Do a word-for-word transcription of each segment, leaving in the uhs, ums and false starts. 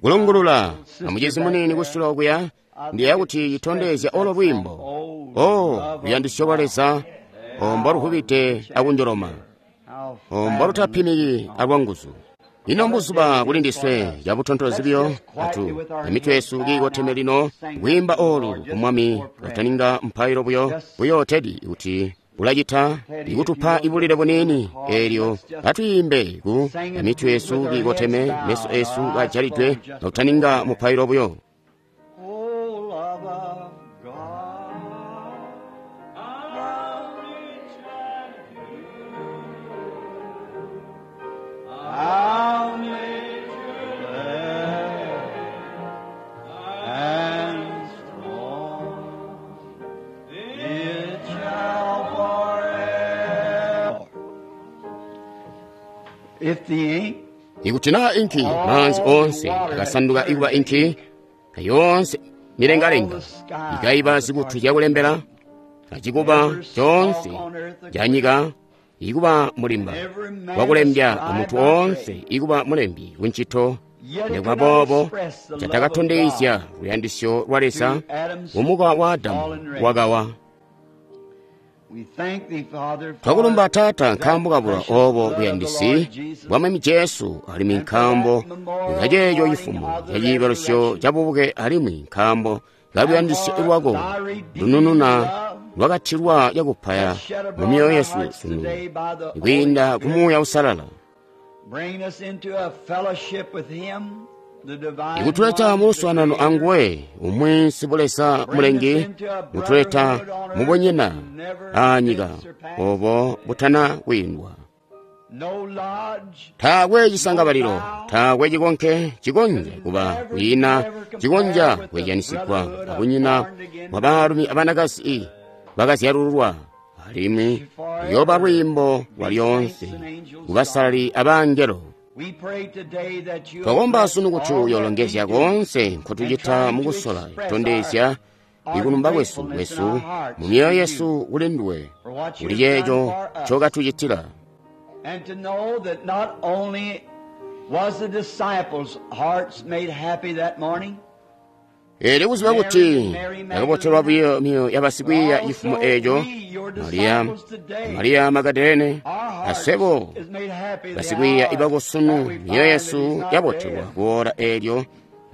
Kulungulula amucizi muniini kusula okuya, ndiyeeya kuti citondezya olo lwiimbo. O luyandisyo lwa Leza, o mboluvubide akunjoloma, o mbolutapimiki alwanguzu. Ino mbuzuba kuli ndiswe cabutontozi buyo atu emitwe yesu kiikoteme lino kwiimba olu ku Mwami kataninga mpailo buyo buyo Teddy kuti ulacita ikutupa ibulile buniini eelyo atwiimbe ku emitwe yesu kiikoteme meso esu kajalidwe kataninga mupailo buyo. How nature and strong, it shall forever. If the ink Ikuti naa inki maanzi oonse akasanduka ikuba inki, yoonse milengalenga ikaiba zikutu zyakulembela, acikuba coonse canyika ikuba mulimba wakulembya amuntu oonse ikuba mulembi kuncito. Nikuba boobo catakatondezya luyandisyo lwa Leza kumuka wa Adamu wakawa. we thank thee, Father, for Twakulumba Taata nkaambo kabula that obo precious blood of the buyandisi Lord Jesus, bwa Mwami Jesu alimwi nkaambo kaceeco cifumo ca ciibalusyo ca bubuke alimwi nkaambo ka luyandisyo lwako lunununa lwakatilwa cakupaya shed mu abroad myoyo our yesu hearts sunu today by the Holy kwiinda ku Spirit, Muuya Uusalala bring us into a fellowship with Him, the divine ikutuleta one, mu the luswaanano Creator. anguwe umwi sibulesa Bring us mulengi into a mutuleta brotherhood on earth mubunyina that never aanyika been surpassed. obo butana kwiindwa. No lodge, Taakwe cisangabalilo, taakwe cikonke cikonzya kuba kwiina cikonzya kwezyanisigwa abunyina bwa baalumi abanakazi bakazyalululwa, alimwi luyooba lwiimbo lwa lyoonse kubasalali abangelo. we pray today that you Twakomba bless sunu kuti all that we uyolongezya do koonse and nkotucita trying to mukusola express kutondezya our, our ikulumba kwesu gratefulness in kwesu our hearts mu to myoyo you yesu kuli nduwe for what kuli you have done ceeco for us. ncokatucitila. And to know that not only was the disciples' hearts made happy that morning, Eelyo kuziba Mary kuti and Mary yakabotelwa Magdalene, buyo myoyo but yabasikwiiya cifumo also eeco we, your Mariya, disciples today, Mariya Magadalene our hearts asebo is made happy the basikwiiya hour ibako that sunu we myoyo find that he's yesu not yabotelwa dead, kuola eelyo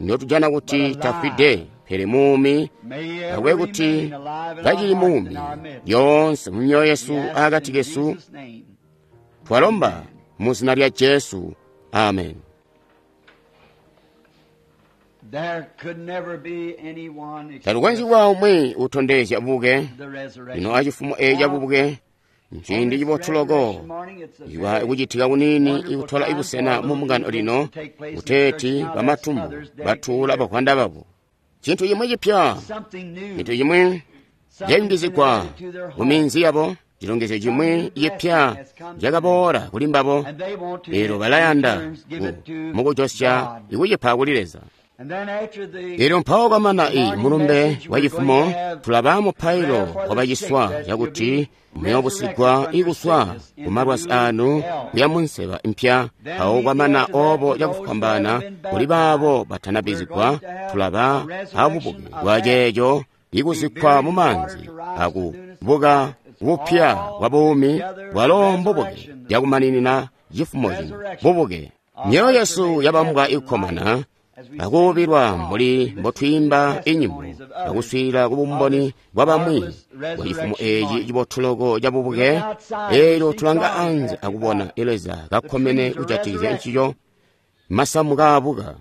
ndotujana but kuti tafwide alive. pele muumi May he ever akwe kuti remain alive in our kacili hearts muumi and our midst. lyoonse mu myoyo We yesu ask it akati in kesu. Jesus' name. Twalomba Amen. mu zina lya Jesu, amen. There could never be anyone Talukonzyi express kuba umwi utondezya bubuke the lino resurrection. acifumo eeci ca Now, bubuke on nciindi this cibotu loko resurrection morning, it's a iwa very ikucitika kuniini wonderful ikutola time for ibusena a mu little mbungano event lino to take place in the church. kuteeti Now that's bamatumbu mothers dedicating batuula their bavwanda babo. Cintu cimwi cipya, something new, cintu cimwi something's been cayungizigwa added to their mu home, minzi yabo, chilongezyo some chimwi new blessing cipya has come to them, cakaboola kuli mbabo, and they want to lero in balayanda turns give ku it to mukujosya God. ikucipa kuli Leza. And then after the Elyo mpawo kwamana i morning mulumbe message, wa we're going to cifumo have tulaba mupailo prayer for wa the sick baciswa that you'll cakuti be resurrected muyoobusigwa from your ikuswa sickness ku into malwazi new anu health. kuya mu nseba impya. Then Mpawo immediately kwamana after that, obo to those who cakufwambaana haven't been kuli baabo baptized, we're batanabizigwa going to have tulaba a resurrection abubuke of bwa that ceeco be ikuzikkwa buried mu in water maanzi to rise to newness of akubuka life. It's bupya all bwa buumi together bwalo mbubuke resurrection, cakumaninina cifumo cino resurrection. bubuke. Our Myoyo hearts are yesu made yabambwa happy and light ikukkomana as we sing akuubilwa the mbuli songs and listen to the mbotwiimba inyimbo testimonies of others akuswiilila ku of bumboni this bwa bamwi marvelous bwa cifumo resurrection eeci morning. cibotuloko ca We look bubuke. outside and Eelyo see tulanga God anze passing akubona by. Leza The kakkomene trees are kujatikizya resurrected. ncico masamu kaabuka.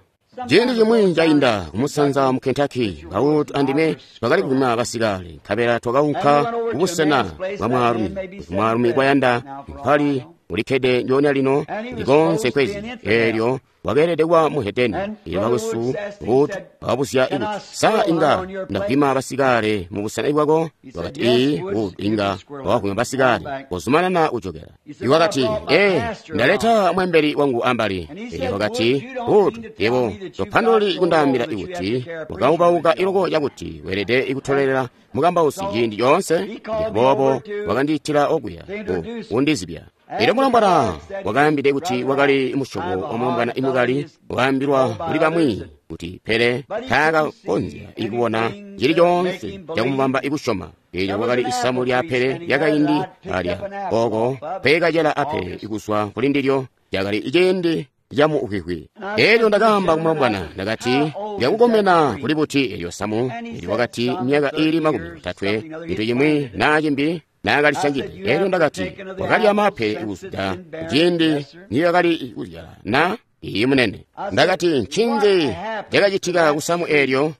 Ciindi Some time cimwi ago down cainda in kumusanza Kentucky, mu Kentucky, Mister Bawutu Woods and I andime were twakali squirrel kupima hunting. basikale nkabela And we twakaunka went over to a kubusena man's place. bwa That man mwaalumi may be kuti mwaalumi seventy kwayanda now for all I mpali know. ulikkede njoonya lino And he was likonse supposed to be nkwezi an infidel. eelyo wakeelede kuba muhedeni. And Eelyo Brother bakwesu Woods asked, he Wood said, wakabuzya Can I ikuti sa squirrel hunt inga on your place? ndavwima basikale mu busena bwako? He said, Wakati Yes, ii Woods, Wood you inga can squirrel hunt. wakavwima Come on basikale back. kozumanana kuchokera. He said, Well, I Iwakati brought my ee pastor along. ndaleta mwembeli wangu ambali. And he Eelyo said, Woods, wakati you don't Wood mean to tell yebo me that you've got topandululi so low kundaambila that you have to ikuti carry a preacher with wakaubauka you all iloko the time. cakuti weelede ikutolelela mukambausi So ciindi coonse. he called me Ndiboobo over to, wakandiitila okuya to introduce kundizibya. Elyo mulombwana wakaambide kuti wakali musyobo wa mulombwana imukali, wakaambilwa kuli bamwi kuti pele taakakonzya ikubona cili coonse cakumubamba ikusyoma. Elyo kwakali isamu lya apele lyakaindi alya oko peekacela apele ikuzwa kuli ndilyo, cakali ciindi camukwikwi. Elyo ndakaamba kumulombwana, ndakati, lyakukomena kuli buti elyo samu? Elyo wakati, myaka iili makumi otatwe, cintu cimwi naa cimbi naakalisangide. Elyo ndakati, wakalya maape kuzwida ciindi niyakali kuzyala na? Iiyi munene. Ndakati, ncinzi cakacitika kusamu eelyo?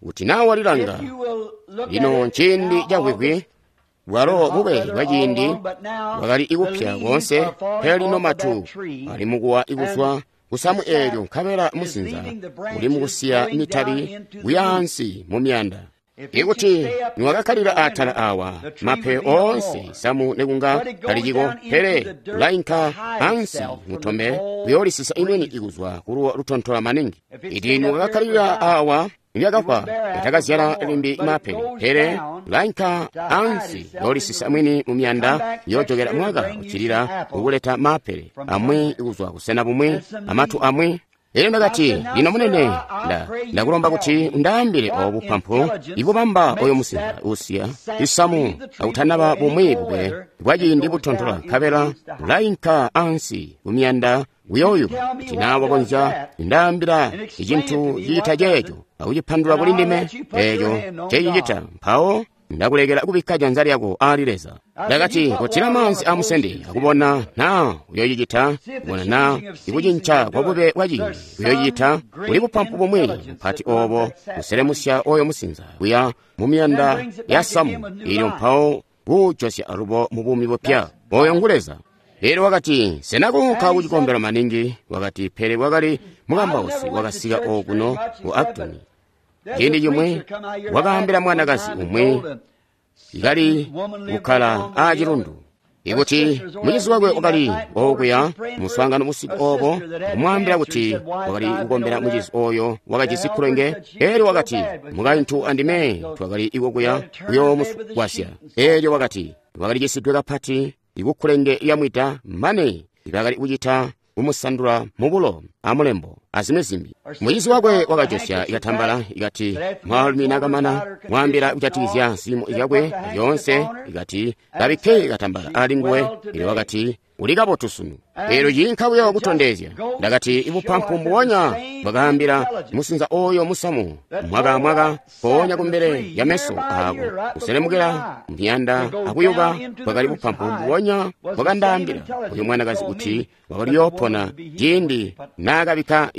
Kuti naa walilanga lino nciindi cakwikwi, bwalo bube bwaciindi bwakali ikupya koonse, pele lino matu ali mukuwa ikuzwa kusamu eelyo, nkabela musinza uli mukusiya mitabi kuyaansi mu miyanda. Ikuti niwakakkalila atala awa mape oonse samu nekunga taliciko, pele ulainka ansi mutombe kuyoolisisa imweni ikuzwa kuluwo lutontola maningi. Iti niwakakkalila awa lyakafwa yatakazyala limbi mape, pele ulainka ansi yoolisisa mwini mu miyanda, yoojokela mwaka uccilila ukuleta mapele amwi ikuzwa kusena bumwi amatu amwi. Elyo ndakati, lino munene, nda ndakulomba kuti undaambile obu bupampu ibubamba oyo musinza usiya isamu akutanaba bumwi bube bwaciindi butontola, nkabela ulainka ansi ku miyanda kuyooyuba. Kuti naa wakonzya kundaambila icintu ciita ceeco akucipandulula kuli ndime, eeco ncecicita, mpawo ndakulekela kubikka janza lyako aali Leza. Ndakati, kotila maanzi amusende akubona naa uyoocicita, kubona naa ikucinca kwa bube bwaciindi uyoocicita. Kuli bupampu bumwi bupati oobo buselemusya oyo musinza kuya mu miyanda ya samu eelyo, mpawo kuujosya alubo mu buumi bupya. Oyo ngu Leza. Elyo wakati, sena kuunka kucikombelo maningi? Wakati, pele wakali mukambausi wakasika okuno ku Acton. Ciindi cimwi wakaambila mwanakazi umwi ikali kukkala aacilundu ikuti mucizi wakwe wakali okuya muswaangano busiku obo, kumwaambila kuti wakali kukombela mucizi oyo wakajisi kkulenge. Elyo wakati, mukaintu andime twakali ikokuya kuyoomugwasya. Elyo wakati wakali cisidwe kapati ikukkulenge lyamwida mane ibakali kucita kumusandula mubulo amulembo azimwi zimbi. Mucizi wakwe wakajosya ikatambala ikati mwaalumi nakamana mwaambila kujatikizya ziimo zyakwe zyoonse, ikati kabikke katambala ali nguwe. Elyo wakati, uli kabotu sunu. Elyo ciinka buyo kutondezya. Ndakati, ibupampu mbubonya bwakaambila musinza oyo musamu mwaka mwaka mpoonya kumbele ya meso aako kuselemukila miyanda akuyuba, bwakali bupampu mbubonya bwakandaambila uyu mwanakazi kuti wakali yoopona ciindi naakabikka.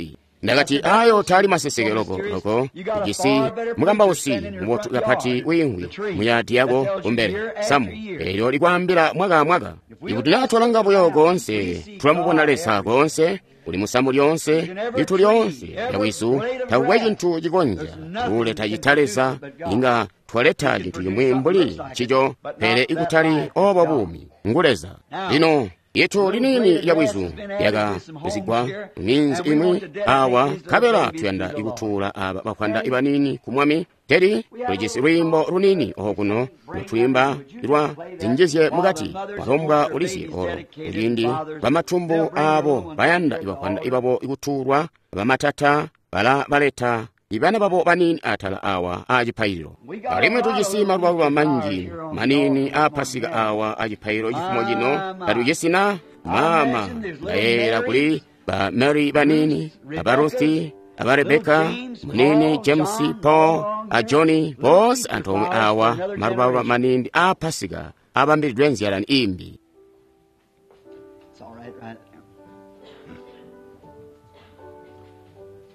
Ndakati, ayo taali maseseke loko loko ujisi mukambausi mubotu kapati wiimvwi muyadi yako kumbele samu eelyo likwaambila mwaka mwaka. Ikuti natwalanga buyo koonse tulamubona Leza koonse, uli musamu lyoonse, litu lyoonse lyabwizu, takukwe cintu cikonzya kuleta cita Leza. Inga twaleta cintu cimwi mbuli ncico, pele ikutali obo buumi ngu Leza. Lino yetu liniini lyabwizu lyakazigwa minzi imwi awa, nkabela tuyanda ikutuula aba bakwanda ibanini ku Mwami. Teri tulijisi lwiimbo lunini okuno lutwiimba lwa zinjizye mukati walombwa ulizye olo kuciindi bamatumbu aabo bayanda ibakwanda ibabo ikutuulwa, bamatata bala baleta ibana babo banini atala awa acipaililo. Alimwi tujisi malubaluba manji manini a Pasika awa acipaililo cifumo cino. Tatujisi na mama ndayeeyela kuli ba Mary banini, aba Ruthi, aba Rebeka munini, James, Paul a Johnny, bonse antoomwe awa malubaluba manini a Pasika abambilidwe nzyalani imbi.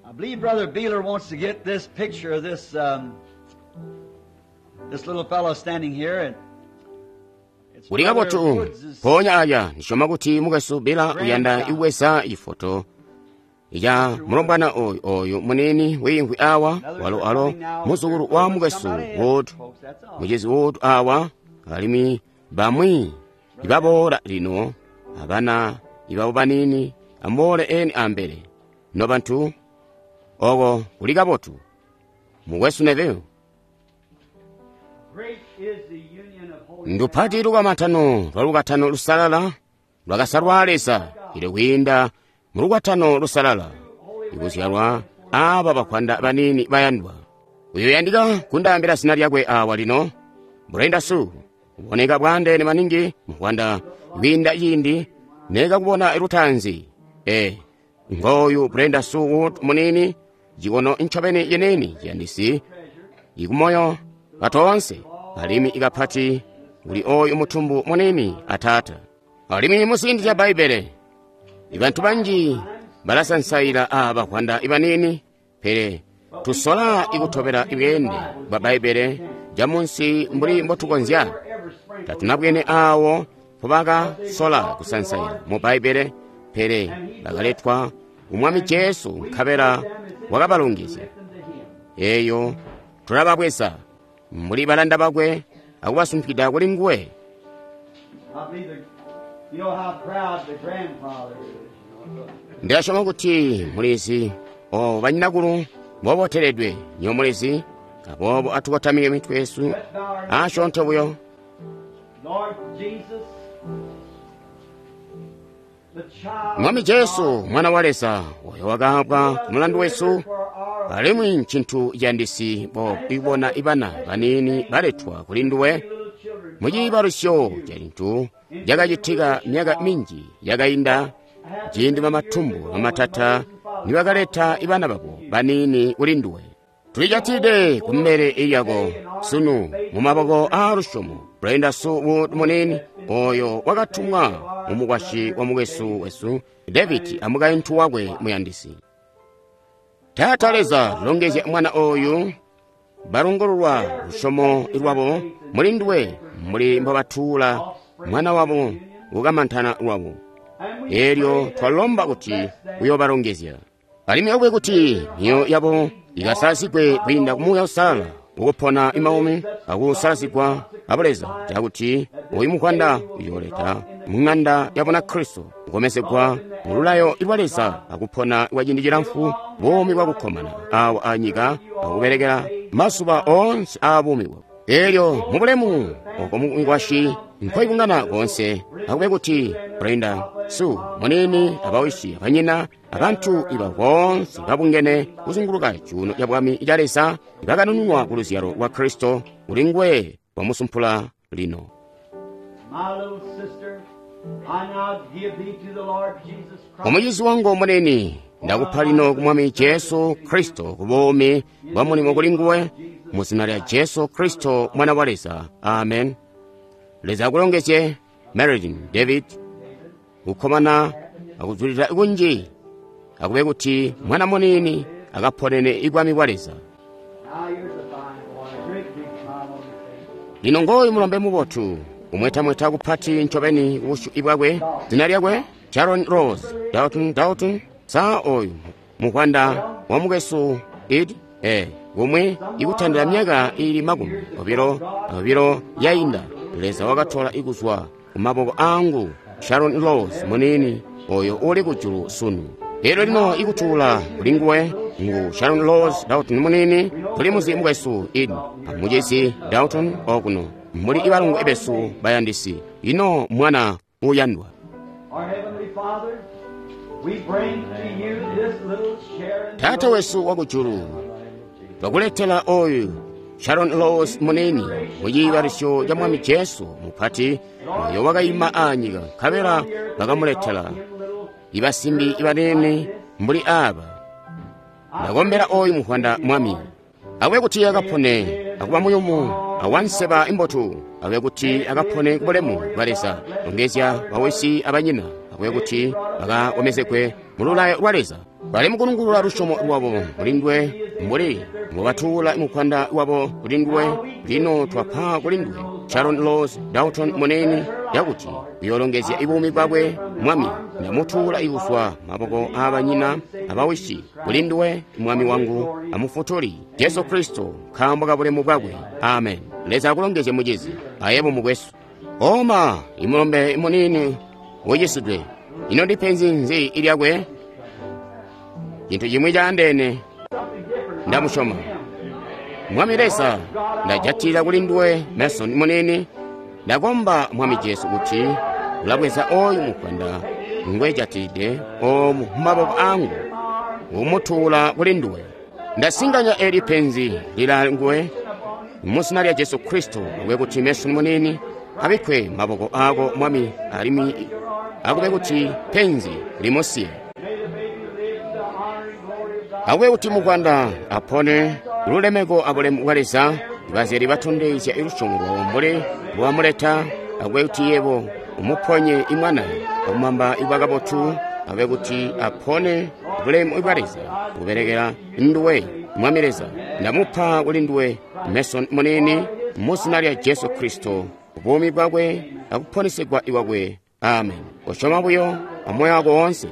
I believe Brother Beeler wants to get this picture of this um, this little fellow standing here, and it's Uli Brother kabotu Woods' mpoonya aya ndisyoma kuti mukwesu Beeler uyanda iweza ifoto ya mulombwana oyu oyu munini wiimvwi awa, walo alo muzukulu wa mukwesu Wood, mucizi Wood awa, alimwi bamwi ibaboola lino abana ibabo banini amuboole eni ambele nobantu. Oko kuli kabotu mukwesu Neville. Great is the union of holy Ndupati lukamantano lwa lukatano lusalala lwakasalwa Leza ili kwiinda mu lukwatano lusalala ikuzyalwa aaba bakwanda baniini bayandwa. Uyoyandika kundaambila zina lyakwe awa lino, Brenda Sue, uboneka bwandeene maningi mukwanda kwiinda ciindi nekakubona lutaanzi. E, ngoyu Brenda Sue Wood munini, cikono ncobeni yeneni ciyandisi ikumoyo batoonse, alimwi ikapati kuli oyu mutumbu munini ataata. Alimwi muziindi zya Bbaibbele, ibantu banji balasansaila aaba kwanda ibanini, pele tusola ikutobela ibweende bwa Bbaibbele jamunsi mbuli mbotukonzya. Tatunabwene awo mpobakasola kusansaila mu Bbaibbele, pele bakaletwa ku Mwami Jesu nkabela wakabalongezya. Eyo tulababweza mbuli balanda bakwe akubasumpikida kuli nguwe. Ndilasyoma kuti mulizi o banyinakulu mboboteledwe nyo mulizi, aboobo atukotamike mitwe yesu asyoonto buyo. Mwami Jesu, Mwana wa Leza, oyo wakaabwa ku mulandu wesu, alimwi ncintu ciyandisi bo ibona ibana baniini baletwa kuli nduwe mu ciibalusyo ca cintu cakacitika myaka minji yakainda, ciindi bamatumbu bamatata nibakaleta ibana babo baniini kuli nduwe. Tulijatide kumbele lyako sunu mu maboko aa lusyomo. Brenda Sue Wood munini oyo wakatumwa mu mukwasyi wa mukwesu wesu David amukaintu wakwe muyandisi. Taata Leza, longezya mwana oyu, balongololwa lusyomo lwabo muli nduwe mbuli mbobatuula mwana wabo kukamantana lwabo. Elyo twalomba kuti uyobalongezya. Alimwi akube kuti myoyo yabo ikasalazigwe kwiinda ku Muuya Uusalala ukupona imaumi akusalazigwa abuleza, cakuti oyu mukwanda uyooleta mu ng'anda ya Bunakristo kukomezegwa mu lulayo lwa Leza akupona kwa ciindi cilamfu buumi bwakukkomana awa anyika akubelekela mazuba oonse aabuumi bwabo. Elyo mubulemu oko mukwasyi nkoibungana koonse, akube kuti Brenda Sue munini abawisi abanyina abantu iba boonse babungene kuzunguluka cuuno ca bwami ca Leza bakanununwa ku luzyalo lwa Kristo kuli nguwe wamusumpula lino. Omucizi wangu munini, ndakupa lino ku Mwami Jesu Kristo ku buumi bwa mulimo kuli nguwe, mu zina lya Jesu Kristo Mwana wa Leza. Amen. Leza akulongezye Marilyn David, kukkomana akuzulila kunji, akube kuti mwana munini akaponene ibwami bwa Leza. Lino ngoyu mulombe mubotu, umwetamweta kupati ncobeni kubusyu bwakwe. Zina lyakwe Sharon Rose Dalton Dalton. Sa oyu mukwanda wa mukwesu Ed eh kumwe ikutandila myaka ili makumi obilo obilo yainda, Leza wakatola ikuzwa ku maboko angu Sharon Rose munini oyo uli kujulu sunu. Elyo lino ikutuula kuli nguwe ngu Sharon Rose Dalton munini, tuli muzi mukwesu Ed amucisi Dalton okuno muli ibalungu ebesu bayandisi. Ino mwana uyandwa. Taata wesu wakujulu, twakuletela oyu Sharon Rose munini mu ciibalusyo ca Mwami Jesu mupati oyo wakayima anyika, nkabela bakamuletela ibasimbi ibanene mbuli aba. Ndakombela oyu muhwanda Mwami, akube kuti akapone akuba muyumu awanseba imbotu, akube kuti akapone kubulemu bwa Leza. Longezya bawisi abanyina, akube kuti bakakomezegwe mu lulayo lwa Leza. Bali mukulungulula lusyomo lwabo kuli nduwe mbuli mbobatuula mukwanda wabo kuli nduwe. Lino twapa kuli nduwe Sharon Rose Dalton munene, yakuti uyoolongezya ibuumi bwakwe Mwami. Ndamutuula ikuzwa maboko aabanyina abawisi kuli nduwe Mwami wangu amufutuli Jesu Kristo, nkaambo ka bulemu bwakwe. Amen. Leza akulongezye mucizi ayebo mukwesu. Oma imulombe munini ucisidwe, ino ndipenzi nzi ilyakwe? Cintu cimwi caandeene. Ndamusyoma Mwami Leza, ndajatila kuli nduwe Mason munini. Ndakomba Mwami Jesu kuti Ulabweza oyu muvwanda ngwejatide omu mumaboko angu, umutuula kuli nduwe. Ndasinganya eli penzi lila nguwe muzina lya Jesu Kristo, akube kuti Mason munini abikkwe maboko ako Mwami, alimwi akube kuti penzi limusiye. Akube kuti muvwanda apone lulemeko abulemu bwa Leza. Bazyali batondezya lusyomo lwabo mbuli mbwamuleta. Akube kuti yebo umuponye imwana akumwamba ibwa kabotu. Akube kuti apone bulemu bwa Leza kubelekela nduwe Mwami Leza. Ndamupa kuli nduwe Mason munini muzina lya Jesu Kristo, buumi bwakwe akuponesegwa iwakwe. Amen. Kosyoma buyo amoyo wako woonse.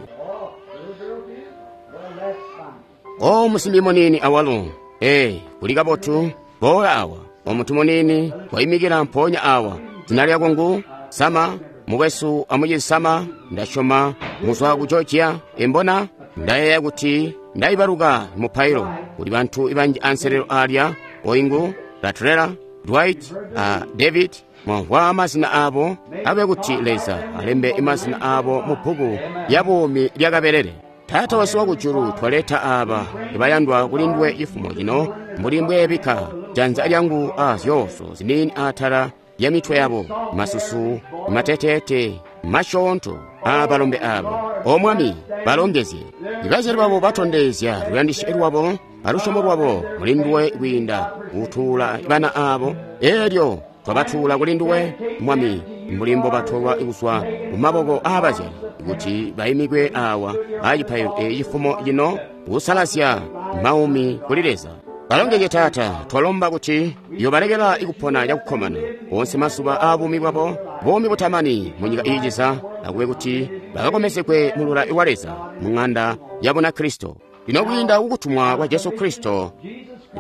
O musimbi munini awalo, ee, kuli kabotu. Boola awa, omuntu munini wayimikila mpoonya awa. Zina lyako ngu Sama, mukwesu amucizi Sama. Ndasyoma muzwa ku Georgia. Embona ndayeeya kuti ndayibaluka mupailo kuli bantu banji anselelo alya oingu Latrella, Dwight a David. Mwamvwa mazina abo. Abe kuti Leza alembe mazina abo mu bbuku lya buumi lya kabelele. Taata wesu wakujulu, twaleta aba ibayandwa kuli nduwe ifumo lino, mbuli mbweebika janza lyangu a zyooso ziniini atala ya mitwe yabo, masusu mateteete masyoonto a balombe abo. O Mwami, balongezye. Ibazyali babo batondezya luyandisyo lwabo alusyomo lwabo muli nduwe kwiinda kutuula bana abo. Elyo twabatuula kuli nduwe Mwami, mbuli mbo batolwa kuzwa mu maboko aabazyali kuti bayimikwe awa acipaililo ecifumo cino kusalazya maumi kuli Leza. Balongezye Taata, twalomba kuti yobalekela ikupona cakukkomana onse mazuba aabuumi bwabo, buumi butamani mu nyika iiciza, akube kuti bakakomezekwe mu lulayo lwa Leza mu ng'anda ya Bunakristo. Lino kwiinda kukutumwa kwa Jesu Kristo,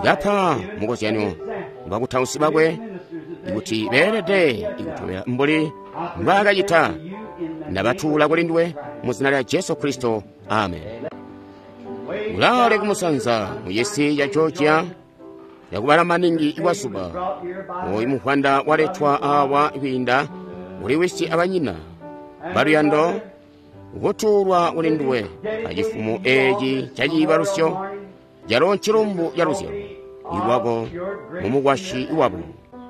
kapa mukozyanyo bakutausi bakwe kuti beelede ikutobela mbuli mbwaakacita. Ndabatuula kuli nduwe mu zina lya Jesu Kristo, amen. Ulale kumusanza mu cisi ca Georgia yakubala maningi ikwasuba. Oyu muvwanda waletwa awa kwiinda kuli wisi abanyina baluyando, kutuulwa kuli nduwe acifumo eci caciibalusyo calo ncilumbu ca luzyalo iwako mumukwasyi wabo.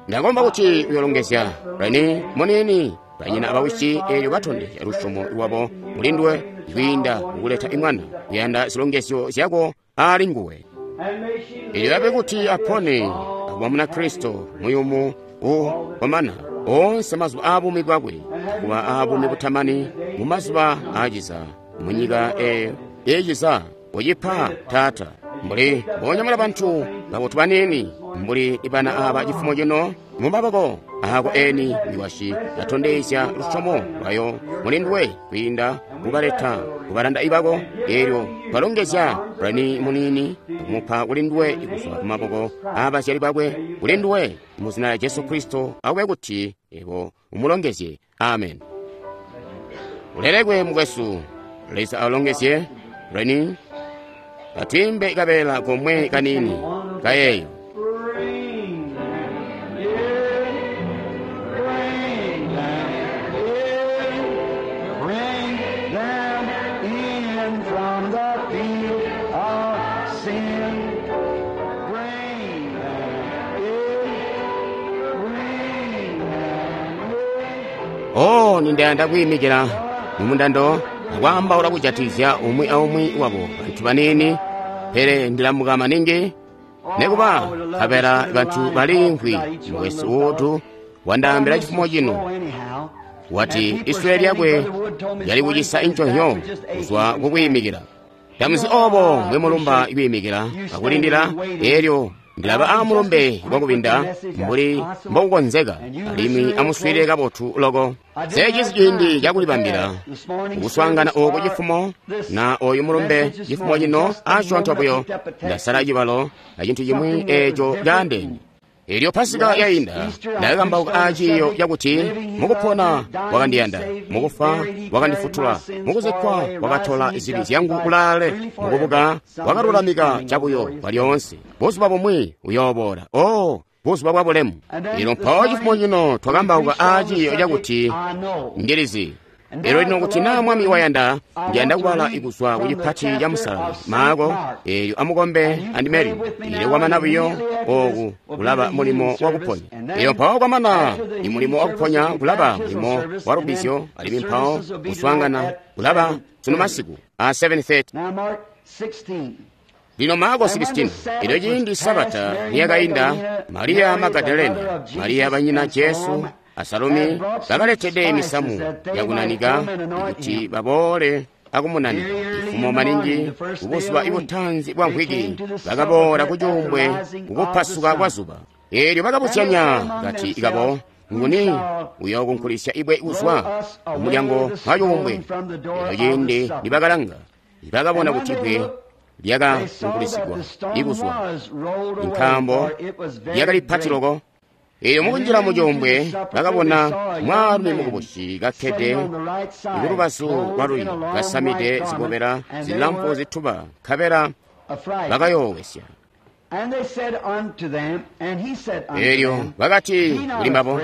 Ndakomba kuti uyolongezya Reni munini, banyina abawisi, elyo batondezya lusyomo lwabo muli nduwe kwiinda kukuleta imwana kuyanda zilongezyo zyako ali nguwe. Elyo abe kuti apone akuba Munakristo muyumu ukomana onse mazuba aabuumi bwakwe, kuba aabuumi butamani mu mazuba aaciza mu nyika eyo eciza. Ucipa Taata, mbuli mbonyamula bantu babotu banini mbuli ibana aba cifumo cino mu maboko ako eni mikwasyi atondezya lusyomo lwayo muli nduwe kwiinda kubaleta kubalanda ibako. Elyo twalongezya Reni munini akumupa kuli nduwe kuzwa ku maboko abazyali bakwe kuli nduwe mu zina lya Jesu Kristo, akube kuti ebo umulongezye. Amen. Ulelekwe mukwesu. Leza alongezye Reni. Atwimbe kabeela komwe kanini kayeyo. Bring them in, bring them in, bring them in from the field of sin. Bring them in, bring them in. Oh, nindayanda kuyimikira mumundando akwaambaula kujatizya umwi aumwi wabo bantu banini, pele ndilamuka maningi nekuba kapela bantu balimvwi. Mukwesu wotu wandaambila chifumo chino, wati isule lyakwe lyali kucisa inchonyo kuzwa kukuyimikira. Tamuzi obo mbwe mulumba ikuyimikira akulindira, elyo ndilaba amulumbe wakubinda mbuli mbokukonzeka, alimwi amuswile kabotu loko. Sechisi ciindi cakulibambila kuswaangana oku cifumo na oyu mulumbe cifumo cino asyoonto buyo. Ndasala cibalo acintu cimwi eco caandeene. Elyo Pasika yainda ndakakambauka aaciiyo cakuti mukupona wakandiyanda, mukufa wakandifutula, mukuzikkwa wakatola zibi zyangu kulaale, mukubuka wakalulamika cabuyo kwalyoonse. Buzuba bumwi uyooboola, oh, buzuba bwa bulemu. Lino mpawo cifumo cino twakambauka aaciiyo cakuti ndilizi. Elyo lino kuti naa Mwami wayanda, ndiyanda kubala kuzwa ku cipati ca musalali Maako, eelyo amukombe andimeli. Elyo kwamana buyo oku kulaba mulimo wakuponya. Elyo mpawo kwamana imulimo wakuponya kulaba mulimo wa lubbizyo, alimwi mpawo kuswaangana kulaba sunu masiku a seven thirty. Lino Maako sixteen. Elyo ciindi Sabata niyakainda, Mariya Magadalena, Mariya banyina Jesu, a Salome bakaletede misamu yakunanika kuti baboole akumunanika. Ifumo maningi kubuzuba ibutanzi bwa mvwiki bakaboola kucuumbwe kukupasuka kwa zuba. Elyo bakabuzyanya kati ikabo, nguni uyookunkulisya ibwe kuzwa kumulyango wa cuumbwe? Elyo ciindi nibakalanga, bakabona kuti ibwe lyakakunkulisigwa ikuzwa, nkaambo lyakali pati loko. Elyo mukunjila mucuumbwe bakabona mwaalumi mukubusi kakkede kulubazu lwalulyo, kasamide zikobela zilamfu zituba, nkabela bakayoowesya. Elyo bakati kuli mbabo,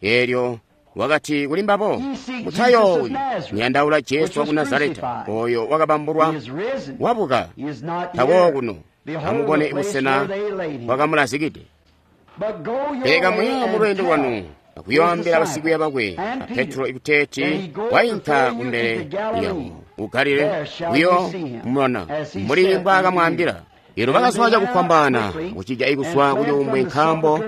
elyo wakati kuli mbabo, mutayoowi, muyandaula Jesu waku Nazareta, oyo wakabambulwa, wabuka, tawo kuno, amubone busena bwakamulazikide. Pele kamuya mulweendo lwanu akuyoambila basikwiiya bakwe a Petro ikuteeti wainka kumbele lyabo ku Galile, kuyo mubona mbuli mbwaakamwaambila. Elyo bakazwa cakufwambaana kucija ikuzwa kucuumbwe, nkaambo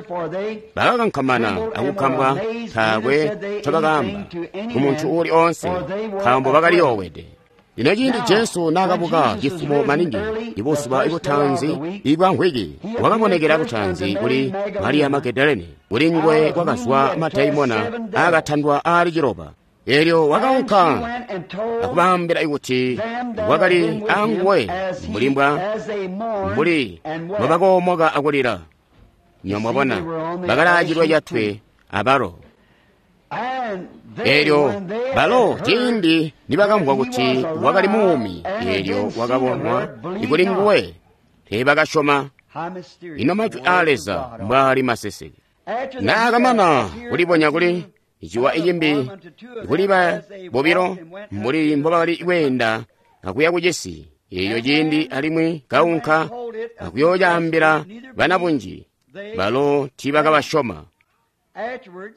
bakakankamana akukambwa, taakwe ncobakaamba kumuntu uuli oonse, nkaambo bakaliyoowede. Lino ciindi Jesu naakabuka cifumo maningi ibuzuba ibutanzi ibwa mvwiki, wakabonekela butanzi kuli Mariya Magadalene, kuli nguwe kwakazwa madaimona aakatandwa aali ciloba. Elyo wakaunka akubaambila kuti wakali anguwe mbuli mbwa mbuli mbwabakoomoka akulila. Nyo mwabona bakalaacilwa catwe abalo. Elyo balo ciindi nibakamvwa kuti wakali muumi, elyo wakabonwa ikuli nguwe, teebakasyoma. Ino majwi aa Leza mbwaali maseseke. Naakamana kulibonya kuli ciwa icimbi kuli ba bobilo mbuli mbobakali kweenda akuya kucisi, elyo ciindi alimwi kaunka akuyoocaambila banabunji, balo tiibakabasyoma.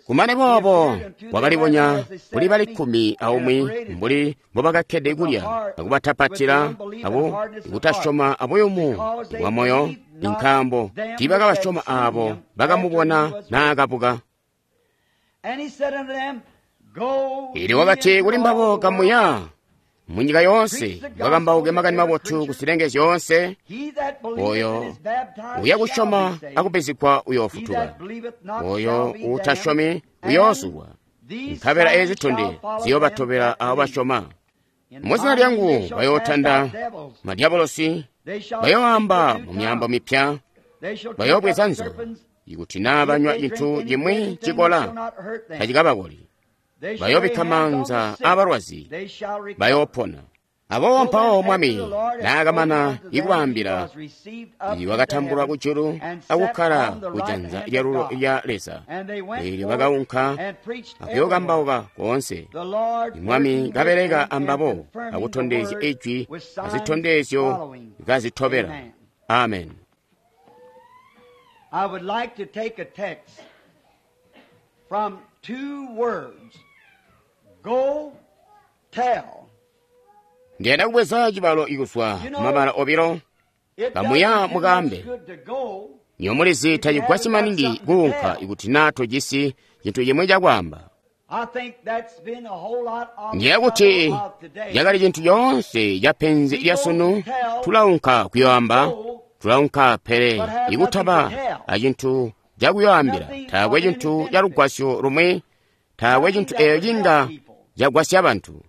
Kumane boobo wakalibonya kuli bali kkumi aumwi mbuli mbobakakkede kulya akubatapatila abo kutasyoma abuyumu bwa moyo, nkaambo tiibakabasyoma aabo bakamubona naakabuka. Elyo wakati kuli mbabo, kamuya munyika yoonse mukakambauke makani mabotu kuzilenge zyoonse. Oyo uya kusyoma akubbizigwa uyoofutuka, oyo uutasyomi uyoozulwa. Nkabela ezi zitondezyo ziyoobatobela abo basyoma. Muzina lyangu bayootanda madyabolosi, bayooamba mu myaambo mipya, bayoobweza nzoka, ikuti naa banywa cintu cimwi cikola tacikabakoli, bayoobikka maanza aabalwazi, bayoopona. Aboobo mpawo Mwami naakamana ikubaambila, wakatambulwa kujulu akukkala kujanza lyalulo lya Leza. Eelyo bakaunka akuyookambauka koonse. Mwami kabeleka ambabo akutondezya ijwi azitondezyo kazitobela. Amen. I would like to take a text from two words. Go tell. Ndiyanda kubweza cibalo ikuzwa mabala obilo, kamuya mukaambe. Nyomulizi tacigwasyi maningi kuunka ikuti naa tojisi cintu cimwi cakwaamba. Ndiye kuti cakali cintu coonse ca penzi lya sunu, tulaunka kuyoamba, tulaunka pele ikutaba acintu cakuyoambila, taakwe cintu ca lugwasyo lumwi, taakwe cintu eeyo cinga cagwasya bantu.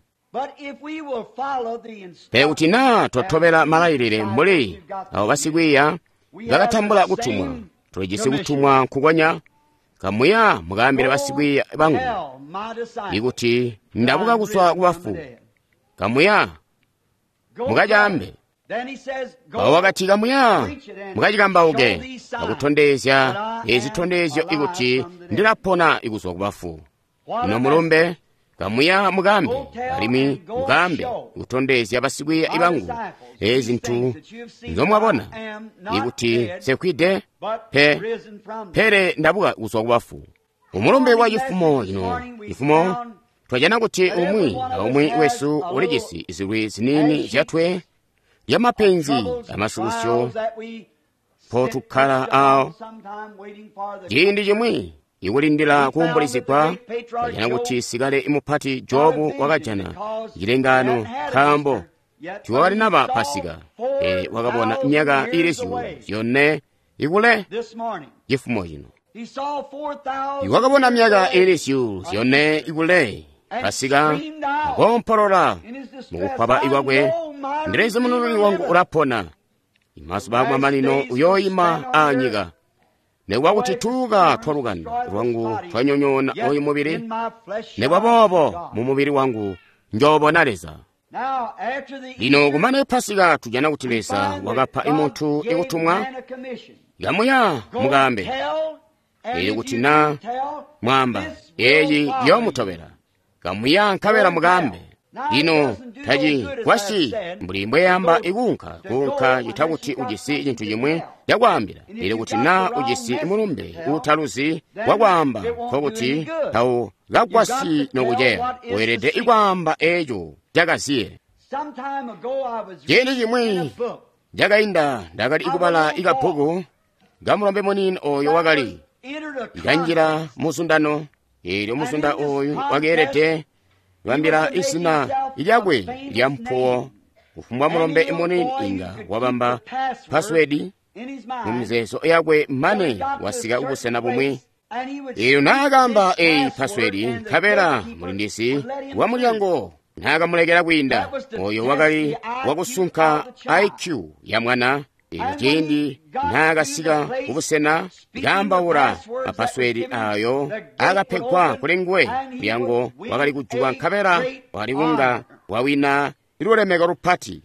Pele kuti naa twatobela malailile mbuli abo basikwiiya bakatambula kutumwa, tulijisi kutumwa nkukonya, kamuya mukaambile basikwiiya bangu ikuti ndabuka kuzwa kubafu, kamuya mukacaambe. Mpawo wakati, kamuya mukacikambauke akutondezya ezitondezyo ikuti ndilapona ikuzwa kubafu. Ino mulumbe Kamuya mukambe, alimwi mukambe kutondezya basikwiiya bangu ezi zintu nzomwabona, ikuti nsekwide pe, pele ndabuka kuzwa kubafu. Umulumbe wa cifumo cino cifumo twajana kuti umwi aumwi wesu ulijisi zilwi ziniini zyatwe lyamapenzi amasukusyo mpotukkala awo. Ciindi cimwi ikulindila kuumbulizigwa, twajana kuti sikale mupati Jobu wakajana cilengano nkaambo tiwakalinaba Pasika, pele wakabona myaka ili zyuulu zyone ikule cifumo cino. Iwakabona myaka ili zyuulu zyone ikule Pasika, akoompolola mukukwaba ikwakwe, ndilezi munununi wangu ulapona, imazuba akumamanino uyooyima anyika. Nekuba kuti tuuka twa lukanda lwangu twanyonyoona oyu mubili, nekuba boobo mu mubili wangu njoobona Leza. Lino kumane Pasika tujana kuti Leza wakapa imuntu ikutumwa, kamuya mukambe, ili kuti na mwamba eyi yoomutobela, kamuya nkabela mukambe. Lino tacigwasyi mbuli mbweyamba ikuunka kuunka cita kuti ujisi cintu cimwi cakwaambila, ili kuti na ujisi mulumbe uutaluzi wakwaamba, nkokuti tawukagwasyi nokuceya. Weelede ikwaamba eeco cakaziye. Ciindi cimwi cakainda ndakali ikubala ikabbuku kamulombe muniini oyo wakali kanjila muzundano, eelyo muzunda oyu wakeelede kubambila izina lyakwe lya mpuwo. Kufumbwa mulombe muniini inga wabamba pasiwedi mu mizeezo yakwe mane wasika kubusena bumwi. Eelyo naakamba eyi pasiwedi, nkabela mulindizi wa mulyango naakamulekela kwiinda, oyo wakali wakusunka I Q ya mwana. Eelyo ciindi naakasika kubusena kaambaula mapaswedi ayo akapegwa kuli nguwe, mulyango wakali kujuka nkabela wakali kunga wawina lulemeko lupati.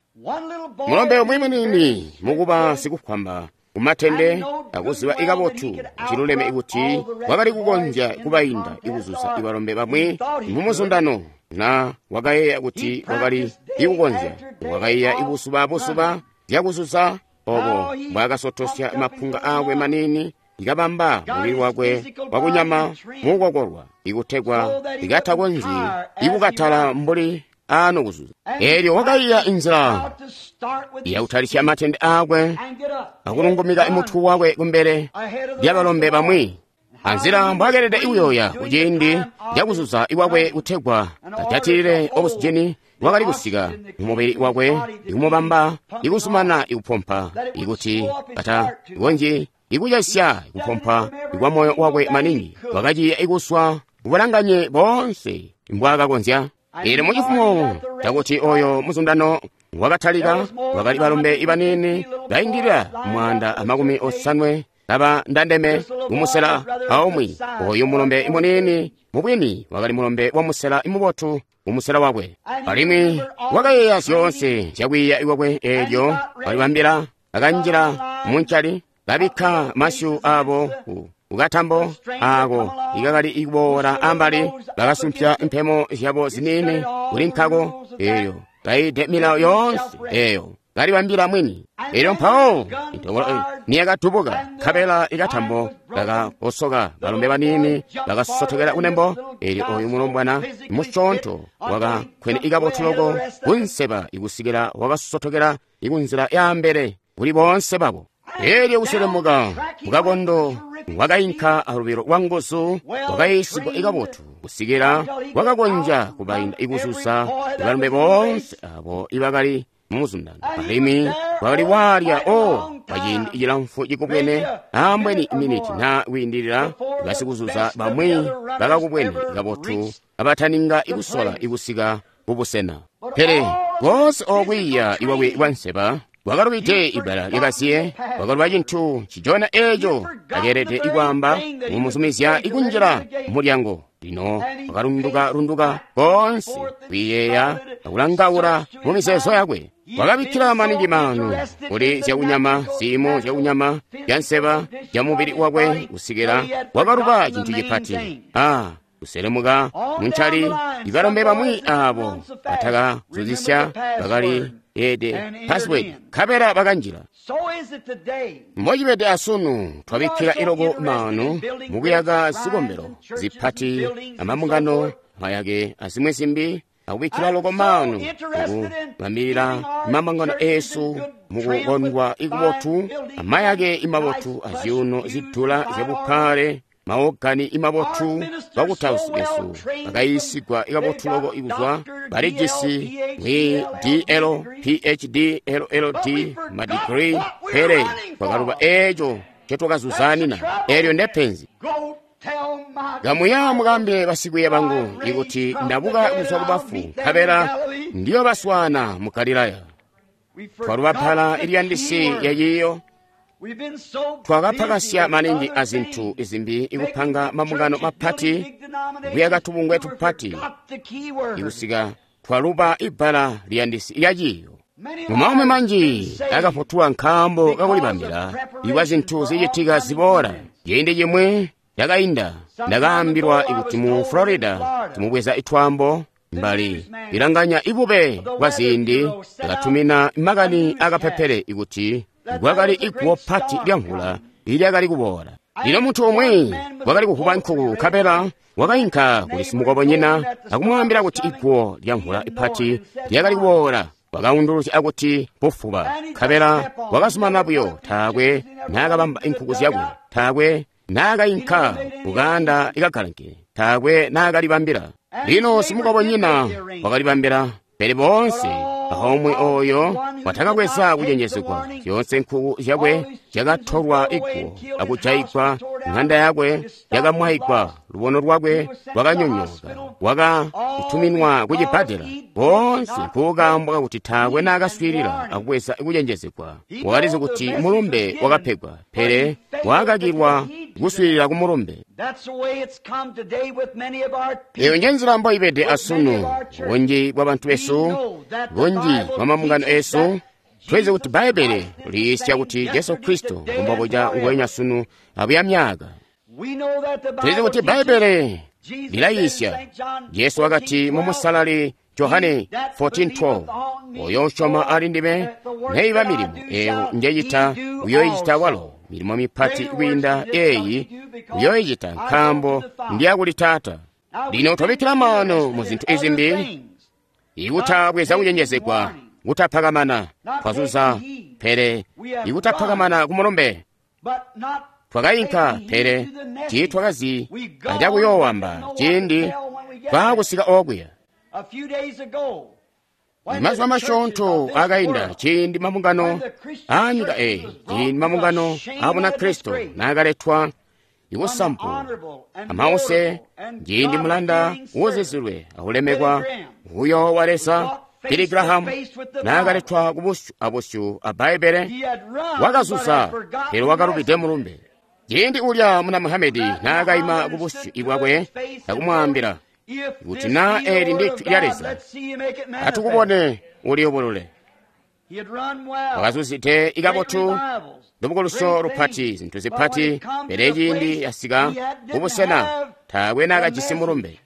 Mulombe umwi muniini mukuba sikukwamba kumatende akuziba ikabotu ciluleme ikuti wakali kukonzya kubainda ikuzuza ibalombe bamwi mumuzundano, na wakayeeya kuti wakali ikukonzya. Wakayeeya ibusuba busuba zyakuzuza obo mbwaakasotosya mapunga aakwe maniini ikabamba mubili wakwe wakunyama mukukokolwa ikutegwa ikatakonzyi ikukatala mbuli ano kuzuza. Eelyo wakaiya inzila yakutalisya matende aakwe akulungumika mutwe wakwe kumbele lyabalombe bamwi, anzila mbwakeelede ikuyoya kuciindi cakuzuza ikwakwe kutegwa ajatilile okusijeni wakali kusika mumubili wakwe ikumubamba ikusumana ikupompa ikuti katakonzyi ikucesya ikupompa ikwa moyo wakwe maningi. Wakaciya ikuswa kubulanganye boonse mbwaakakonzya. Eelyo mucifumo cakuti oyo muzundano wakatalika, wakali balombe ibaniini baindilila mwaanda amakumi osanwe kaba ndandeme mumusela aumwi. Oyu mulombe muniini mubwini wakali mulombe wa musela mubotu mumusela wakwe, alimwi wakayeeya zyoonse zyakwiiya ikwakwe. Eelyo walibambila akanjila muncali, kabikka masyu abo kukatambo ako ikakali ikuboola ambali, bakasumpya mpemo zyabo ziniini kuli nkako. Eelyo kaide milawo yoonse eyo kalibambila mwini. Eelyo mpawo intobolo niyakatubuka, nkabela ikatambo kakakosoka, balombe baniini bakasotokela kunembo. Eelyo oyu mulombwana musyoonto wakakkwene ikabotu loko kunseba ikusikila wakasotokela ikunzila yaambele kuli boonse babo. Eelyo kuselemuka mukakondo wakainka alubilo lwa nguzu, wakayiisigwa ikabotu kusikila wakakonzya kubainda ikuzuza balombe boonse abo ibakali mumuzundano. Alimwi wakali walya o kwaciindi cilamfu cikubwene, ambweni miniti na kwiindilila, basikuzuza bamwi bakakubwene kabotu abataninga ikusola ikusika kubusena. Pele koonse okwiiya iwakwe kwanseba wakalubide ibbala lyakaziye, wakaluba cintu cijona eeco akeelede ikwaamba mumuzumizya ikunjila mulyango. Lino wakalunduka-lunduka koonse kwiiyeeya akulangaula mu mizeezo yakwe. Wakabikkila maningi maanu kuli zyakunyama, ziimo zyakunyama zyanseba zyamubili wakwe kusikila wakaluba cintu cipati. Ah, Kuselemuka muncali, ibalombe bamwi abo batakazuzisya bakali ede password, nkabela bakanjila. Mbocibede asunu, twabikkila iloko maanu mukuyaka zikombelo zipati amambungano mayake azimwi zimbi, akubikkila loko maanu mukubambilila mambungano eesu mukukondwa ikubotu, amayake imabotu azyuuno zidula zyabuphale, maogani imabotu. Bakutausi besu bakayiisigwa ikabotu loko ikuzwa balijisi mwi D L P H D L L D madigiri, pele twakaluba eeco ncotwakazuzanina. Eelyo ndepenzi. Kamuya mukaambile basikwiiya bangu ikuti ndabuka kuzwa kubafu, nkabela ndiyobaswaana mu Galilaya. Twaluba pala iliyandisi yayiyo. Twakapakasya maningi azintu izimbi, ikupanga mambungano mapati, kuyaka tubungwe tupati, ikusika twaluba ibbala liyandisi lyaciyo. Mumaumi manji akafutulwa nkaambo kakulibambila ikwa zintu zicitika ziboola. Ciindi cimwi cakainda ndakaambilwa ikuti mu Florida timubweza itwaambo mbali ilanganya ibube bwa ziindi, yakatumina makani akapepele ikuti kwakali iguwo pati lya mvula ilyakali kuboola. Lino muntu umwi wakali kuvuba nkuku, nkabela wakainka kuli simukobonyina akumwaambila kuti iguwo lya mvula ipati lyakali kuboola. Wakaunduluzya akuti bufuba, nkabela wakazumana buyo, taakwe naakabamba inkuku zyakwe, taakwe naakainka kukaanda ikagalanke, taakwe naakalibambila. Lino simukobonyina wakalibambila, pele boonse ahomwe oyo watakakweza kucenjezegwa. Zyoonse nkuku zyakwe zyakatolwa iguwo akujayigwa, ng'anda yakwe yakamwayigwa, lubono lwakwe lwakanyonyooka, wakatuminwa kucibbadela. Boonse nkukaambwa kakuti taakwe naakaswiilila akubweza kucenjezegwa. Wakalizi kuti mulumbe wakapegwa, pele wakakilwa kuswiilila ku mulumbe. Eyo njenzila mboibede asunu. Bunji bwa bantu besu, bunji bwa mambungano esu, twezi kuti Bbaibele liyiisya kuti Jesu Kristo ngombobuca nguwenya sunu abuya myaka. Twezi kuti Bbaibele lilayiisya. Jesu wakati mu Musalali Johane fourteen twelve, oyo usyoma ali ndime, neiba milimo eyo njecita uyoyicita walo, milimo mipati kwiinda eeyi uyoyicita, nkaambo ndiyakuli Taata. Lino twabikkila maano mu zintu izimbi, ikutabweza kucenjezegwa, kutapakamana, twazuza, pele ikutapakamana ku mulumbe. Twakainka, pele tiitwakazi acakuyoowamba ciindi twaakusika okuya. Mazuba masyoonto akainda ciindi mambungano aanyika eeyi, ciindi mambungano a Bunakristo naakaletwa ikusampu amause, ciindi mulanda uuzizilwe akulemekwa uyoowa Leza Billy Graham naakaletwa kubusyu abusyu a Bbaibbele, wakazuza, pele wakalubide mulumbe. Ciindi ulya muna Muhamedi naakaima kubusyu bwakwe akumwaambila kuti naa eli ndi jwi lya Leza, atukubone uliyubulule. Wakazuzide ikabotu, lubukuluso lupati, zintu zipati, pele ciindi yasika kubusena taakwe naakajisi mulumbe.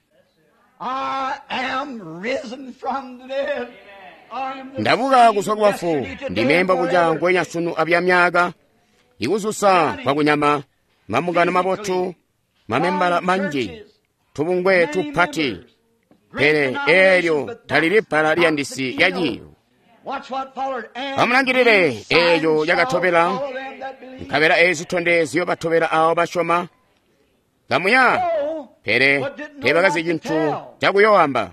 Ndabuka kuzwa kubafu, ndime mbobuca nguwenya sunu abya myaka, ikuzusa kwakunyama, mambungano mabotu, mamembala manji, tubungwe tupati, pele eelyo talili bbala liyandisi lyaciyo. Amulangilile eeyo yakatobela, nkabela eezi zitondezyo batobela aabo basyoma. Kamuya, pele teebakazi cintu cakuyoowamba.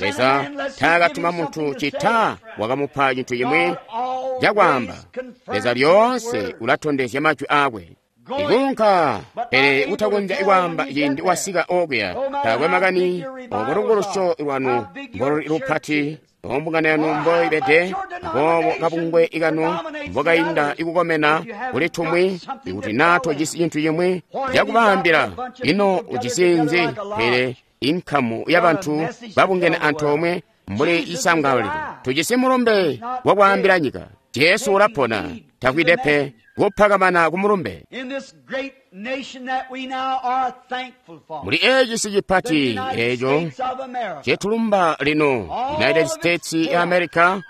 Leza taakatuma muntu cita wakamupa cintu cimwi cakwaamba. Leza lyoonse ulatondezya majwi aakwe. Ikunka, pele kutakonzya kwaamba ciindi wasika okuya. Taakwe makani obo lubukulusyo lwanu mboluli lupati, ombungano yanu mboibede, aboobo kabungwe ikanu mbokainda ikukomena kuli tumwi, ikuti naa tojisi cintu cimwi cakubaambila, ino ujisi nzi? Pele inkamu yabantu babungene antoomwe mbuli isangalilo. Tujisi mulumbe wakwaambila nyika. Jesu ulapona, takwide pe kupakamana ku mulumbe. In this great nation that we now are thankful for, Muli eci si the cipati United eco States of America, cetulumba lino United States ya America and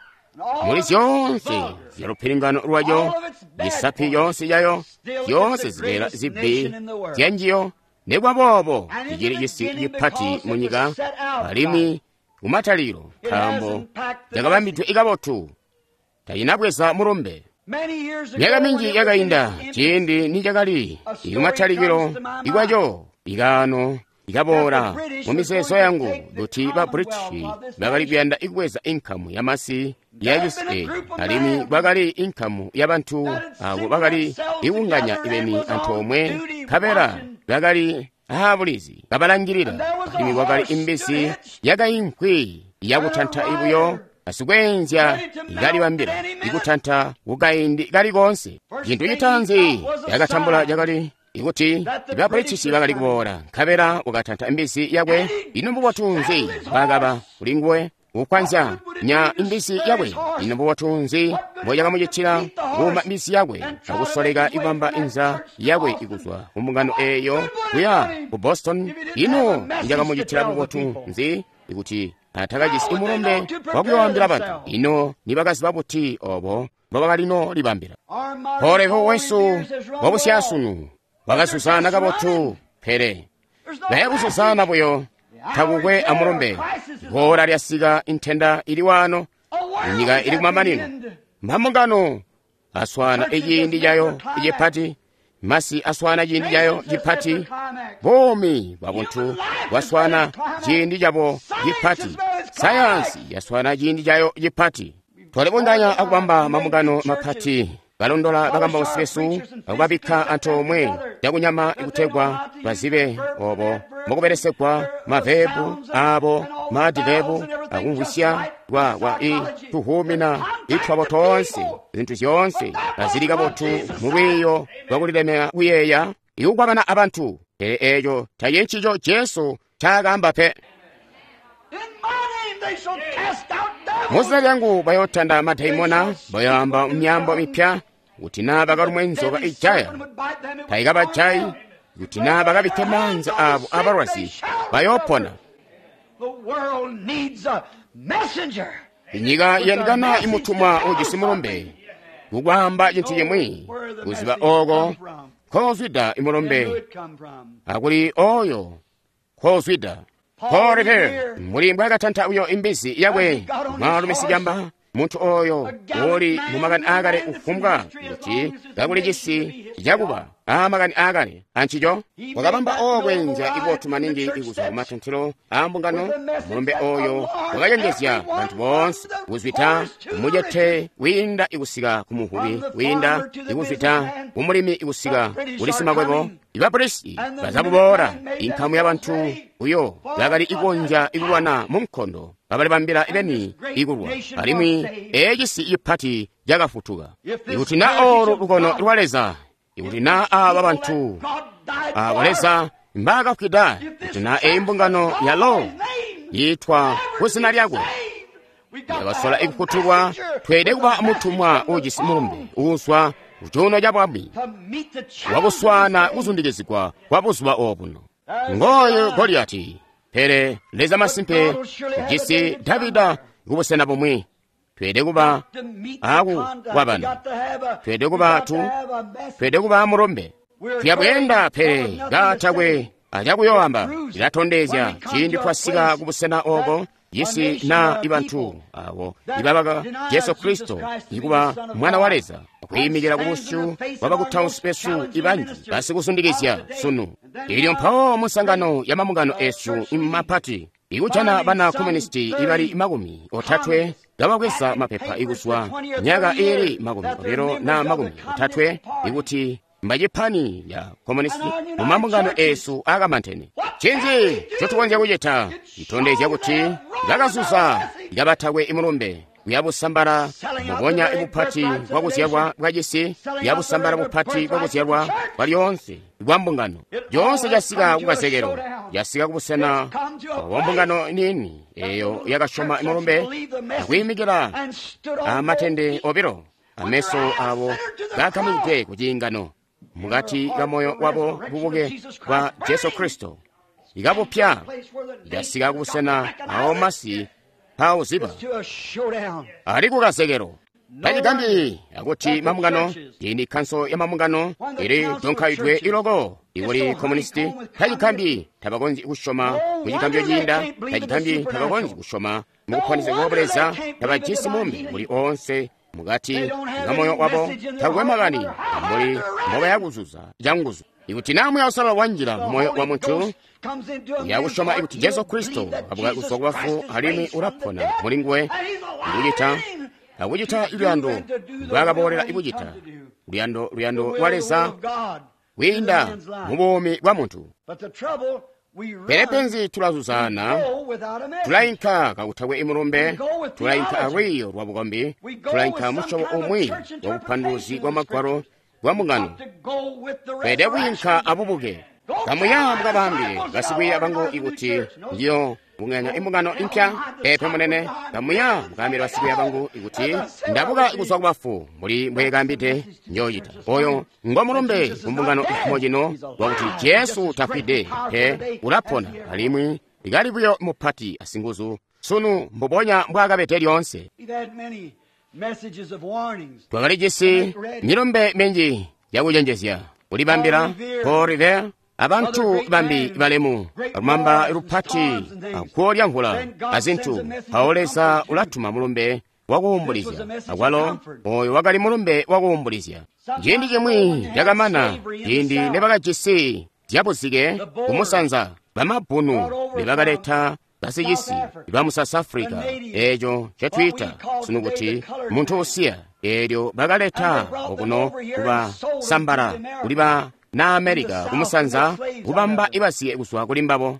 all muli of its zyonse vulgar, zya lupilingano lwayo misapi yonse yayo yonse zibeela zibbi zyanjiyo nekwaboobo cicili cisi cipati mu nyika alimwi kumataliro nkaambo cakabambidwe ikabotu tachinabweza mulumbe. Many years ago, Myaka when minji it was in yakainda its infancy, ciindi nicakali ikumataliro ikwaco ikano ikaboola mu mizeezo yangu kuti ba British bakali kuyanda ikubweza inkamu yamasi ya cisi eeci alimwi kwakali inkamu yabantu abo bakali ikunganya ibeni antoomwe nkabela bakali aabulizi kabalangilila alimwi kwakali imbisi yakainkwi yakutanta ibuyo asikwenzya ikalibambila ikutanta kukaindi kali konse. Cintu citaanzi yakatambula cakali ikuti ba British bakali kuboola nkabela wakatanta imbisi yakwe. Ino mbubotu nzi bwakaba kuli nguwe kukwanzya nya imbisi yakwe? Ino mbubotu nzi mbocakamucitila kuuma imbisi yakwe akusoleka ikubamba inza yakwe ikuzwa ku mbungano eyo kuya ku Boston? Ino icakamucitila bubotu nzi ikuti atakajisi imulumbe wakuyoambila bantu? Ino nibakaziba buti obo mbobakalino libambila? our modern Polevo wesu years has run well. wabusyasunu wakazuzana kabotu pele There's no naye kuzuzana buyo takukwe amulumbe. Ora lyasika intenda ili wano A world inyika is ili at the kumamanino. end. Mambungano aswana iciindi cayo icipati, masi aswana ciindi cayo cipati, buumi bwa buntu bwaswana ciindi cabo cipati, sayansi yaswana ciindi cayo cipati. Twalibunganya akubamba mambungano mapati, balondola bakambausi besu akubabikka antoomwe cakunyama ikutegwa bazibe obo mukubelesegwa mavebu abo madivebu akumvwisya kwa kwa i tuhumina itwabo tonse zinthu zyonse azili kabotu mu lwiyo lwakulilemeka kuyeeya ikukwabana abantu. Pele eco tacili ncico Jesu ncaakaamba pe. In my name they shall cast out devils. Muzina lyangu bayotanda madaimona, bayoamba myambo mipya, kuti naa bakalumwe nzoka ijaya tayikabajayi, kuti naa bakabikke maanza abo abalwazi bayopona. The world needs a messenger. Inyika iyandikana imutumwa ujisi mulumbe kukwaamba cintu cimwi kuziba oko nkozwida And who imulumbe it come from. akuli oyo nkozwida. Paul Revere muli mbwakatanta uyo imbizi yakwe mwaalumi sicamba munthu oyo uli mu makani aakale ufumbwa kuti kakuli cisi cakuba aamakani aakale ancico wakabamba okwenzya ibotu maningi ikuzwa kumatantilo aa mbungano. Mulumbe oyo wakacenjezya bantu boonse kuzwita kumucete wiinda ikusika kumuvubi wiinda ikuzwita kumulimi ikusika kuli simakwebo. Ibapolisi bazabuboola inkamu yabantu uyo bakali ikonzya ikulwana mu nkondo babalibambila ibeni ikulwa alimwi ecisi cipati cakafutuka. Ikuti na olu lukono lwa Leza, ikuti na aba bantu abo Leza mbakafwida, kuti na eyi mbungano yalo yitwa kuzina lyakwe yakasola ikufutulwa, tweede kuba mutumwa ujisi mulumbe uuzwa kucuuno ca bwami wakuswana kuzundikizigwa kwa buzuba obuno. Ngoyo Goliyati, pele Leza masimpe ujisi Davida kubusena bumwi. Tweede kuba aku kwabana, tweede kuba tu, tweede kuba mulumbe. Tuyabweenda pele katakwe acakuyoamba cilatondezya ciindi twasika kubusena oko cisi na ibantu abo ibabaka Jesu Kristo ikuba mwana wa Leza akwiimikila kubusyu bwa bakutausi besu ibanji basikuzundikizya sunu. Ilyo mpawo munsangano ya mambungano esu mapati ikujana bana komunisti ibali makumi otatwe kabakweza mapepa ikuzwa myaka ili makumi obilo na makumi otatwe ikuti mbacipani ya komunisti mu mambungano esu akamantene. Cinzi ncotukonzya kucita citondezya kuti kakazuza kabatakwe imulumbe kuyabusambala mubonya bupati bwakuzyalwa bwacisi, kuyabusambala bupati bwakuzyalwa bwa lyoonse bwa mbungano. Lyoonse casika kukazekelo, casika kubusena bwa mbungano nini eyo yakasyoma imulumbe akwiimikila amatende obilo Ameso abo gakamikidwe ku ciingano mukati ka moyo wabo bubuke bwa Jesu Kristo ikabupya ikasika kubusena awo masi pauziba ali kukazekelo tachigambi akuti mamungano iyi khanso ya mamungano ili donkhaidwe iloko ikuli komunisiti tachigambi tabakonzi kushoma muchigambyo chinda tachigambi tabakonzi kushoma mukuphwaniza kuopoleza tabajisi mumbi muli onse mukati nga moyo wabo takuwemakani muli mbokayakuzuza changuzu ikuti namwe ausalala wanjira moyo wa munthu yakushoma ikuti Jesu Kristo abuka kuzwa kubafu alimwi ulapona muli nguwe ndikuchita akuchita luyando lwakaboolera ikuchita luyando luyando lwa Leza kuyinda mu bumi bwa munthu. Pele penzi tulazuzana tulayinka kakuthakwe imulumbe tulayinka alwiyo lwa bukombi tulayinka musyobo umwi wa bupanduluzi bwa magwalo bwa mungano pede kuyinka abubuke kamuya mukabambile basikwiiya bangu ikuti ndiyo bunganya imbungano impya pepe munene kamuya mukambile basikwiiya bangu ikuti ndabuka kuzwa kubafu muli mbwekambide njoyita oyo ngo mulumbe kumbungano ifumo cino wakuti Jesu tafwide pe ulapona alimwi likali buyo mupati asinguzu sunu mbubonya mbwakabete lyonse. Twakalijisi milumbe minji yakucenjezya kulibambila Paul Revere abantu bambi balemu lumamba lupati akuwo lya mvula azinthu awo Leza ulatuma mulumbe wakuwumbulizya akwalo oyo wakali mulumbe wakuwumbulizya. Ciindi chimwi chakamana ciindi nebakajisi zyabuzike kumusanza bamabbunu nebakaleta basicisi bamu South Africa eco ncetwiita sunu kuti munthu usiya eelyo bakaleta okuno kubasambala kuli ba na America kumusanza kubamba ibasiye kuzwa kuli mbabo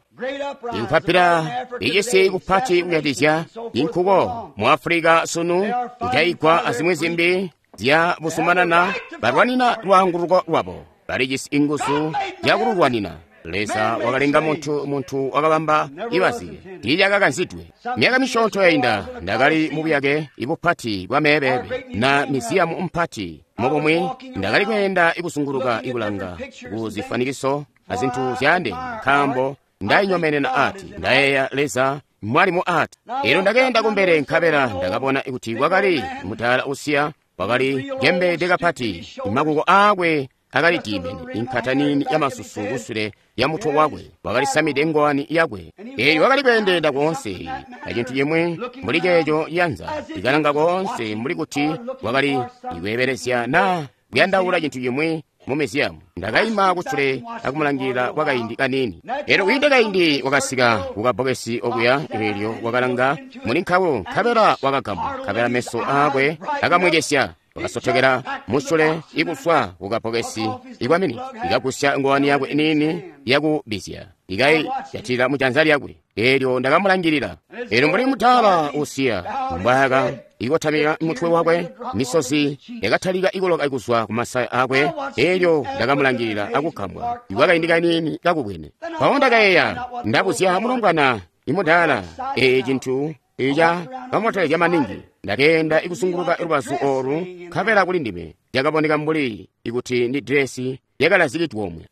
ikupapira icisi kupati kuyatizya inkuko mu Africa sunu kujaigwa azimwi zimbi zya busumanana balwanina lwaanguluko lwabo balijisi inguzu zyakululwanina. Leza wakalenga munthu munthu wakabamba ibazike tiilyakakanzidwe. Myaka misyoonto yainda ndakali mubuyake ibupati bwa meebebe na miziyamu mpati mubumwi ndakali kuyenda ikuzunguluka ikulanga ku zifanikiso azinthu zyande nkaambo ndayinyomenena ati ndayeya Leza mwalimu ati elo ndakayenda kumbele nkabela ndakabona kuti kwakali mudala usiya wakali jembede kapati makuko akwe akali dimene inkhatanini ya masusu kusule ya mutu wakwe wakalisamide ngowani yakwe eyo wakali kuyendenda konse acinthu chimwe muli checho yanza ikalanga konse muli kuti wakali ikuyeberezya na kuyandaula chinthu chimwe mu miziyamu. Ndakayima kusule akumulangirira kwa kayindi kanini ero kuyinde kayindi wakasika kukabokesi okuya elyo wakalanga muli nkhawo nkhabela wakagambwa nkhabela meso akwe akamwekesya wakasotokera musule ikuswa kukabokesi ikwamini ikagusya ngowani yakwe inini yakubizya ikayiyathira mujanza lyakwe elyo ndakamulangirira elo mbuli mudala usiya mbwaka ikotamika mutwe wakwe misozi yakatalika ikoloka ikuzwa kumasaya akwe elyo ndakamulangirira akugambwa ikwakayindi kanini kakubwene pawo ndakayeya ndabuzya mulombwana imudala ee chinthu icha kamotolezya maningi ndakayenda ikuzunguluka lubazu olu nkhabela kuli ndime yakaboneka mbuli ikuti ndi diresi yakalazikidwe omwe.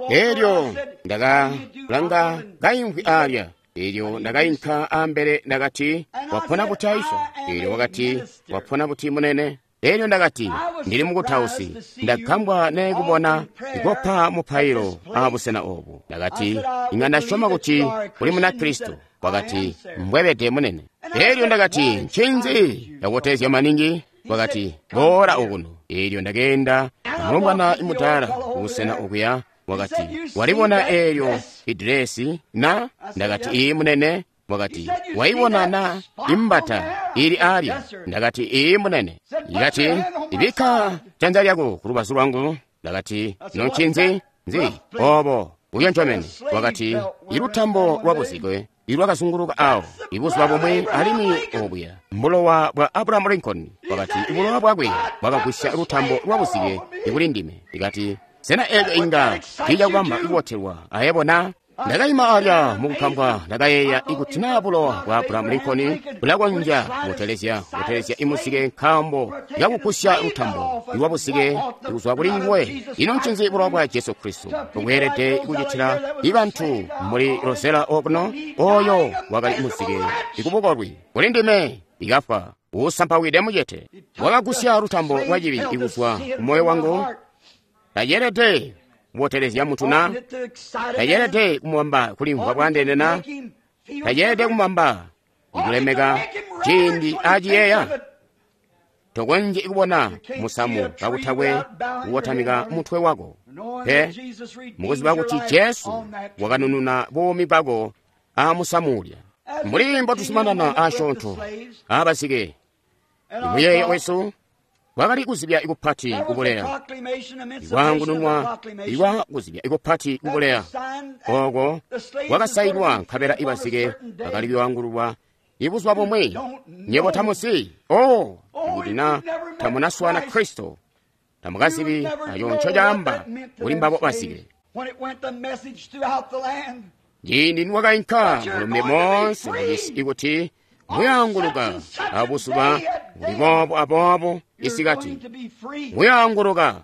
Elyo ndakalanga kayimvwi alya elyo ndakayinka ambele ndakati wapona buti Aisha elyo wakati wapona buti munene elyo ndakati ndili mukutausi ndagambwa naye kubona ikopa mupailo abusena obu ndakati inga ndasyoma kuti uli muna Kristo wakati mbwebede munene elyo ndakati ncinzi yakutezya maningi wakati boola okuno elyo ndakenda mulombwana imudala kubusena okuya wakati walibona elyo idiresi na ndakati iyi munene wakati waibona na imbata ili alya ndakati iyi munene ikati ibikka janza lyako ku lubazu lwangu ndakati noncinzi nzi obo uyoncomene wakati ilutambo lwa buzike ilwakazunguluka awo ibuzuba bumwe alimwi obuya mbulowa bwa Abraham Lincoln wakati ibulowa bwakwe bwakagwisya lutambo lwa buzike ikuli ndime ikati sena eco inga tiijakubamba ikubotelwa ayebona Ndakaima alya mukukambwa, ndakayeeya ikuti naa bulowa bwa Abraham Lincoln bulakonzya kubotelezya kubotelezya imuzike nkaambo kakugusya lutambo lwa buzike kuzwa kuli nguwe. Ino ncinzi bulowa bwa Jesu Kristo bweelede kucitila ibantu muli Rosella okuno oyo wakali muzike ikubukolwi kuli ndime ikafwa usampawide mucete. Wakagusya lutambo lwa cibi kuzwa kumoyo wangu. Tayeelede kubotelezya muntu na, tayeelede kumubamba kulimvwa bwandeene na, tayeelede kumubamba ikulemeka ciindi aciyeeya. Tokonzyi kubona musamu kakutakwe kukotamika mutwe wako pe, mukuziba kuti Jesu wakanununa buumi bwako amusamu ulya. Mbuli mbotuzumanana asyoonto abazike, imuyeeyo wesu wakali kuzibya ikupati kubuleya, ikwaangununwa ikwa kuzibya ikupati kubuleya oko kwakasainwa nkabela ibazike bakali kuangululwa ibuzuba bumwi. Nyebo tamuzi o ikuti na tamunaswana Kristo tamukazibi ayo nco caamba kuli mbabo bazike. Ciindi niwakainka mulumbe moonse mucisi ikuti muyaanguluka abuzuba buli boobo aboobo isikati muyaanguluka.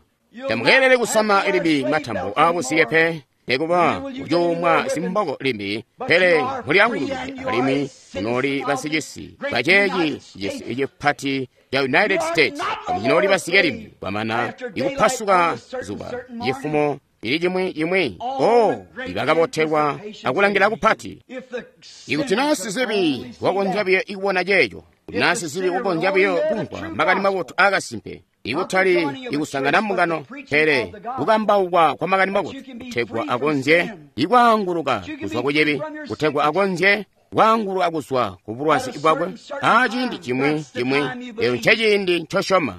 Tamukeelele kusama limbi matambo aabuzike pe, nikuba kucuumwa zimboko limbi, pele muliangulukide alimwi munooli basicisi baceeci cisi cipati ca United States. Munooli basike limbi kwamana ikupasuka zuba cifumo ili cimwi cimwi. O ibakabotelwa akulangila kupati. Ikuti naa sizibi wakonzya biyo ikubona ceeco, kuti naa sizibi wakonzya biyo kumvwa makani mabotu aakasimpe, ikutali ikusangana mbungano, pele kukambaukwa kwa makani mabotu, kutegwa akonzye ikwaanguluka kuzwa kucibi, kutegwa akonzye kwaanguluka kuzwa ku bulwazi bwakwe aciindi cimwi cimwi. Eyo nceciindi ncosyoma.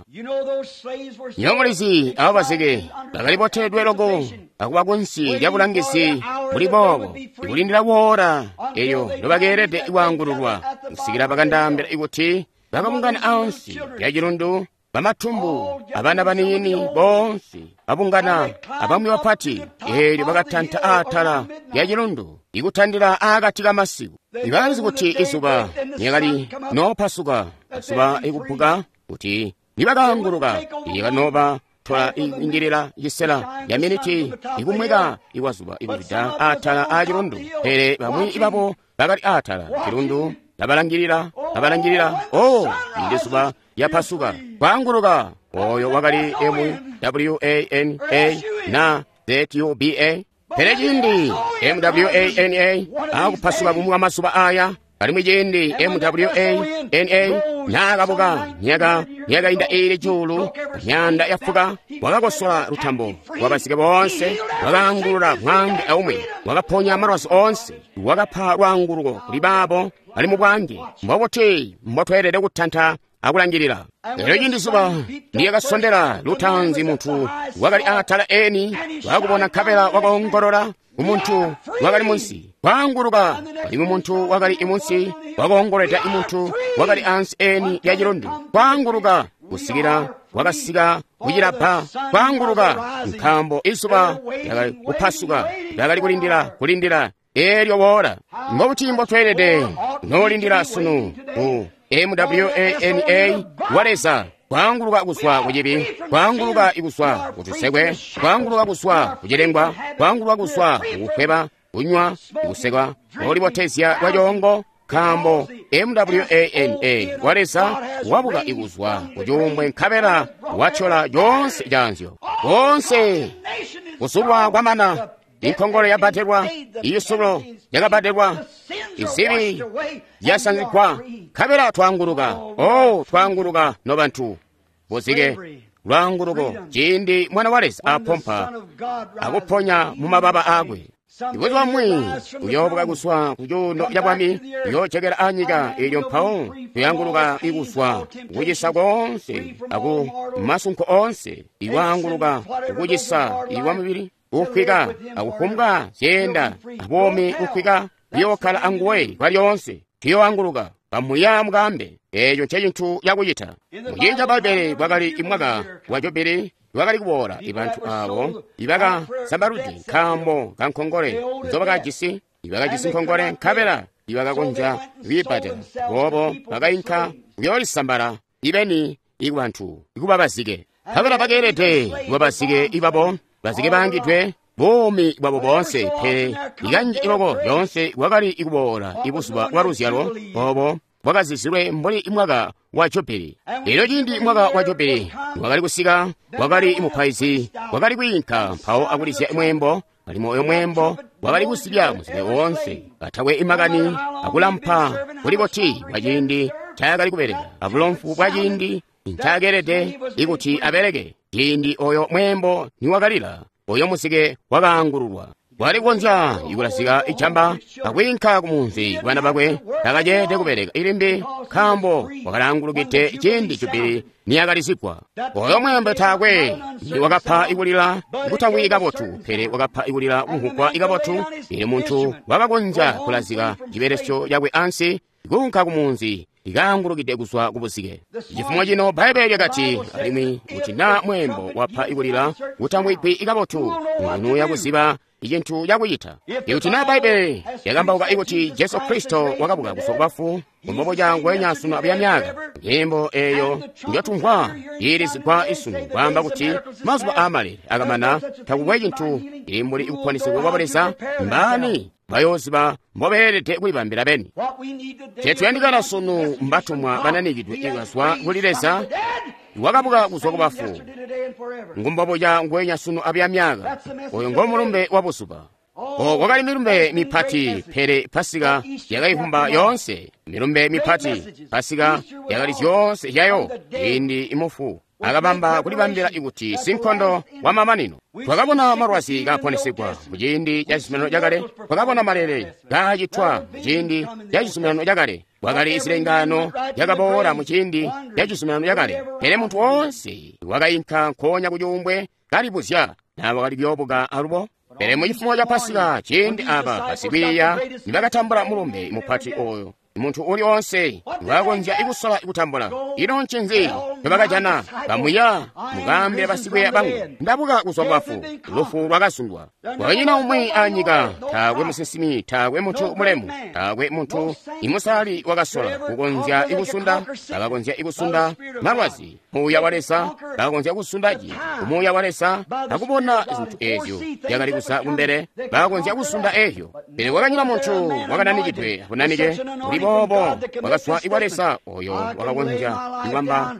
Nywebo mulizi abo bazike bakali boteledwe loko akuba kunsi lya bulangizi buli boobo, ikulindila woora eyo nobakeelede kwaangululwa, kusikila bakandaambila ikuti bakabungana ansi lya cilundu, bamatumbu abana baniini boonse babungana abamwi bapati, eelyo bakatanta aatala lya cilundu ikutandila aakati kamasiku. Ibakalizi kuti izuba lyakali noopasuka, zuba ikuphuka, kuti nibakaanguluka ikanooba tola ingilila cisela ya miniti ikumweka ikwazuba ikuzwida aatala aacilundu. Pele bamwi babo bakali aatala cilundu babalangilila babalangilila. O indi zuba lyapasuka kwaanguluka. Oyo wakali M W A N A na Z U B A. Pele ciindi M W A N A akupasuka bumwi bwa mazuba aya, alimwi ciindi M W A N A naakabuka myaka myakainda iili cuulu myanda yafuka, wakakosola lutambo lwabazike boonse, wakaangulula mwaange aumwi, wakaponya malwazi oonse, wakapa lwaanguluko kuli baabo bali mu bwange. Mbobuti mbotweelede kutanta akulangilila. Lero ciindi zuba liyakasondela lutaanzi, muntu wakali aatala eni wakubona nkabela wakoongolola umuntu wakali munsi kwaanguluka, alimwi muntu wakali imunsi wakoongolweda imuntu wakali ansi eni lya cilundu kwaanguluka, kusikila wakasika kucilabba kwaanguluka, nkaambo izuba lyakali kupasuka, lyakali kulindila kulindila eelyo woola. Mbobuti mbotweelede noolindila sunu ku M W A N A wa Leza kwaanguluka kuzwa kucibi, kwaanguluka kuzwa kutusekwe, kwaanguluka kuzwa kucilengwa, kwaanguluka kuzwa kukukweba, kunywa, kusekwa, olibotezya lwacoongo, nkaambo M W A N A wa Leza wabuka ikuzwa kucuumbwe nkabela watyola coonse canzyo. Koonse kusulwa kwamana, inkongole yabbadelwa, isulo lyakabbadelwa, izibi zyasanzigwa, nkabela twaanguluka. O twaanguluka nobantu buzike lwaanguluko ciindi Mwana wa Leza apompa akuponya mu mababa aakwe. Ibuzuba bumwi uyoobuka kuzwa ku cuuno ca bwami, uyoojokela anyika eelyo mpawo tuyanguluka ikuzwa kukucisa koonse aku masunko oonse, ikwaanguluka kukucisa ikwa mubili kukwika akufumbwa zyeenda abuumi kukwika, kuyookkala anguwe kwalyoonse. Tuyoanguluka pamuya mukambe. Eeco ncecintu cakucita. Muciindi ca Bbaibbele kwakali imwaka wa Jubili lwakali kuboola ibantu abo ibakasambaludde nkaambo ka nkongole nzobakajisi ibakajisi nkongole nkabela ibakakonzya kwiibbadela boobo bakayinka kuyoolisambala ibeni ikubantu ikuba bazike nkabela bakeelede kuba bazike ibabo bazike baangidwe buumi bwabo boonse pele ikanji iloko lyoonse bwakali ikuboola ibuzuba bwa luzyalo obo bwakazizilwe mbuli mwaka wa Jubili. Elyo ciindi mwaka wa Jubili wakali kusika, wakali mupaizi wakali kwiinka mpawo akulizya mweembo, alimwi oyo mweembo wakali kusibya muzike woonse katakwe imakani akulampa kuli boti bwa ciindi ncaakali kubeleka abulomfu bwa ciindi ncaakeelede ikuti abeleke. Ciindi oyo mweembo niwakalila, oyo muzike wakaangululwa. Wali kukonzya ikulazika ijamba akwiinka kumunzi kubana bakwe takaceede kubeleka ilimbi nkaambo wakalaangulukide ciindi Jubili niyakalizigwa. Oyo mweembo taakwe wakapa ikulila kutamwi kabotu, pele wakapa ikulila kumvugwa ikabotu. Ili muntu wakakonzya kulazika cibelesyo cakwe ansi kuunka kumunzi ikaangulukide kuzwa kubuzike. Chifumo chino Bhaibheli lyakati alimwi kuti na mweembo wapha ikulila kutamwigwi ikabotu ngunu yakuziba icintu chakuchita. Ikuti na Bhaibheli yakambauka ikuti Jesu Kristo wakabuka kuzwa kubafu kumbobo cangwenya sunu abuya myaka, nyimbo eyo njotumvwa iilizigwa isunu kwaamba kuti mazuba aamale akamana takukwe cintu ili mbuli ikuponesegwa kwa Leza, mbani bayooziba mbobeelede kulibambila beni. Chetuyandikana sunu mbatumwa bananikidwe ikazwa kuli Leza wakabuka kuzwa kubafu ngumbobo ca ngwenya sunu abuya myaka. Oyo ngo mulumbe wa buzuba. O kwakali milumbe mipati, pele Pasika yakayivumba yoonse. Milumbe mipati, Pasika yakali zyoonse zyayo. Ciindi imufu akabamba kulibambila ikuti sinkondo wa mamanino. Twakabona malwazi kaponesegwa muciindi ca cizuminano cakale, twakabona malele kaacitwa muciindi ca cizuminano cakale, kwakali zilengano zyakaboola muciindi ca cizuminano cakale. Pele muntu woonse wakayinka nkoonya kucuumbwe kalibuzya naa wakali kuyoobuka alubo. Pele mucifumo ca Pasika ciindi aba basikwiiya nibakatambula mulumbe mupati oyo, muntu uli onse wakonzya ikusola ikutambula. Ino ncinzi ncobakajana? Kamuya mukaambile basikwiiya bangu, ndabuka kuzwa kubafu. Lufu lwakazundwa. Kwakanyina umwi anyika, taakwe musinsimi, taakwe muntu mulemu, taakwe muntu imusali wakasola kukonzya ikusunda, bakakonzya ikusunda malwazi. Muuya wa Leza bakakonzya kusunda ci umuuya wa Leza akubona zintu ezyo zyakali kuza kumbele, bakakonzya kusunda ezyo. Pele kwakanyina muntu wakananikidwe abunanike buli boobo wakazwa ikwa Leza oyo wakakonzya ikwamba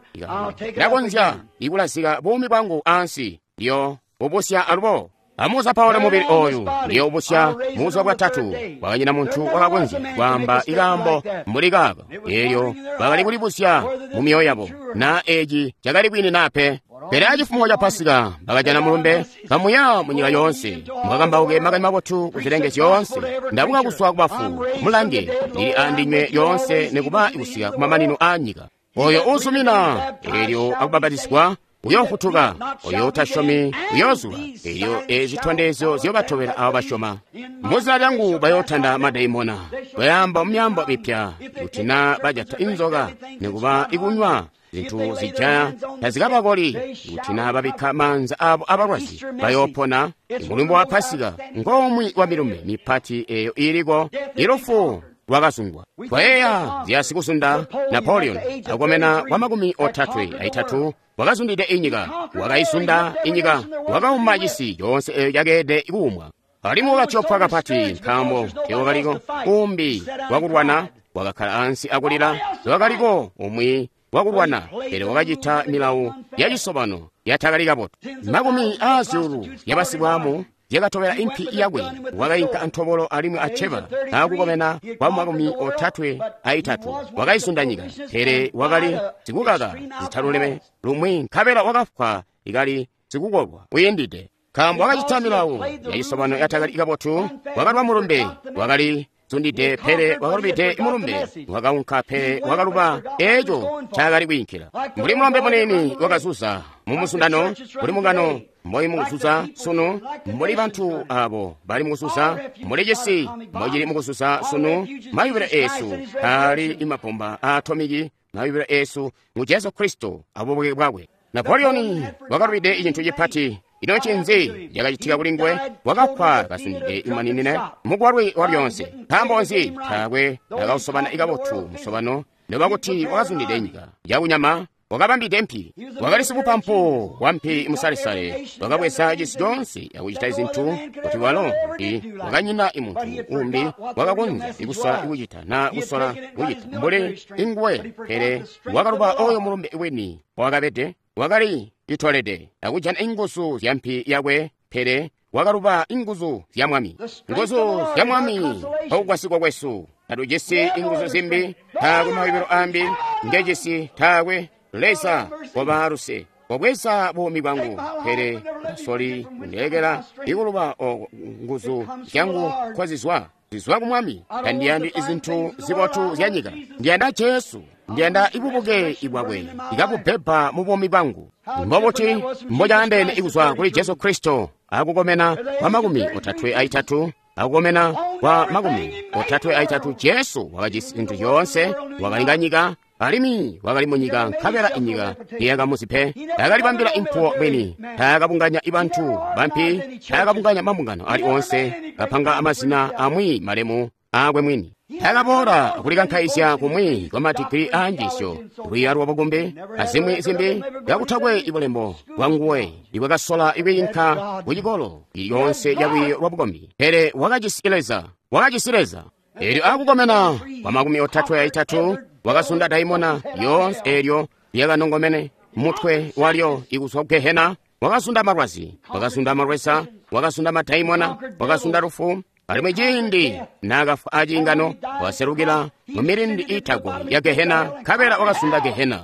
ndakonzya ikulazika buumi bwangu ansi ndiyo ubusya alubo. Amuza Paulo mubili oyu ndiyo ubusya mubuzuba bwatatu. Kwakanyina muntu wakakonzya kwaamba ikaambo mbuli kaako. Elyo bakali kulibusya mu myoyo yabo na eci cakali bwini na pe. Pele acifumo ca Pasika bakajana mulumbe, kamuya munyika yoonse mukakambauke makani mabotu ku zilenge zyoonse. Ndabuka kuzwa kubafu, mulange ndili andinywe yoonse nikuba kusika kumamanino a nyika. Oyo uzumina elyo akubapatizigwa uyofutuka, oyo utasyomi uyozuba. Elyo ezitondezyo zyobatobela abo basyoma. Muzina lyangu bayootanda madaimona, bayamba mumyaambo mipya, kuti na bajata inzoka nikuba ikunywa zintu zijaya tazikabakoli, kuti na babikka maanza abo abalwazi bayoopona. Mulumbe wa Pasika ngomwi wa milumbe mipati eyo iliko. Ilufu lwakazundwa. Twayeeya zya sikuzunda Napoleon akomena kwa makumi otatwe aitatu wakazundide inyika, wakayizunda inyika, wakauma cisi coonse eyo cakeede kuumwa. Alimwi wakatyopwa kapati nkaambo teewakaliko umbi wakulwana, wakakkala ansi akulila. Tewakaliko umwi wakulwana, pele wakacita milawu yacisobano yatakali kabotu. Makumi aazyuulu yabasibwamu zyakatobela impi yakwe. Wakayinka antobolo alimwi aceba akukomena kwa makumi otatwe aitatu. Wakayizunda nyika, pele wakali sikukaka zitaluleme lumwi, nkabela wakafwa ikali sikukolwa uyindide. Nkaambo wakacita milawu yacisobano yatakali kabotu, wakalwa mulumbe, wakali zundide pele wakalubide mulumbe, wakaunka pele wakaluba eco ncaakali kwiinkila. Mbuli mulombe munini wakazuza mumuzundano, mbuli mungano mboi mukuzuza sunu, mbuli bantu abo bali mukuzuza, mbuli cisi mbocili mukuzuza sunu. Mayubilo esu ali imabomba a atomiki, mayubilo esu ngu Jesu Kristo abubuke bwakwe. Napoleon wakalubide cintu cipati. Ino ncinzi cakacitika kuli nguwe? Wakafwa kasundide imaninine mukwalwi wa lyonse. Nkaambo nzi? Taakwe nakausobana ikabotu musobano, noba kuti wakazundide nyika yakunyama. Wakabambide mpi, wakali sibupampu wa mpi musalesale, wakabweza cisi coonse akucita zintu kuti walo mpi wakanyina imuntu umbi wakakonzya ikusola kucita na kusola kucita mbuli inguwe. Pele wakaluba oyo mulumbe wini wakabede, wakali itolede akujana inguzu zya mpi yakwe, pele wakaluba inguzu zya Mwami. Nguzu zya Mwami pakugwasigwa kwesu. Tatujisi inguzu zimbi, taakwe mayubilo ambi ngejisi, taakwe. Leza wabaaluse, wabweza buumi bwangu, pele tasoli kundilekela ikuluba oko nguzu zyangu nkozizwa. Zizwa ku Mwami. Tandiyandi izintu zibotu zya nyika. Ndiyanda Jesu. Ndiyanda ibubuke ibwakwe ikabubeba mu buumi bwangu. Mbobuti mbocaandeene ikuzwa kuli Jesu Kristo akukomena kwa makumi otatwe aitatu, akukomena kwa makumi otatwe aitatu. Jesu wakajisi zintu zyoonse, wakalinga nyika, alimwi wakali munyika, nkabela inyika tiyakamuzi pe. Takalibambila impuwo mwini, taakabunganya ibantu bampi, taakabunganya mabungano ali onse, kapanga amazina amwi malemu aakwe mwini. Taakaboola kulikankaizya kumwi kwa madigiri a njiisyo, lwiiyo lwa bukumbi, azimwi zimbi, kakutakwe ibulembo bwa nguwe ibwakasola ikwiinka ku cikolo ilyoonse lya lwiiyo lwa bukombi. Pele wakajisi Leza, wakajisi Leza. Eelyo akukomena kwa makumi otatwe aitatu, wakasunda daimona yoonse eelyo lyakanongomene mutwe walyo ikuzwa ku Gehena. Wakasunda malwazi, wakasunda malweza, wakasunda madaimona, wakasunda lufu. Alimwi ciindi naakafwa aciingano, wakaselukila mu milindi iitagoli ya Gehena, nkabela wakasunda Gehena.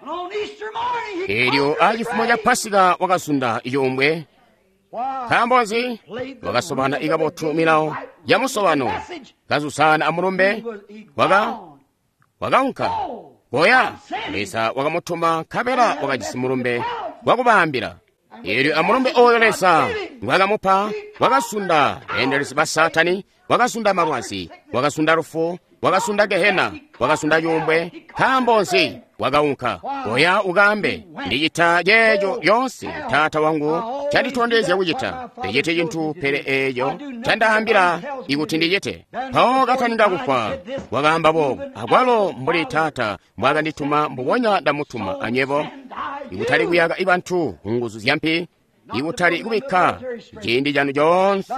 And on Easter morning, he Eelyo conquered the acifumo ca grave. Pasika wakasunda icuumbwe. Why? Nkaambo nzi? Wakasobana ikabotu milawo ya musobano, kazusana amulumbe, He was- he waka gone. wakaunka koya. Leza wakamutuma, nkabela wakajisi mulumbe wakubaambila. Eelyo amulumbe oyo Leza ngwakamupa wakasunda beendelezi ba Saatani, wakasunda malwazi, wakasunda lufu, wakasunda Gehena, wakasunda cuumbwe. Nkaambo nzi? Wakaunka koya ukaambe, ndicita ceeco lyoonse Taata wangu canditondezya kucita. Ndicite cintu pele eeco candaambila ikuti ndicite. Mpawo kataninga kufwa wakaamba boobu, akwalo mbuli Taata mbwaakandituma mbubonya ndamutuma anywebo. Ikutali kuyaka ibantu ku nguzu zya mpi, ikutali kubikka ciindi canu coonse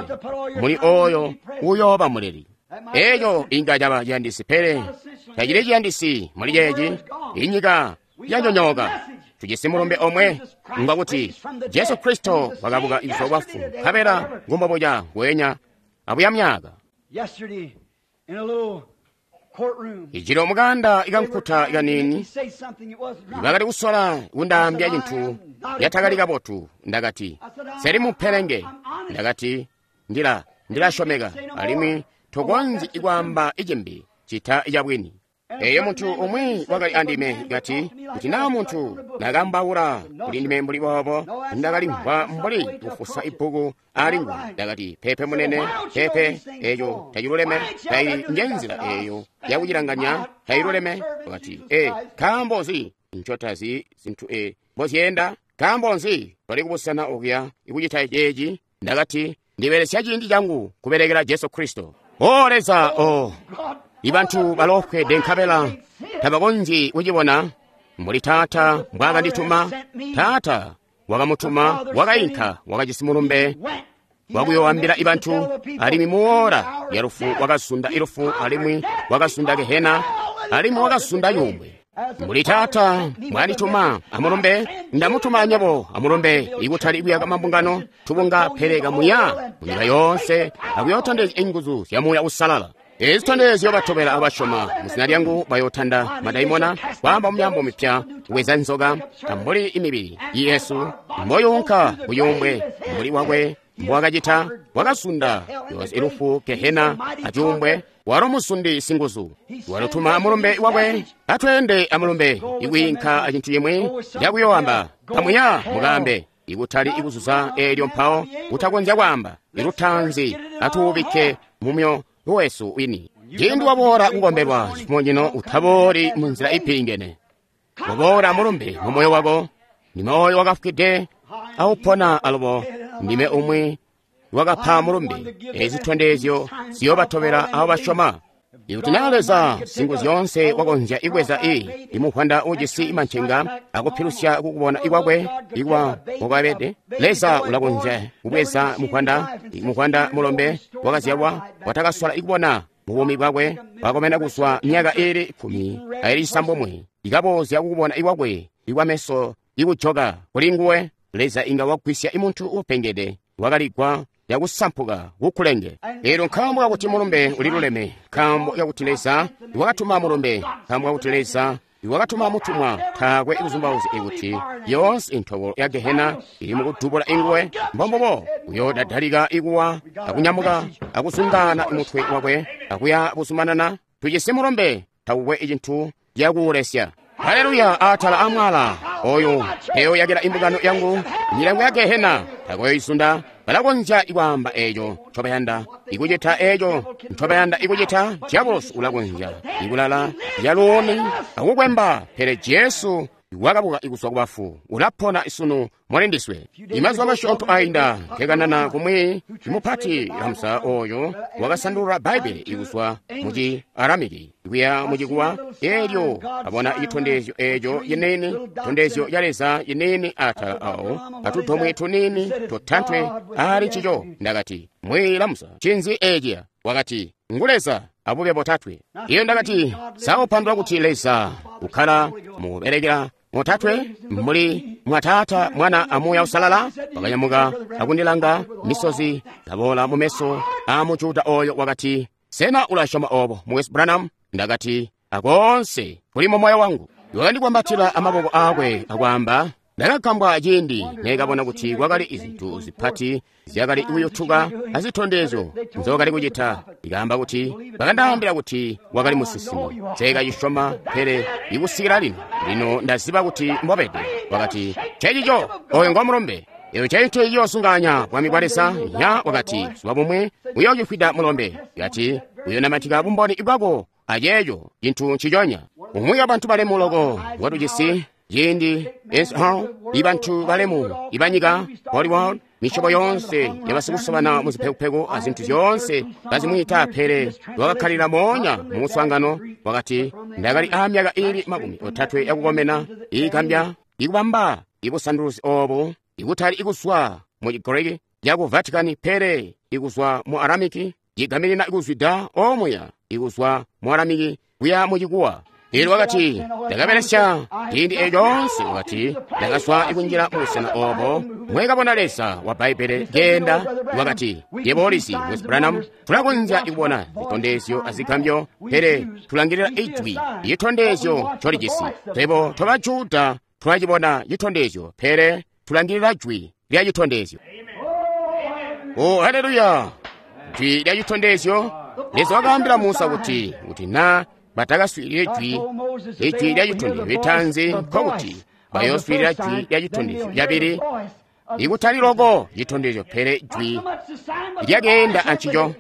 muli oyo uyooba muleli. Eeco inga caba ciyandisi, pele tacili ciyandisi muli ceeci. Inyika yanyonyooka. Tujisi mulumbe omwe ngwakuti Jesu Kristo wakabuka kuzwa kubafu, nkabela ngumbobuca ngweenya abuya myaka. Yesterday, in a little courtroom, Ijilo mukanda they were ikankuta trying to make me ikanini say something that wasn't right. bakali kusola kundaambya cintu yatakali kabotu. Ndakati seli mupelenge. Ndakati ndila ndilasyomeka alimwi tokonzyi ikwaamba icimbi cita icabwini. Eyo muntu umwi wakali andime kati kuti naa muntu nakambaula kuli ndime mbuli boobo, ndakalimvwa mbuli kufusa ibbuku ali nguwe. Ndakati pepe munene, pepe, eyo taciluleme, taili njenzila eyo yakucilanganya, tailuleme. Wakati e nkaambo nzi ncotazi zintu e mbozyenda? Nkaambo nzi toli kubusena okuya ikucita ceeci? Ndakati ndibelesya ciindi changu kubelekela Jesu Kristo. O Leza, o ibantu balofwede nkabela tabakonzyi kucibona. Mbuli Taata mbwaakandituma, Taata wakamutuma, wakainka, wakajisi mulumbe wakuyoambila ibantu, alimwi muora ya lufu wakasunda ilufu, alimwi wakasunda Gehena, alimwi wakasunda yumbwe. Mbuli Taata mbwaandituma amulumbe, ndamutuma anyebo amulumbe, ikutali kuyaka mambungano tubunga, pele kamuya munyika yoonse akuyotondezya inguzu zya Muuya Uusalala. Ezi zitondezyo batobela abasyoma muzina lyangu bayotanda madaimona, kwaamba mumyaambo mipya, kuweza nzoka, ambuli imibili Yesu mboyunka kuyumbwe mbuli wakwe mbwakacita, wakasunda yoonse ilufu, Gehena acuumbwe. Walo musundi singuzu, walutuma amulumbe wakwe. Atweende amulumbe ikwiinka acintu cimwi cakuyowamba kamuya mukambe, ikutali ikuzuza eelyo mpawo kutakonzya kwaamba ilutanzi. Atuubikke mumyo wesu wini. Ciindi waboola kukombelwa cifumo cino, utabooli munzila ipilingene. Kuboola mulumbe mu moyo wako, ndime oyo wakafwide awupona alubo, ndime umwi wakapa mulumbe. Ezi zitondezyo ziyobatobela abo basyoma. Ikuti naa Leza singu zyoonse wakonzya ibweza i imuvwanda ujisi mancenga akupilusya kukubona ikwakwe ikwa mwakwabede, Leza ulakonzya kubweza muvwanda muvwanda mulombe wakazyalwa watakasola ikubona mu buumi bwakwe, wakomena kuzwa myaka iili kkumi aili cisambomwe, ikaboozya kukubona ikwakwe ikwameso ikujoka kuli nguwe. Leza inga wagwisya imuntu uupengede wakaligwa yakusampuka kukulenge. Elyo nkaambo kakuti mulumbe uliluleme, nkaambo kakuti Leza wakatuma mulumbe, nkaambo kakuti Leza wakatuma mutumwa, taakwe kuzumbauzya ikuti yoonse intobolo ya Gehena ili mukudubula inguwe. Mbombubo uyoodadalika ikuwa akunyamuka akuzungaana mutwe wakwe akuya buzumanana. Tujisi mulumbe, takukwe cintu cakuulesya. Haleluya! Atala amwala oyo eyoyakila imbungano yangu, milango ya Gehena takoyoisunda. Balakonzya ikwaamba eco ncobayanda ikucita, eco ncobayanda ikucita. Diabolosi ulakonzya ikulala yaluuni akukwemba, pele Jesu wakabuka ikuzwa kubafu, ulapona isunu mulindiswe. Imazuba masyoonto ainda nkekanana kumwi imupati Hamza oyo wakasandulula Bbaibbele ikuzwa muci Aramiki kuya mucikuwa. Elyo abona citondezyo eco yenene, citondezyo ca Leza yenene atala awo atudomwe tunini totantwe ali ncico. Ndakati, Mwi Lamza, cinzi eciya? Wakati, ngu Leza abube botatwe. Iyo ndakati, saupandula kuti Leza ukkala mubelekela motatwe muli mwa Taata, Mwana a Muuya Usalala. Wakanyamuka akundilanga, misozi kaboola mu meso a Mujuda oyo. Wakati, sena ulasyoma obo, Mukwesu Branham? Ndakati, akoonse kuli mu moyo wangu. Wakandikwambatila amaboko akwe akwaamba, ndakagambwa ciindi nekabona kuti kwakali izintu zipati zyakali kuyutuka azitondezyo nzokali kucita. Ikaamba kuti bakandaambila kuti wakali musinsimi, nseekacisyoma, pele ikusikila lino lino ndaziba kuti mbobede. Wakati, cecico oyo ngomulumbe. Eyo cintu ciyoosunganya bwami bwa Leza. Nya wakati, zuba bumwe uyoocifwida mulombe. Kati uyonamatika bumboni bwako aceeco cintu nciconya. Umwi wa bantu balemu loko watujisi ciindi Eisenhower, ibantu balemu ibanyika, Hollywood, misyobo yoonse yabasikusobana muzipekupeku azintu zyoonse bazimwiita, pele wakakkalila moonya mu muswaangano. Wakati, ndakali aamyaka iili makumi otatwe yakukomena iigambya ikubamba ibusanduluzi obu, ikutali ikuzwa mu Chigiriki caku Vatican, pele ikuzwa mu Aramiki, cigaminina ikuzwida omuya ikuzwa mu Aramiki kuya mu Chikuwa. Elyo wakati, ndakabelesya ciindi eco coonse. Wakati, ndakazwa ikunjila mu busena obo mwekabona Leza wa Bbaibbele keenda. Wakati, yebo ulizi, Mukwesu Branham, tulakonzya ikubona zitondezyo azigambyo, pele tulangilila ijwi citondezyo colijisi. Twebo toba Juda tulacibona citondezyo, pele tulangilila jwi lya citondezyo. Oh, haleluya! Jwi lya citondezyo. Leza wakaambila Musa kuti kuti na batakaswiilile jwi ijwi lya citondezyo litanzi, nkokuti bayooswiilila jwi lya citondezyo lyabili, ikutali loko citondezyo, pele jwi lyakeenda ancico.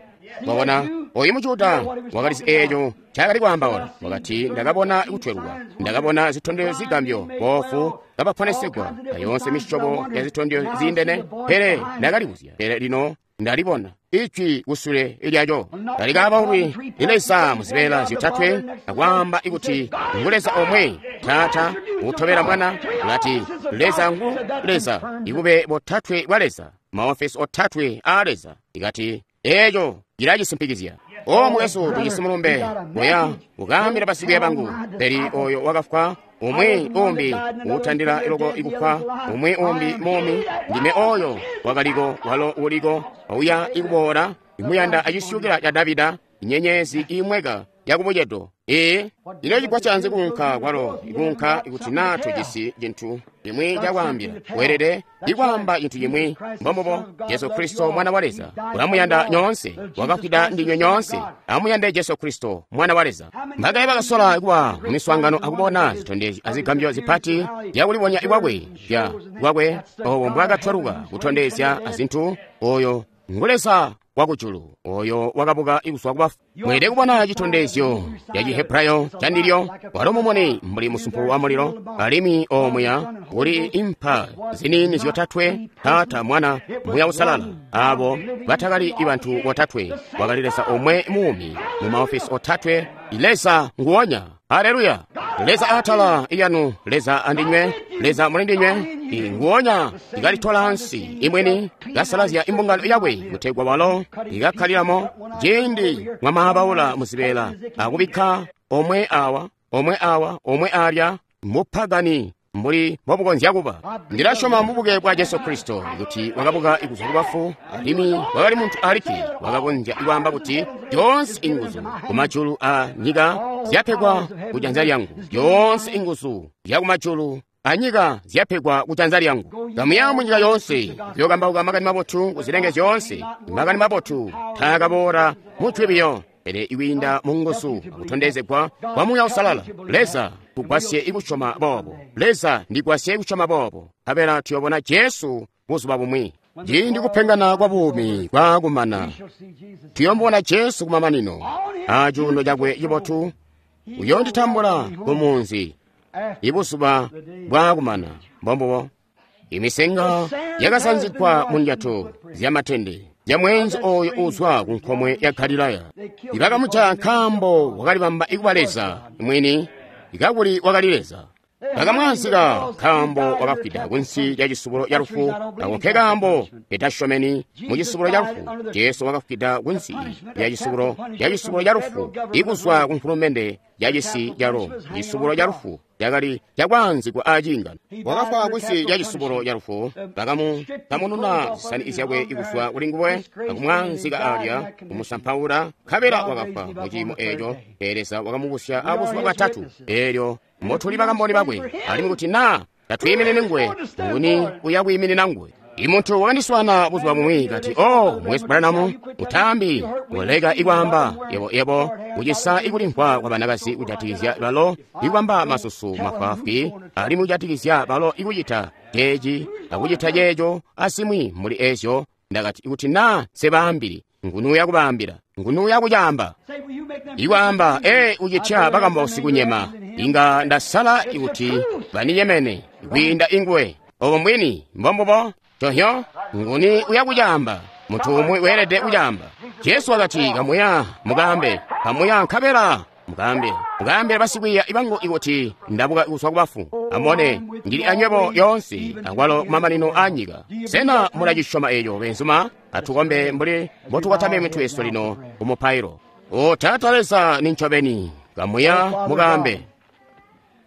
Wabona, oyu Mujuda wakalizi eeco ncaakali kwaambaula. Wakati, ndakabona kutweluka, ndakabona zitondezyo zigambyo, boofu kabaponesegwa, ayoonse misyobo ya zitondezyo ziindene, pele ndakalibuzya, pele lino ndalibona ijwi kusule lyaco. Talikabaulwi ni Leza muzibeela zyotatwe, akwaamba ikuti ngu Leza omwe, Taata utobela Mwana. Ulati Leza ngu Leza, ikube botatwe bwa Leza, maofesi otatwe a Leza. Ikati eco cilacisimpikizya. O mukwesu, tujisi mulumbe oya ukaambila basikwiiya bangu, pele oyo wakafwa, umwi umbi uutandila iloko ikufwa, umwi umbi mumi, ndime oyo wakaliko, walo uliko, uya ikuboola, imuyanda acisyukila ca Davida, inyenyezi imweka yakubucedo. Ee, ino cigwa canzi kuunka kwalo ikunka ikuti naa tujisi cintu cimwi cakwaambila? Weelede ikwaamba cintu cimwi. Mbombubo, Jesu Kristo Mwana wa Leza ulamuyanda nyoonse, wakafwida ndinywe nyoonse. Amuyande Jesu Kristo Mwana wa Leza. Mbakaye bakasola kuba mu miswaangano akubona zitondezyo azigambyo zipati zyakulibonya ikwakwe zya kwakwe obo mbwaakatwaluka kutondezya azintu. Oyo ngu Leza wakujulu oyo wakabuka kuzwa kubafu. Mweelede kubona citondezyo ca Cihebrayo candilyo, walo mumuni mbuli musumpu wa mulilo, alimwi omuya kuli impa ziniini zyotatwe, Taata, Mwana, Muuya Uusalala. Abo batakali bantu botatwe, wakali Leza omwe muumi mu maofisi otatwe, Leza nguonya. Haleluya! Leza atala iyanu, Leza andinywe, Leza mulindinywe, nguonya ikalitola ansi imweni kasalazya imbungano yakwe kutegwa walo ikakkaliramo ciindi mwamaabaula muzibeela akubikka omwe awa, omwe awa, omwe alya mupagani mbuli mbobukonzya kuba. Ndilasyoma mubuke bwa Jesu Kristo kuti wakabuka kuzwa kubafu, alimwi wakali muntu alikke wakakonzya kwaamba kuti zyoonse inguzu kumajulu a nyika zyapegwa kujanza lyangu, zyoonse inguzu zyakumajulu anyika zyapegwa kujanza lyangu. Kamuya munyika yoonse kuyokambauka makani mabotu kuzilenge zyoonse. Makani mabotu taakaboola mujwi biyo, pele ikwiinda mu nguzu akutondezegwa kwa Muuya Uusalala. Leza tugwasye ikusyoma boobo. Leza ndigwasye ikusyoma boobo. Nkabela tuyobona Jesu buzuba bumwi. Ciindi kupengana kwa buumi kwaakumana, tuyomubona Jesu kumamanino acuuno cakwe cibotu. Uyoonditambula kumunzi ibuzuba bwaakumana. Mbombubo. Imisenga yakasanzigwa mu ndyato zyamatende zya mweenzi oyo uuzwa ku nkomwe ya Galilaya. Ibakamujaya nkaambo wakalibamba ikuba Leza mwini, ikakuli wakali Leza. Bakamwaanzika nkaambo wakafwida kunsi lya cisubulo ca lufu. Ako nke kaambo ketasyomeni mu cisubulo ca lufu. Jesu wakafwida kunsi lya cisubulo lya cisubulo ca lufu ikuzwa ku nkulumende ya cisi ca Roma. Cisubulo ca lufu cakali cakwaanzikwa aciingano. Wakafwa kunsi lya cisubulo ca lufu. Bakamununa zisani zyakwe ikuzwa kuli nguwe, akumwaanzika alya, kumusampaula, nkabela wakafwa mu ciimo eeco. Pele Leza wakamubusya abuzuba bwatatu, eelyo mbotuli bakamboni bakwe, alimwi kuti naa tatwiiminini nguwe, nguni uya kwiiminina nguwe? Imuntu wakandiswana buzuba bumwi kati, "Oh, Mukwesu Branham, utambi uleka ikwaamba yebo yebo kucisa ikulimvwa kwa banakazi kujatikizya balo ikubamba masusu mafwaafwi, alimwi kujatikizya balo ikucita ceeci akucita ceeco asimwi muli ezyo." Ndakati, kuti naa nsebaambili, nguni uya kubaambila? Nguni uya kucaamba? Ikwaamba, ee, ucitya bakambausi kunyema. Inga ndasala ikuti baninyemene kwiinda inguwe. Obo mbwini, mbombubo. Tohyo, nguni uya kucaamba? Muntu umwi weelede kucaamba. Jesu wakati, kamuya mukaambe, kamuya nkabela mukaambe, mukaambile basikwiiya bangu ikuti ndabuka kuzwa kubafu. Amubone, ndili anywebo yoonse akwalo kumamanino a nyika. Sena mulacisyoma eeco, beenzuma? Atukombe mbuli mbotukotamye mitwe yesu lino kumupailo. O Taata Leza, nincobeni, kamuya mukaambe,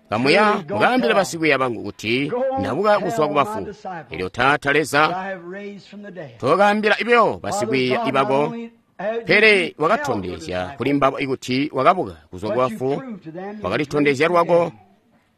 kamuya mukaambile basikwiiya bangu kuti ndabuka kuzwa kubafu. Elyo Taata Leza, tokaambila ibyo basikwiiya ibako, pele wakatondezya kuli mbabo ikuti wakabuka kuzwa kubafu. Wakalitondezya lwako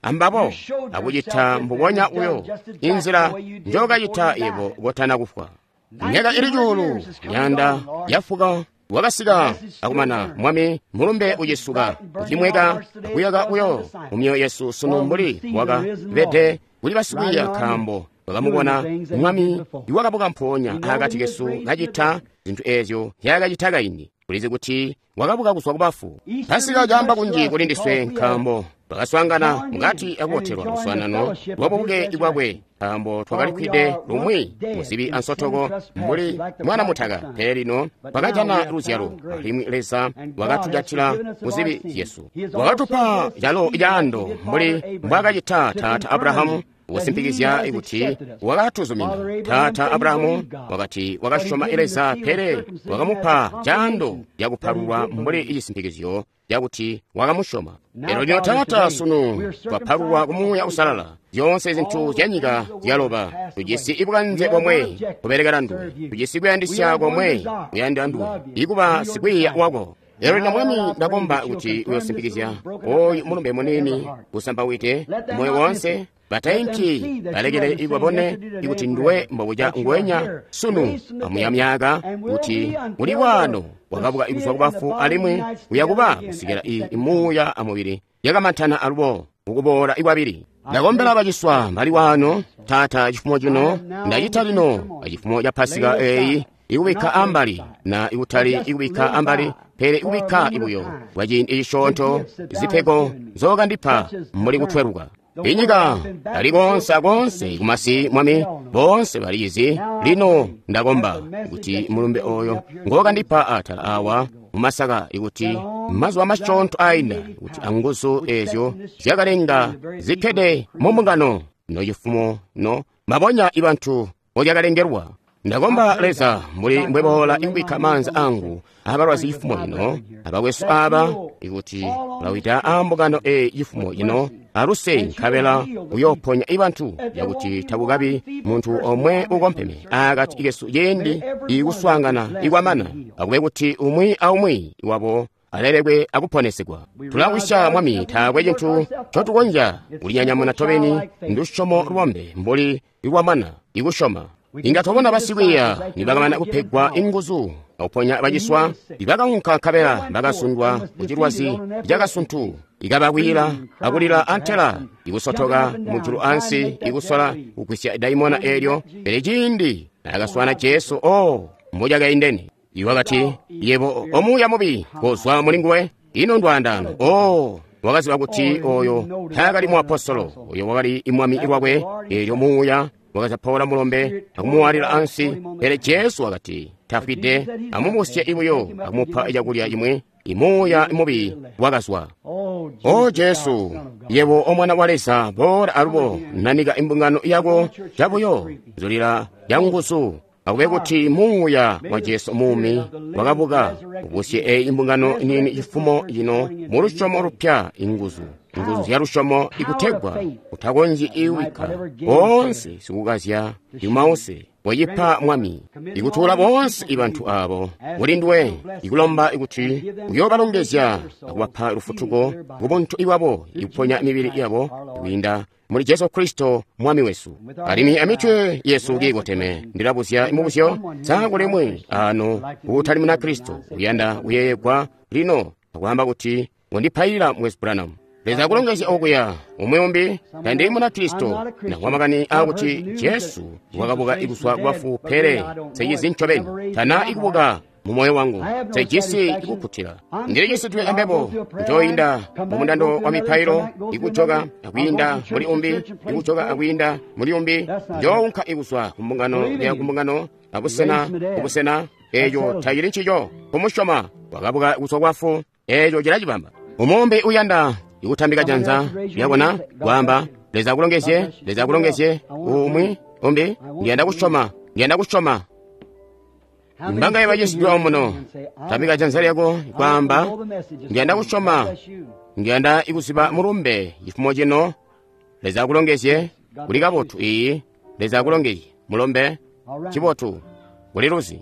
ambabo akucita mbubonya uyo inzila njokacita yebo kotana kufwa. Myaka ili cuulu myanda yafuka wakasika akumana, Mwami, mulumbe ucisuka ucimweka akuyaka uyo mu myoyo yesu sunu mbuli wakabede kuli basikwiiya, nkaambo bakamubona Mwami iwakabuka mpoonya akati kesu kacita zintu eezyo nzyaakacita kaindi. Tulizi kuti wakabuka kuzwa kubafu. Pasika caamba kunji kuli ndiswe nkaambo twakaswaangana mukati akubotelwa luswaanano lwabubuke bwakwe, nkaambo twakalikwide lumwi muzibi ansotoko mbuli mwana mutaka, pele lino twakajana luzyalo, alimwi Leza wakatujatila muzibi zyesu. Wakatupa calo caando mbuli mbwaakacita Taata Abrahamu, kusimpikizya kuti wakatuzumina. Taata Abrahamu wakati wakasyoma Leza, pele wakamupa caando cakupalulwa mbuli cisimpikizyo cakuti wakamusyoma. Lero lino Taata, sunu twapalulwa ku Muuya Uusalala. Zyoonse zintu zya nyika zyaloba. Tujisi ibukanze bomwe kubelekela nduwe, tujisi kuyandisya komwe kuyanda nduwe, ikuba sikwiiya wako. Lero lino Mwami, ndakomba kuti uyosimpikizya oyu mulumbe munini usambawite moyo wonse. Batainki balekele ikwabone ikuti nduwe mbobuca ngwenya sunu amuya myaka kuti muli wano wakabuka kuzwa kubafu, alimwi uyakuba kusikila imuuya amubili yakamantana alubo mukuboola ikwabili. Ndakombela baciswa bali wano, Taata, cifumo cino ndacita lino acifumo ca Pasika eeyi Ikubikka ambali na ikutali ikubikka ambali, pele ikubikka ibuyo kwaciindi cisyoonto zipego nzookandipa mbuli kutweluka. Inyika ali konse akonse kumasi Mwami, boonse baliizi. Lino ndakomba kuti mulumbe oyo ngookandipa atala awa mumasaka, ikuti mazuba masyoonto ainda, kuti anguzu ezyo zyakalenga zikkede mu mbungano no cifumo no mabonya ibantu mbozyakalengelwa. Ndakomba Leza, mbuli mbweboola ikubikka maanza angu abalwazi cifumo ino, abakwesu aba, ikuti ulawida aambungano eyi cifumo ino aluse, nkabela uyooponya ibantu, yakuti takukabi muntu omwe ukompeme akati kesu ciindi ikuswaangana ikwamana, akube kuti umwi aumwi wabo alelekwe akuponesegwa. Tulawisya Mwami, taakwe cintu ncotukonzya kulinyanyamuna tobeni, ndusyomo lwombe mbuli lwamana ikusyoma. Inga twabona basikwiiya nibakamana kupegwa inguzu akuponya baciswa, ibakaunka nkabela bakasundwa kucilwazi cakasuntu, ikabakwila akulila antela ikusotoka mujulu ansi ikusola kugwisya daimona eelyo. Pele ciindi naakaswana Jesu, o mbucakaindene, iwakati, yebo omuuya mubi kozwa mulinguwe. Ino ndwaandaano! O wakaziba kuti oyo taakali muapostolo, oyo wakali imwami lwakwe. Eelyo muuya wakazapaula mulombe akumuwalila ansi. Pele Jesu wakati, tafwide, amubusye ibuyo akumupa cakulya cimwi. Imuuya mubi wakazwa. O Jesu, yebo omwana wa Leza, boola alubo, nanika imbungano yako cabuyo, zulila yanguzu. Akube kuti muuya wa Jesu muumi wakabuka ubusye eyi imbungano nini cifumo cino mu lusyomo lupya, inguzu inguzu zya lusyomo ikutegwa utakonzyi iwika boonse sikukazya imause wacipa Mwami, ikutuula boonse ibantu abo kulinduwe, ikulomba ikuti uyoobalongezya akubapa lufutuko kubuntu iwabo, ikuponya mibili yabo kwiinda muli Jesu Kristo Mwami wesu. Alimwi amitwe yesu kiikoteme, ndilabuzya imubuzyo, sa kulimwi ano uutali muna Kristo uyanda kuyeeyegwa lino akwaamba kuti ngondipailila Mukwesu Branham? Leza akulongezya okuya. Umwi umbi, tandili muna Kristo, nakuwa makani aakuti Jesu wakabuka kuzwa kubafu, pele nsejizi ncobeni, tana ikubuka mu moyo wangu, sejisi ikukkutila. Ndilicisidwe ambebo, njoyinda mu mundando wa mipailo, ikujoka akwiinda muli umbi, ikujoka akwiinda muli umbi, njounka ikuzwa ku mbungano ya ku mbungano, abusena kubusena. Eeco tacili ncico. Kumusyoma wakabuka kuzwa kubafu, eeco cilacibamba. Umumbi uyanda ikutambika janza lyabona kwaamba, Leza akulongezye, Leza akulongezye. Umwi umbi, ndiyanda kusyoma, ndiyanda kusyoma. Mbanga bacisidwe omuno, tambika janza lyako kwaamba, ndiyanda kusyoma, ndiyanda ikuziba mulumbe cifumo cino. Leza akulongezye. Kuli kabotu iyi. Leza akulongezye mulombe. Cibotu, kuli luzi.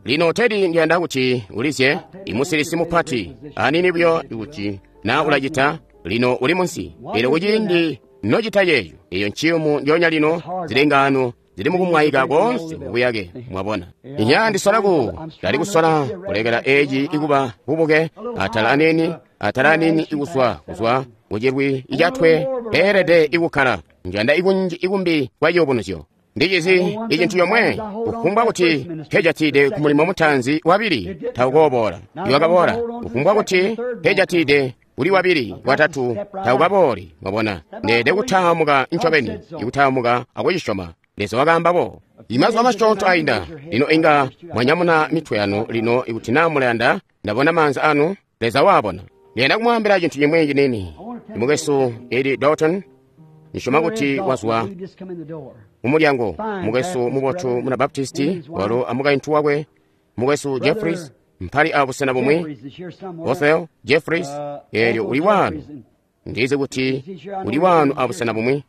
Lino Tedi, ndiyanda kuti ulizye imusilisi mupati anini buyo ikuti na ulacita. Lino uli munsi, pele kuciindi nocita yeeyo, eyo nciyumu ndyoonya lino zilengano zili mukumwayika koonse mubuyake. Mwabona, inya ndisolaku ndali kusola kulekela eci ikuba bubuke atala anini atala anini ikuzwa kuzwa kucilwi icatwe peelede ikukkala. Njanda ikunji ikumbi kwa ciyubunuzyo. Ndicizi icintu yomwe, kufumbwa kuti pejatide ku mulimo mutaanzi wabili taukoboola. Iwakaboola kufumbwa kuti pejatide uli wabili watatu taukabooli. Mwabona, ndeede kutaamuka ncobeni, ikutaamuka akucisyoma. Leza wakaamba bo. Imazuba masyoonto ainda, lino inga mwanyamuna mitwe yanu lino ikuti naa mulayanda. Ndabona maanza anu, Leza waabona. Ndiyanda kumwaambila cintu cimwi cinini. Mukwesu Eddie Dalton, nisyoma kuti wazwa mumulyango. Mukwesu mubotu muna Baptisti, walo amukaintu wakwe Mukwesu Jeffries, mpali abusena bumwi. Othel Jeffries, eelyo uli wanu. Ndizi kuti uli wanu abusena bumwi.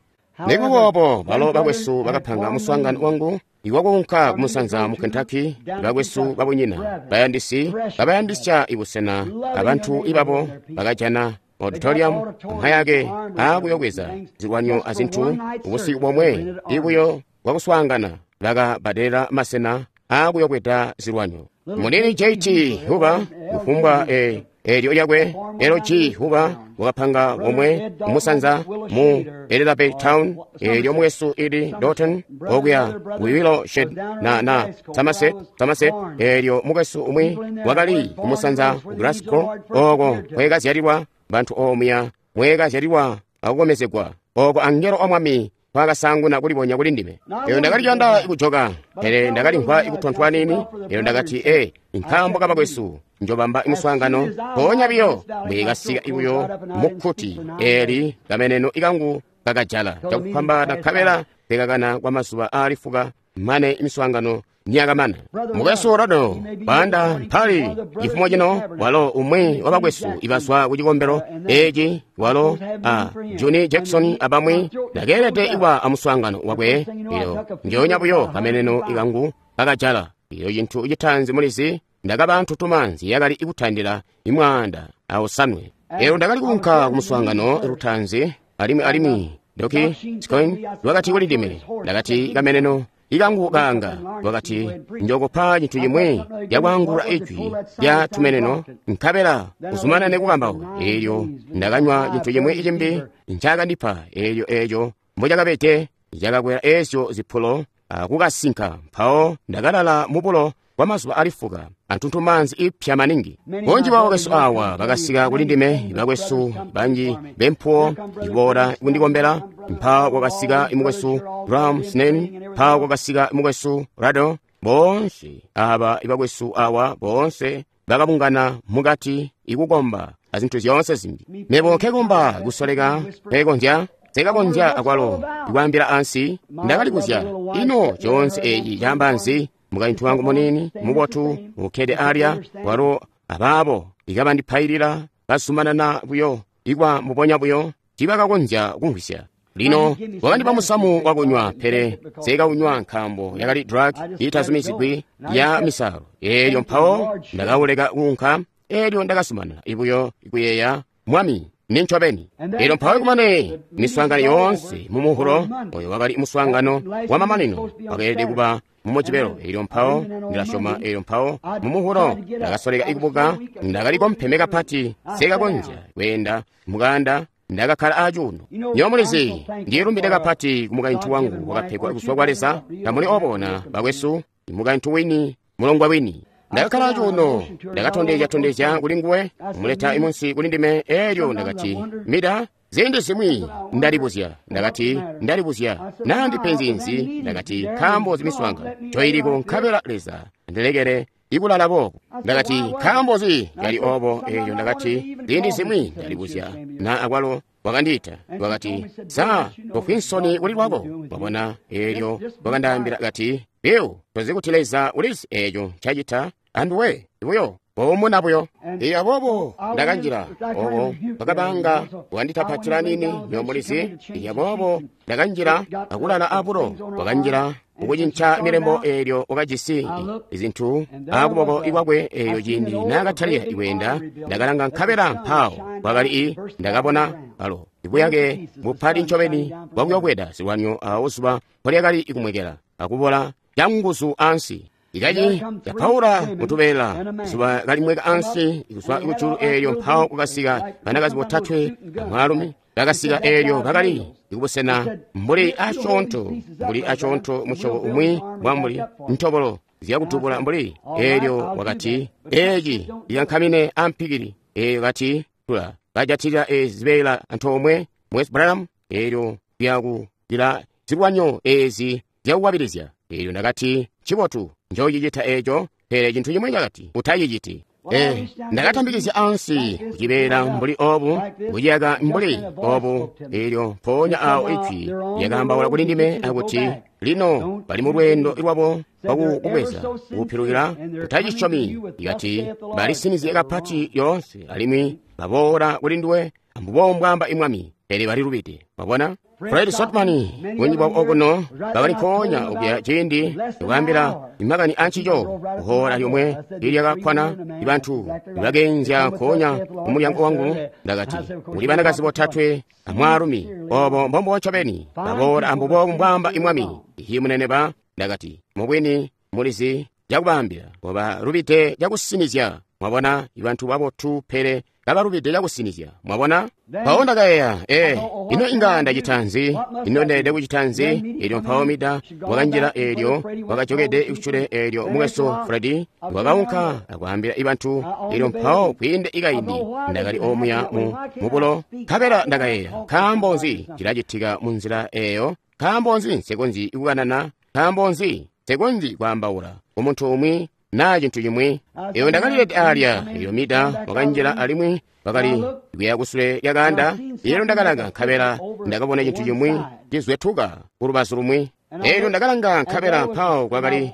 Nikuba balo bakwesu bakapanga muswaangano wangu iwakuunka kumusanza mu Kentucky. Bakwesu babunyina bayandisi babayandisya ibusena abantu ibabo bakajana auditorium amayake aakuyokweza zilwanyo azintu. Ubusiku bomwe ibuyo bwakuswaangana bakabbadelela masena aakuyokweda zilwanyo. Munini J T Huba kufumbwa e Eelyo lyakwe L G Huba wakapanga omwe musanza mu Elizabeth Town. Eelyo mwesu ili Dalton okuya Willow Shed na na Somerset Somerset. Eelyo mukwesu umwi wakali kumusanza Glasgow oko kwekazyalilwa bantu omuya mwekazyalilwa akukomezegwa oko angelo omwami kwakasanguna kulibonya kuli ndime. Eyo ndakali kuyanda kujoka, pele ndakalimvwa kutontwa nini. Eyo ndakati e nkaambo kabakwesu njobamba imuswaangano mpoonya biyo mwikasika ibuyo mukkuti eli kameneno ikangu kakajala cakupambana nkabela pekakana kwa mazuba aali fuka mane imiswaangano niyakamana. Mukwesu Rado banda mpali chifumo chino walo umwi wa bakwesu ibazwa ku cikombelo eci walo a Johnny Jackson abamwi ndakeelede iwa amuswaangano wakwe. Iyo njonya buyo kameneno ikangu kakajala. Iyo cinthu chitanzi mulizi ndakaba ntutumanzi yakali ikutandila imwaanda awosanwe. Eyo ndakali kuunka ku muswaangano lutanzi alimwi alimwi Doki Scoin lwakati kuli ndime, ndakati kameneno ikangu kanga wakati njokupa cinthu chimwe lyakwangula ijwi lya tumeneno nkabela uzumanane kukambauka. Eelyo ndakanywa cinthu chimwe ichimbi ncakandipa. Eelyo eeco mbochakabete cakakwera eezyo ziphulo akukasinka. Mpawo ndakalala mubulo kwa mazuba ali fuka antuntumanzi ipya maningi. Bunji bwa bakwesu awa bakasika kuli ndime, bakwesu banji bempuwo iboola kundikombela. Mpawo kwakasika imukwesu Ram Snen, mpawo kwakasika imukwesu Rado. Boonse aba ibakwesu awa boonse bakabungana mukati ikukomba azinthu zyoonse zimbi. Mebo nkekomba kusoleka nkekonzya sekakonzya akwalo ikwaambila ansi. Ndakalikuzya ino coonse eci caamba nzi. Mukaintu wangu munini mubotu ukkede alya walo abaabo ikabandipailila bazumanana buyo ikwa mubonya buyo tibakakonzya kumvwisya. Lino wakandipa musamu wakunywa, pele sekaunywa nkaambo yakali drug itazumizigwi ya misalo. Eelyo mpawo ndakawuleka kuunka. Eelyo ndakazumanana ibuyo ikuyeeya mwami nincobeni. Eelyo mpawo kumane miswaangano yoonse mumuhulo oyo wakali muswaangano wa mamanino wakeelede kuba mumujibelo. Eelyo mpawo ndilasyoma. Eelyo mpawo mumuhulo ndakasoleka ikubuka, ndakali kompeme kapati sekakonzya kweenda mukanda, ndakakkala acuuno. Nyo mulizi ndilumbide kapati ku mukaintu wangu wakapegwa kuzwa kwa Leza. Tamuli obona bakwesu, mukaintu wini mulongwa wini. Ndakakkala acuuno, ndakatondezya-tondezya kuli nguwe, kumuleta imunsi kuli ndime. Eelyo ndakati mida ziindi zimwi ndalibuzya, ndakati ndalibuzya naa ndipenzi nzi. Ndakati nkaambo zimiswaangano coyiliko nkabela Leza ndilekele ikulala boobo. Ndakati nkaambo zi yali obo. Eelyo ndakati ziindi zimwi ndalibuzya na akwalo wakandiita wakati sa tofwi nsoni kuli lwako wabona. Eelyo wakandaambila kati biu tozi kuti Leza ulizi eeco ncacita anduwe buyo boomuna buyo. Iyo aboobo ndakanjila obo bakabanga wakanditapatila nini nyomulizi. Iyo aboobo ndakanjila akulala abulo. Wakanjila ukucinca milembo eelyo wakajisi izinthu akuboko ikwakwe. Eeyo ciindi naakatalika ikweenda ndakalanga nkabela mpawo kwakali i ndakabona alo ibuyake bupati ncobeni bwakuyobweda zilwanyo awo zuba mpolyakali ikumwekela akubola canguzu ansi. Ikaci yapaula mutubeela zuba kalimweka ansi kuzwa kujulu. Eelyo mpawo kukasika banakazi botatwe amwaalumi bakasika. Eelyo bakali ikubusena mbuli asyoonto mbuli asyoonto musyobo umwi bwa mbuli ntobolo zyakutubula mbuli. Eelyo wakati eci ikankamine ampikili. Eelyo kati tula kajatilila ezi zibeela antoomwe Mukwesu Branham. Eelyo tuyakutila zilwanyo ezi zyakukwabilizya. Eelyo ndakati ncibotu njocicita eeco, pele cintu chimwe cakati utaciciti. Eh, ndakatambikizya ansi kucibeela mbuli obu, kuciyaka mbuli obu. Eelyo mpoonya awo ijwi lyakaambaula kuli ndime akuti lino bali mu lweendo lwabo lwakukubweza kupilukila utacisyomi. Ikati balisinizye kapati yoonse alimwi baboola kuli nduwe ambubo mbwaamba imwami, pele balilubide. Wabona Fred Sotman bunji bwa okuno bakali mpoonya okuya ciindi ndikuambila imakani ancico kuhola lyomwe lilyakakwana ibantu bakeenzya nkoonya kumulyango wangu. Ndakati kuli banakazi botatwe amwaalumi obo mbombo ncobeni baboola ambubo mbwaamba imwami. Ihi munene ba ndakati mubwini mulizi cakubaambila oba lubide cakusinizya. Mwabona, ibantu babotu pele kabalubide cakusinizya. Mwabona? Mpawo ndakayeeya, ee, ino inga ndacita nzi? Ino ndeelede kucita nzi? Eelyo mpawo Mida wakanjila, eelyo wakajokede kusule, eelyo mukwesu Freddy wakaunka akwaambila ibantu. Eelyo mpawo kwiinde ikaindi ndakali omuya mu mubulo, nkabela ndakayeeya, nkaambo nzi cilacitika mu nzila eeyo? Nkaambo nzi nsekonzyi kukanana? Nkaambo nzi nsekonzyi kwaambaula kumuntu umwi naa cintu cimwi? Eyo ndakalilede alya. Eyo Mida wakanjila alimwi wakali kuya kusule lya kaanda. Eelyo ndakalanga nkabela ndakabona cintu cimwi cizwetuka ku lubazu lumwi. Eelyo ndakalanga nkabela mpawo kwakali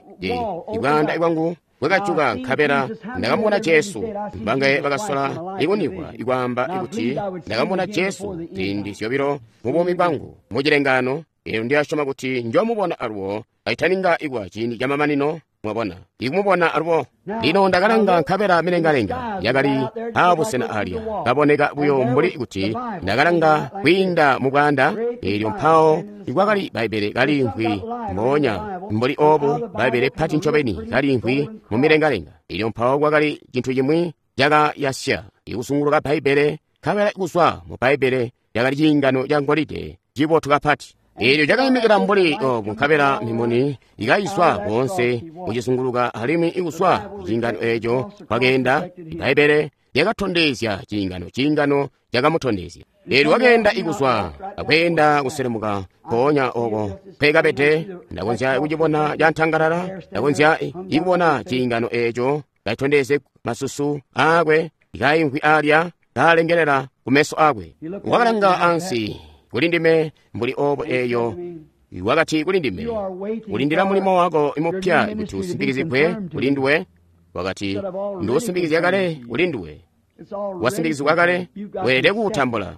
ibwaanda bwangu bwakajuka, nkabela ndakamubona Jesu. Mbangaye bakasola ikunikwa ikwaamba kuti ndakamubona Jesu ziindi zyobilo mu buumi bwangu mu cilengaano. Eelyo ndiyasyoma kuti njomubona alubo kaitaninga ikwa ciindi camamanino. Mwabona, ikumubona alubo. Lino ndakalanga nkabela milengalenga yakali aabusena alya, kaboneka buyo mbuli kuti ndakalanga kwiinda mu bwaanda. Eelyo mpawo ikwakali Bbaibbele kaliimvwi mboonya mbuli oobu, Bbaibbele pati ncobeni kaliimvwi mu milengalenga. Eelyo mpawo kwakali cintu cimwi cakayasya ikusunguluka Bbaibbele, nkabela kuzwa mu Bbaibbele lyakali ciingano ca ngolide cibotu kapati. Eelyo cakaimikila mbuli obu, nkabela mimuni ikayiswa koonse kucizunguluka, alimwi ikuzwa kuciingano eeco kwakeenda Bbaibbele lyakatondezya ciingano, ciingano cakamutondezya. Eelyo wakeenda ikuzwa akweenda kuselemuka mpoonya oko mpekabede. Ndakonzya kucibona cantangalala, ndakonzya ikubona ciingano eeco kacitondezye masusu aakwe kaimvwi alya kalengelela kumeso akwe. Wakalanga ansi kuli ndime mbuli obo, eyo wakati kuli ndime, ulindila mulimo wako imupya kuti usimbikizigwe kuli nduwe. Wakati, ndiusimbikizya kale kuli nduwe, wasimbikizigwa kale, weelede kuutambula.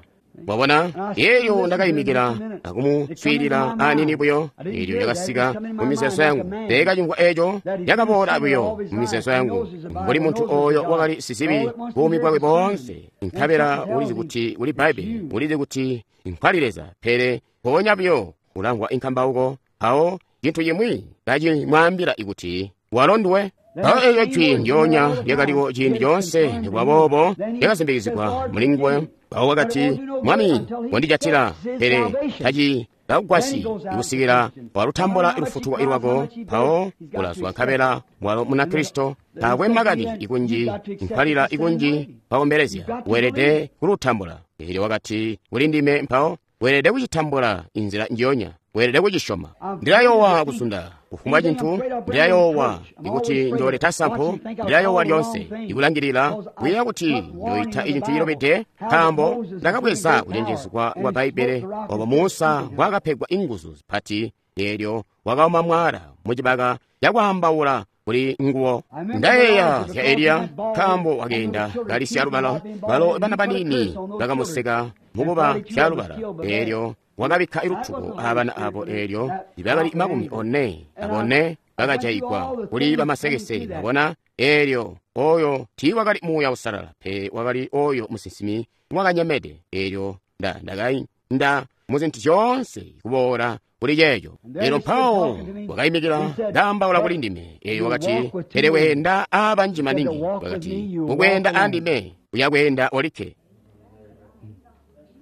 Mwabona? Eelyo ndakayimikila akumuswiilila anini buyo. Eelyo lyakasika mu mizeezo yangu, teekacimvwa eeco, lyakaboola buyo mu mizeezo yangu mbuli muntu ooyo wakali sizibi buumi bwakwe boonse, nkabela ulizi kuti kuli Bbaibbele, ulizi kuti nkwali Leza, pele mpoonya buyo ulamvwa inkambauko, mpawo cintu cimwi kacimwaambila kuti walo nduwe. Mpawo eelyo jwi ndyoonya lyakaliwo ciindi coonse, nikuba boobo lyakasimbikizigwa muli nguwe. Mpawo wakati, Mwami, wandijatila, pele taci kakugwasyi ikusikila walutambula lufutuko lwako. Mpawo ulazwa nkabela walo Munakristo, taakwe makani ikunji nkwalila ikunji pakombelezya, weelede kulutambula. Eelyo wakati kuli ndime, mpawo weelede kucitambula inzila njiyonya, weelede kucisyoma. Ndilayoowa kuzunda kufumbwa cintu, ndilayoowa ikuti njooleta sampu, ndilayoowa lyoonse ikulangilila kuyeeya kuti njoita icintu cilobede, nkaambo ndakabweza kucenjezwa kwa Bbaibbele obo Musa mbwaakapegwa inguzu zipati. Eelyo wakauma mwala mucibaka cakwaambaula kuli nguwo. Ndayeeya zya Eliya, nkaambo wakeenda kali syalubala, balo bana baniini bakamuseka mukuba syalubala. Eelyo wakabikka ilutuko abana abo, eelyo bakali makumi one abone bakajayigwa kuli bamasekese. Mwabona? Eelyo oyo tiiwakali Muuya Usalala, pe wakali oyo musinsimi wakanyemede. Eelyo nda ndakainda mu zintu zyoonse kuboola kuli ceeco. Eelyo mpawo wakayimikila ndaambaula kuli ndime. Eelyo wakati, pele weenda aabanji maningi. Wakati, ukweenda andime uyakweenda olikke.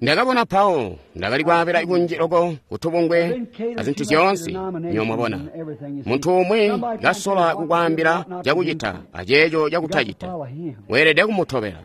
Ndakabona mpawo ndakali kwaabila kunji loko kutubungwe azintu zyoonse. Nyo mwabona, muntu umwi kasola kukwaambila cakucita aceeco cakutacita, weelede kumutobela.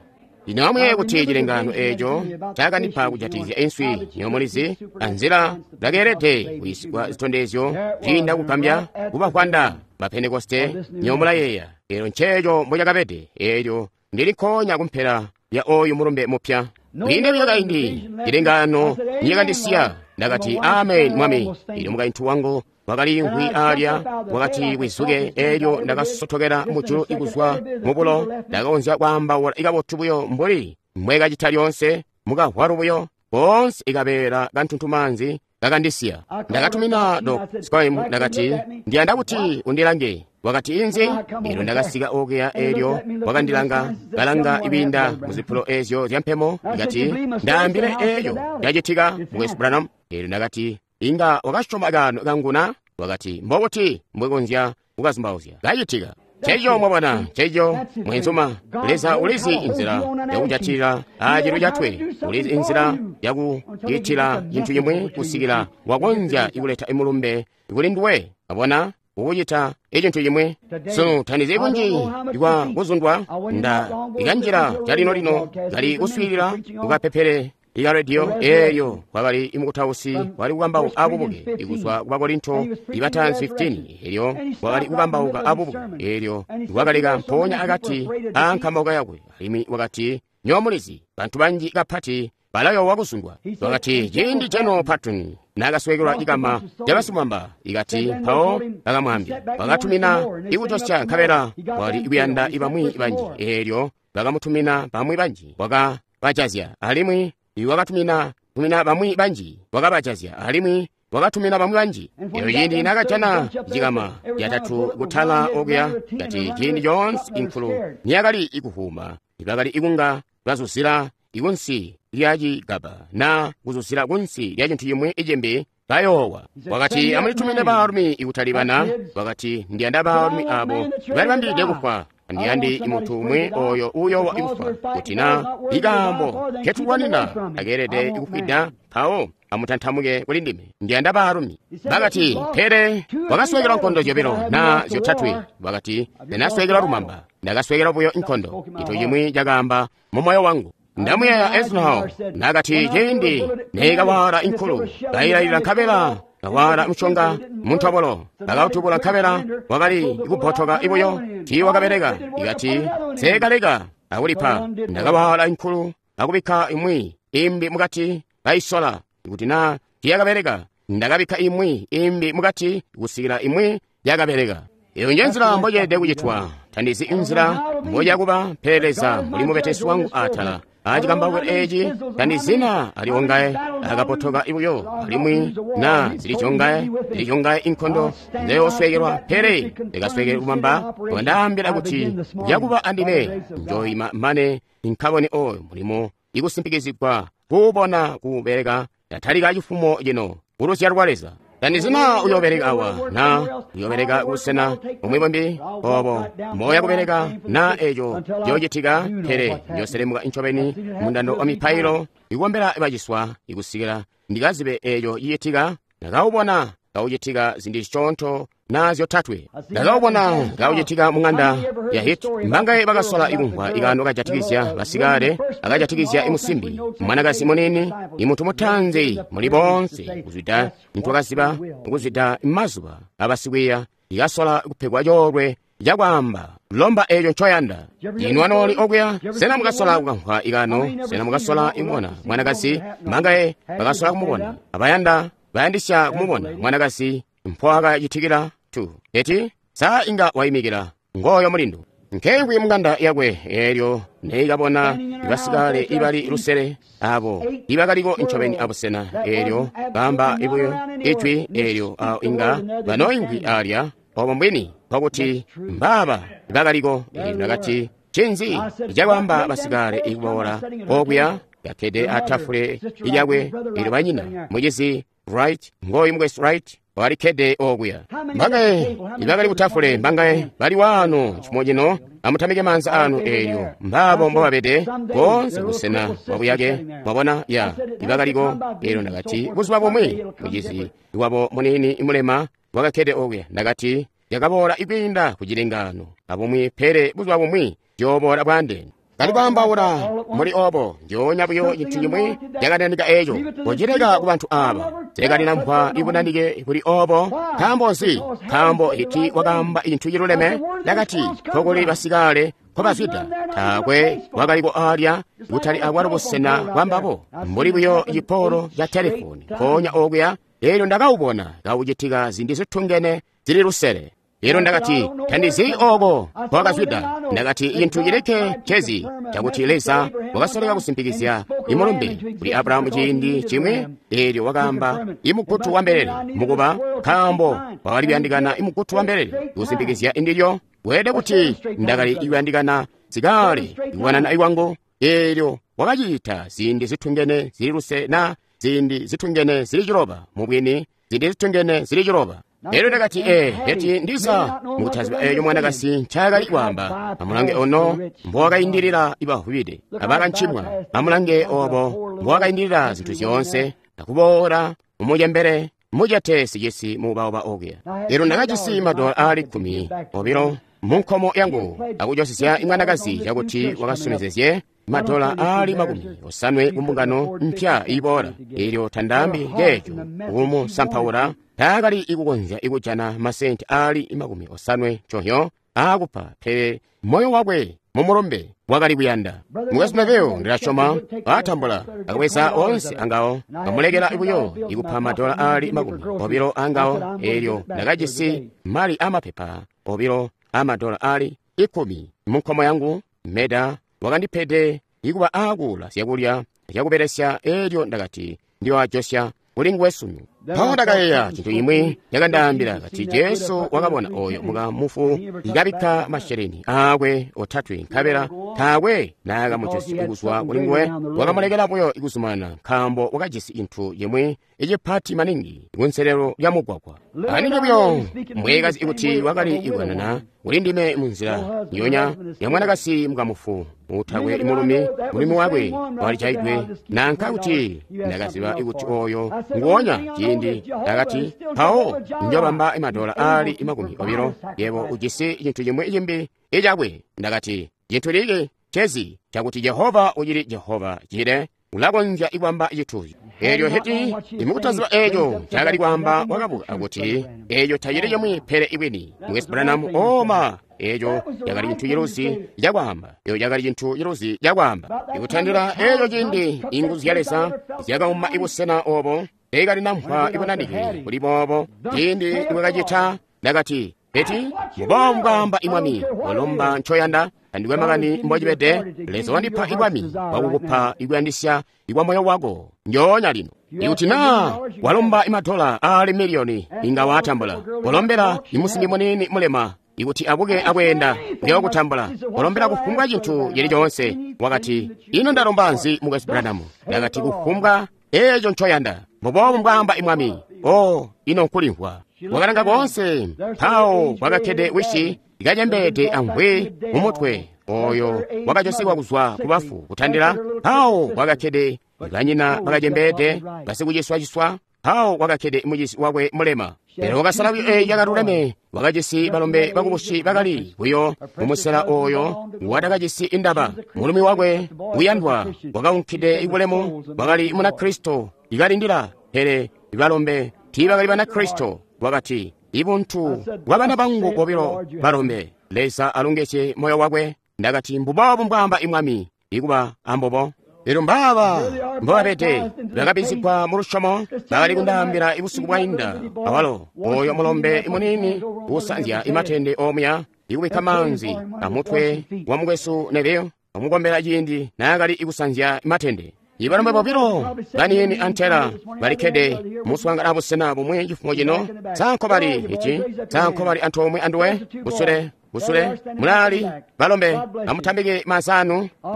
Lino amuyeeye kuti cilengaano eeco cakandipa kujatikizya inswi, nyo mulizi, anzila ndakeelede kuyisigwa zitondezyo ziinda kugambya kubavwanda ba Pentekoste. Nyo mulayeeya, eelyo nceeco mbocakabede. Eelyo ndili nkoonya kumpela ya oyu mulumbe mupya. Kwiinde buyo kaindi, cilengaano nicakandisiya, ndakati, amen, Mwami. Eelyo mukaintu wangu wakaliimvwi alya, wakati wizuke. Eelyo ndakasotokela mujulu ikuzwa mubulo, ndakakonzya kwaambaula ikabotu buyo mbuli mbwekacita lyoonse, mukavwalu buyo koonse ikabeela kantuntumaanzi kakandisiya. Ndakatumina Doc Scoim, ndakati, ndiyanda kuti undilange. Wakati, inzi? Eelyo ndakasika okuya, eelyo wakandilanga, kalanga ibinda muzipulo eezyo zyampemo. Ndakati, ndaambile eeyo yacitika, Mukwesu Branham. Eelyo ndakati, inga wakasyoma kaano kanguna? Wakati, mbobuti mbwekonzya kukazumbauzya? Kacitika. Nceco mwabona, nceco mwenzuma. Leza ulizi inzila yakujatilila aacilwi catwe, ulizi inzila yakucitila cintu cimwi kusikila wakonzya ikuleta imulumbe kuli nduwe. Abona ukucita icintu cimwi. Sunu tandizi kunji kwa kuzundwa nda ikanjila calino-lino kali kuswiilila kukapepele ika rediyo eyo kwakali imukutausi wali kukambauka abubuke ikuzwa ku Bakorinto ibatanzi fifteen elyo wakali kukambauka abubuke elyo wakaleka mpoonya akati aankambauka yakwe alimwi wakati nyo mulizi bantu banji kapati balayowa kuzundwa. Wakati ciindi General Patton nakaswekelwa cikama cabasimwamba ikati mpawo bakamwambya bakatumina ikutosya nkabela wali kuyanda ibamwi banji elyo bakamutumina bamwi banji wakabajazya alimwi wakatumina tumina bamwi banji wakabajazya alimwi wakatumina bamwi banji. Eyo ciindi nakajana cikama catatu kutala okuya kati ciindi coonse inkulu niyakali ikuhuma ibakali ikunga bazuzila ikunsi lya cigaba na kuzuzila kunsi lya cintu cimwi icimbi bayoowa. Wakati amulitumine baalumi ikutali bana. Wakati ndiyanda baalumi abo balibambilide kufwa. Andiyandi imuntu umwe oyo uyowa ikufa kuti na ikambo ketulwanina akeelede ikufwida mpawo amutantamuke kuli ndime. Ndiyanda baalumi. Bakati pele wakaswekelwa nkondo zyobilo na zyotatwe. Wakati ndinaswekelwa lumamba, ndakaswekelwa buyo nkondo. Cintu cimwi cakaamba mu moyo wangu. Ndamuyeeya Eisenhower nakati ciindi neikawala inkulu kayilayilila nkabela kawala mushonga muntobolo akautubula nkabela wakali kubbotoka ibuyo tiiwakabeleka. Ikati seekaleka akulipa ndakawala inkulu akubikka imwi imbi mukati kayisola kuti na tiyakabeleka ndakabikka imwi imbi mukati kusikila imwi yakabeleka. Iyo nje nzila mboceelede kucitwa. Tandizi inzila mboyakuba pele Leza muli mubetesi wangu atala acikambauko eci tandizina aliwongaye akapotoka ibuyo alimwi na zilichongaye zilichongaye inkondo nzeyoswekelwa pele ndikaswekele lumamba wandaambila kuti yakuba andime njoyima mane nkabone oyo mulimo ikusimpikizigwa kuubona kuubeleka ndatalika cifumo cino kuluzyalo lwa Leza. Tandizina uyobeleka awa na uyobeleka kusena bumwi bumbi obo moya kubeleka na eco ciyocitika pele njoselemuka incobeni mundando wa mipailo ikukombela baciswa ikusikila ndikazibe eco cicitika. Ndakawubona kaucitika zindi ziconto na zyotatwe. Ndakawubona kaucitika mu ng'anda ya Hit. Mbangaye bakasola ikumvwa ikano kajatikizya basikale akajatikizya imusimbi mwanakazi munini imuntu mutanzi muli bonse kuzwida ntwakaziba kuzwida mazuba abasikwiya ikasola kupegwa coolwe cakwaamba lomba eco ncoyanda. Inu anooli okuya sena mukasola kukamvwa ikano sena mukasola imubona mwanakazi mbangaye bakasola kumubona abayanda bayandisya kumubona mwanakazi mpowakacitikila tu eti saa inga wayimikila ngoyo mulindu nkengwi mung'anda yakwe elyo neikabona ibasikale ibali lusele abo ibakaliko ncobeni abusena elyo bamba ibuyo ijwi elyo awo inga banoingwi alya obo mbwini nkokuti mbaba bakaliko. Elyo nakati cinzi icakwamba basikale ikubola okuya gakkede atafule ilyakwe elyo banyina mucizi Wright ngoyu mukwesu Wright walikkede okuya. Mbangaye ibakali kutafule mbangaye bali wano chimo chino amutamike manza anu elyo mbabo mbobabede bonse busena bwabuyake mwabona ya ibakaliko. Elyo ndakati buzuba bumwi mucizi iwabo munini imulema wakakkede okuya ndakati yakaboola ikwiinda ku cilengano abumwi pele buzuba bumwi joboola bwandene. Kali kwaambaula muli obo njoonya buyo cintu cimwi cakananika eco kocileka ku bantu aba sekalina mphwa ibunanike kuli obo. Nkaambo nzi? Nkaambo iti wakamba cintu ciluleme nakati kokuli basikale nkobazwida taakwe wakaliko alya kutali akwalo busena bwambabo mbuli buyo cipolo ca telefoni mpoonya okuya. Elyo ndakawubona kaucitika zindi zitungene zili lusele. Elyo ndakati tandizi oko nkowakazwida. Ndakati cintu cilikke cezi cakuti Leza wakasoleka kusimpikizya imulumbe kuli Abrahamu ciindi cimwi. Elyo wakaamba imugutu wa mbelele mukuba nkaambo wakali kuyandikana imugutu wa mbelele kusimpikizya indilyo. Weelede kuti ndakali kuyandikana sikale ikuwanana iwangu. Elyo wakacita ziindi zitungene zili luse na ziindi zitungene zili ciloba mubwini ziindi zitungene zili ciloba. Elyo ndakati, ee, Heti ndiza mukutaziba eeyo mwanakasi ncaakali kwaamba. Amulange ono mbowakaindilila ibavubide abakancimwa. Amulange obo mbowakaindilila zintu zyoonse akuboola mumucembele mucete sicisi muubauba okuya. Elyo ndakajisi madola aali kkumi obilo munkomo yangu akujosesya imwanakazi cakuti wakasomezezye madola aali makumi osanwe kumbungano mpya iboola. Elyo tandaambi ceeco kumusampaula, taakali ikukonzya ikujana masenti aali makumi osanwe conyo aakupa, pele moyo wakwe mumulumbe wakali kuyanda. Mukwesu Neville ndilasyoma atambula akubweza onse angawo, kamulekela buyo ikupa madola aali makumi obilo angawo. Elyo ndakajisi mali amapepa obilo amadola aali ikumi munkomo yangu. Meda wakandipede ikuba aakuula zyakulya zyakubelesya. Elyo ndakati ndiyoajosya kuli nguwe sunu. Mpawo ndakayeeya cintu imwi yakandaambila kati Jesu wakabona oyo mukamufu ikabikka masheleni aakwe otatwe, nkabela taakwe naakamujosya kuzwa kuli nguwe. Wakamulekela buyo ikuzumanana nkaambo wakajisi cintu cimwi icipati maningi kunselelo lya mugwagwa. Anike buyo mbwekazi ikuti wakali ikukanana kuli ndime munzila nyonya ya mwanakasi mukamufu utakwe mulumi, mulumi wakwe walijaidwe, nanka kuti ndakaziba ikuti oyo nguonya ciindi. Ndakati, mpawo njobamba madola aali makumi obilo, yebo ujisi cintu cimwi cimbi icakwe. Ndakati, cintu liki chezi chakuti Jehova uchili Jehova chile ulakonzya ikwamba chituzi. Elyo Heti imukutaziba eeco ncaakali kwaamba wakabuka akuti eeco tacili cimwi pele ibwini. Mukwesu Branham, oma eeco cakali cintu ciluzi cakwaamba. Eeco cakali cintu ciluzi cakwaamba. Ikutandila eeco ciindi inguzu zya Leza zyakauma ibusena obo teekali nampa ibunanike kuli boobo. Ciindi nikwakacita ndakati, Heti muboobu mbwaamba imwami, walomba ncoyanda tandikwe makani mbocibede. Leza wandipa ibwami bwakukupa ikuyandisya ikwa moyo wako njoonya lino. Ikuti naa walomba imadola aali miliyoni inga waatambula. Walombela imusimbi muniini mulema ikuti abuke akweenda uyookutambula. Walombela kufumbwa cintu cili coonse. Wakati, ino ndalomba nzi mukwesu Branham? Ndakati, kufumbwa eeco ncoyanda. Mbuboobu mbwaamba imwami. O, ino nkulimvwa. Wakalanga koonse, mpawo kwakakkede wishi ikacembeede amvwi mumutwe oyo wakajosekwa kuzwa kubafu kutandila. Mpawo kwakakkede banyina bakacembeede basikuciswaciswa. Mpawo kwakakkede mucisi wakwe mulema. Pele wakasala buyo eeyo yakaluleme. Wakajisi balombe bakubusi bakali buyo mumusela oyo watakajisi indaba. Mulumi wakwe uyandwa wakaunkide ibulemu wakali Munakristo ikalindila, pele balombe tiibakali Banakristo. Wakati, ibuntu bwa bana bangu bobilo balombe, Leza alongezye moyo wakwe. Ndakati, mbuboobu mbwaamba imwami, ikuba ambobo. Elyo mbaaba mbobabede bakabizigwa mu lusyomo bakali kundaambila ibusiku bwainda. Awalo oyo mulombe muniini usanzya imatende omuya ikubikka maanzi amutwe wa mukwesu Neville amukombela ciindi naakali ikusanzya imatende. Ibalombe bobilo baniini antela balikkede muswaangana abusena bumwi cifumo cino. Sanko bali ici, sanko bali antoomwe anduwe, kusule kusule mulali balombe amutambike maanza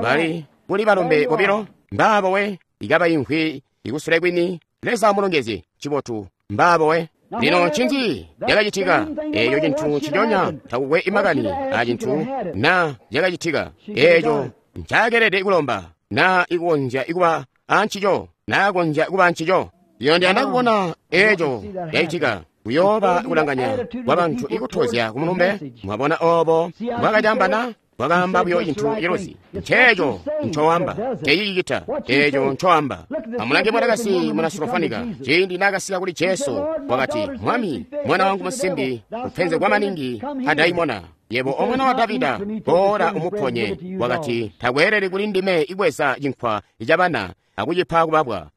bali kuli balombe bobilo mbaabo we ikaba imvwi ikusule kwini. Leza amulongezye cibotu mbaabo we. Lino ncinzi cakacitika? Eeco cintu nciconya takukwe imakani a cintu na cakacitika. Eeco ncakelede kulomba na ikukonzya ikuba ancico, naakonzya kuba ancico. Lino ndiyanda kubona eeco cacitika. Kuyooba kulanganya kwa bantu ikutozya kumulumbe. Mwabona obo mbwakacambana? Wakaamba buyo cintu ciluzi. Nceeco ncoamba, tecicicita eeco ncoamba. Amulange mwanakasi muna Surofanika ciindi naakasika kuli Jesu, wakati, Mwami, mwana wangu musimbi upenzegwa maningi adaimona. Yebo omwana wa Davida, boola umuponye. Wakati, takweeleli kuli ndime ibweza cinkwa cabana akucipa kubabwa.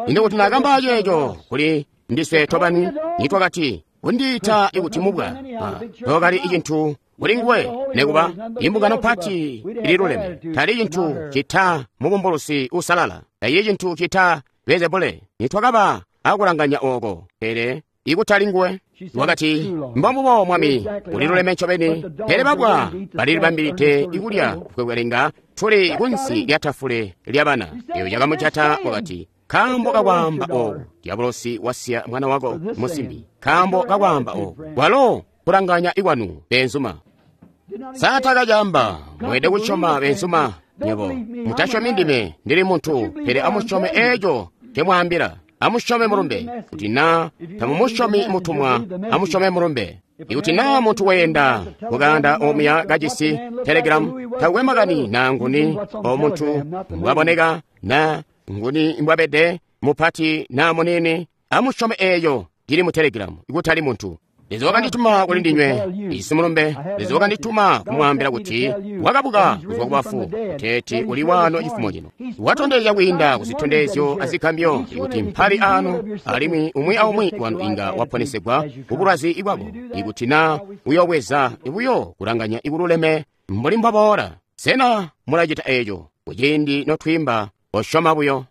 Ino kuti naakamba ceeco kuli ndiswe tobani, nitwakati kundiita ikuti mubwa. Tokali icintu kuli nguwe nekuba imbungano pati ililuleme. Tali cintu cita mubumbulusi usalala, tacili cintu cita Beelzebule. Nitwakaba akulanganya oko, pele ikutali nguwe. Wakati, mbombubo Mwami, uliluleme ncobeni, pele babwa balilibambilide ikulya kwekwelenga tuli kunsi lya tafule lya bana. Eyo yakamujata wakati, Nkaambo kakwaamba oku, diabolosi wasiya mwana wako musimbi. Nkaambo kakwaamba oku, kwalo kulanganya ikwanu beenzuma. Saatakacaamba, mweelede kusyoma beenzuma nywebo. Mutasyomi ndime, ndili muntu, pele amusyome eeco ncemwaambila. Amusyome mulumbe. Kuti naa tamumusyomi mutumwa, amusyome mulumbe. Ikuti naa muntu weenda mukanda omuya kajisi telegram, takwe makani naa nguni o muntu mbwaboneka naa nguni mbwabede, mupati naa munini, amusyome eeyo cili mu telegram, ikutali muntu. Leza wakandituma kuli ndinywe, ijisi mulumbe. Leza wakandituma kumwaambila kuti wakabuka kuzwa kubafu, kuteeti uli waano cifumo cino. Watondezya kwiinda kuzitondezyo azigambyo ikuti mpali ano, alimwi umwi aumwi wanu inga waponesegwa kubulwazi bwako, ikuti naa uyobweza buyo kulanganya ikululeme mbuli mbwaboola. Sena mulacita eeco kuciindi notwiimba osyoma buyo?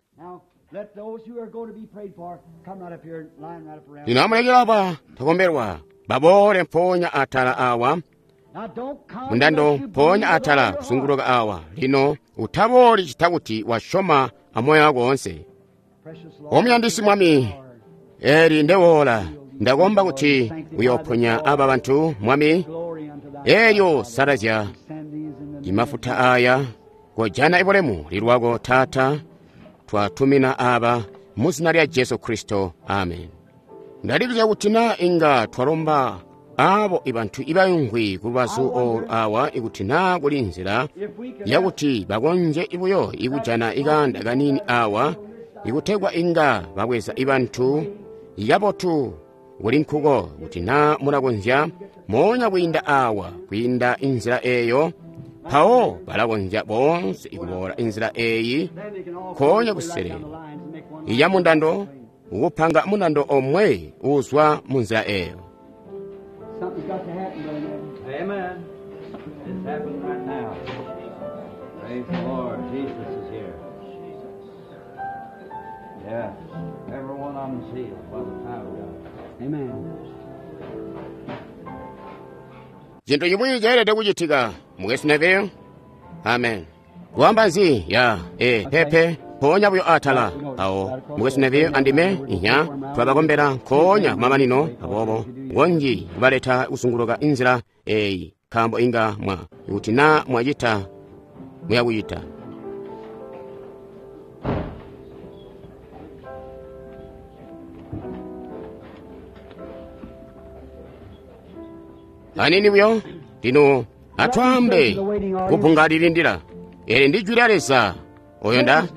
Lino amulekele aba takombelwa baboole mpoonya atala awa mundando, mpoonya atala kuzunguluka awa. Lino utabooli cita kuti wasyoma amoyo wako woonse. Omuyandisi Mwami, eli ndewoola, ndakomba kuti uyooponya aba bantu, Mwami. Elyo salazya imafuta aya, kojana ibulemu lilwako Taata. Twatumina aba mu zina lya Jesu Kristo, amen. Ndalibuzya kuti naa inga twalomba abo ibantu ibayungwi ku lubazu olu awa, ikuti naa kuli nzila yakuti bakonzye buyo ikujana ikanda kanini awa, ikutegwa inga babweza ibantu ikabotu kuli nkuko, kuti naa mulakonzya moonya kwiinda awa, kwiinda inzila eyo, mpawo balakonzya boonse ikuboola inzila eyi nkoonya kuselelo iya mundando, ukupanga mundando omwe uzwa mu nzila eyo. Amen. It's happening right now. Praise the Lord. Jesus is here. Yeah. Every one of them's healed by the power of God. Amen. Cintu chimwi cheelede kuchitika mukwesu Neville. Amen. Kuamba nzi ya e pepe mpoonya buyo atala awo mukwesu Neville andime inya twabakombela nkoonya kumamanino, aboobo ngonji kubaleta kusunguluka inzila eyi, nkaambo inga mwa ikuti naa mwacita muyakucita. Anini buyo lino atwaambe kupunga lilindila. Eli ndi jwi lya Leza oyo nda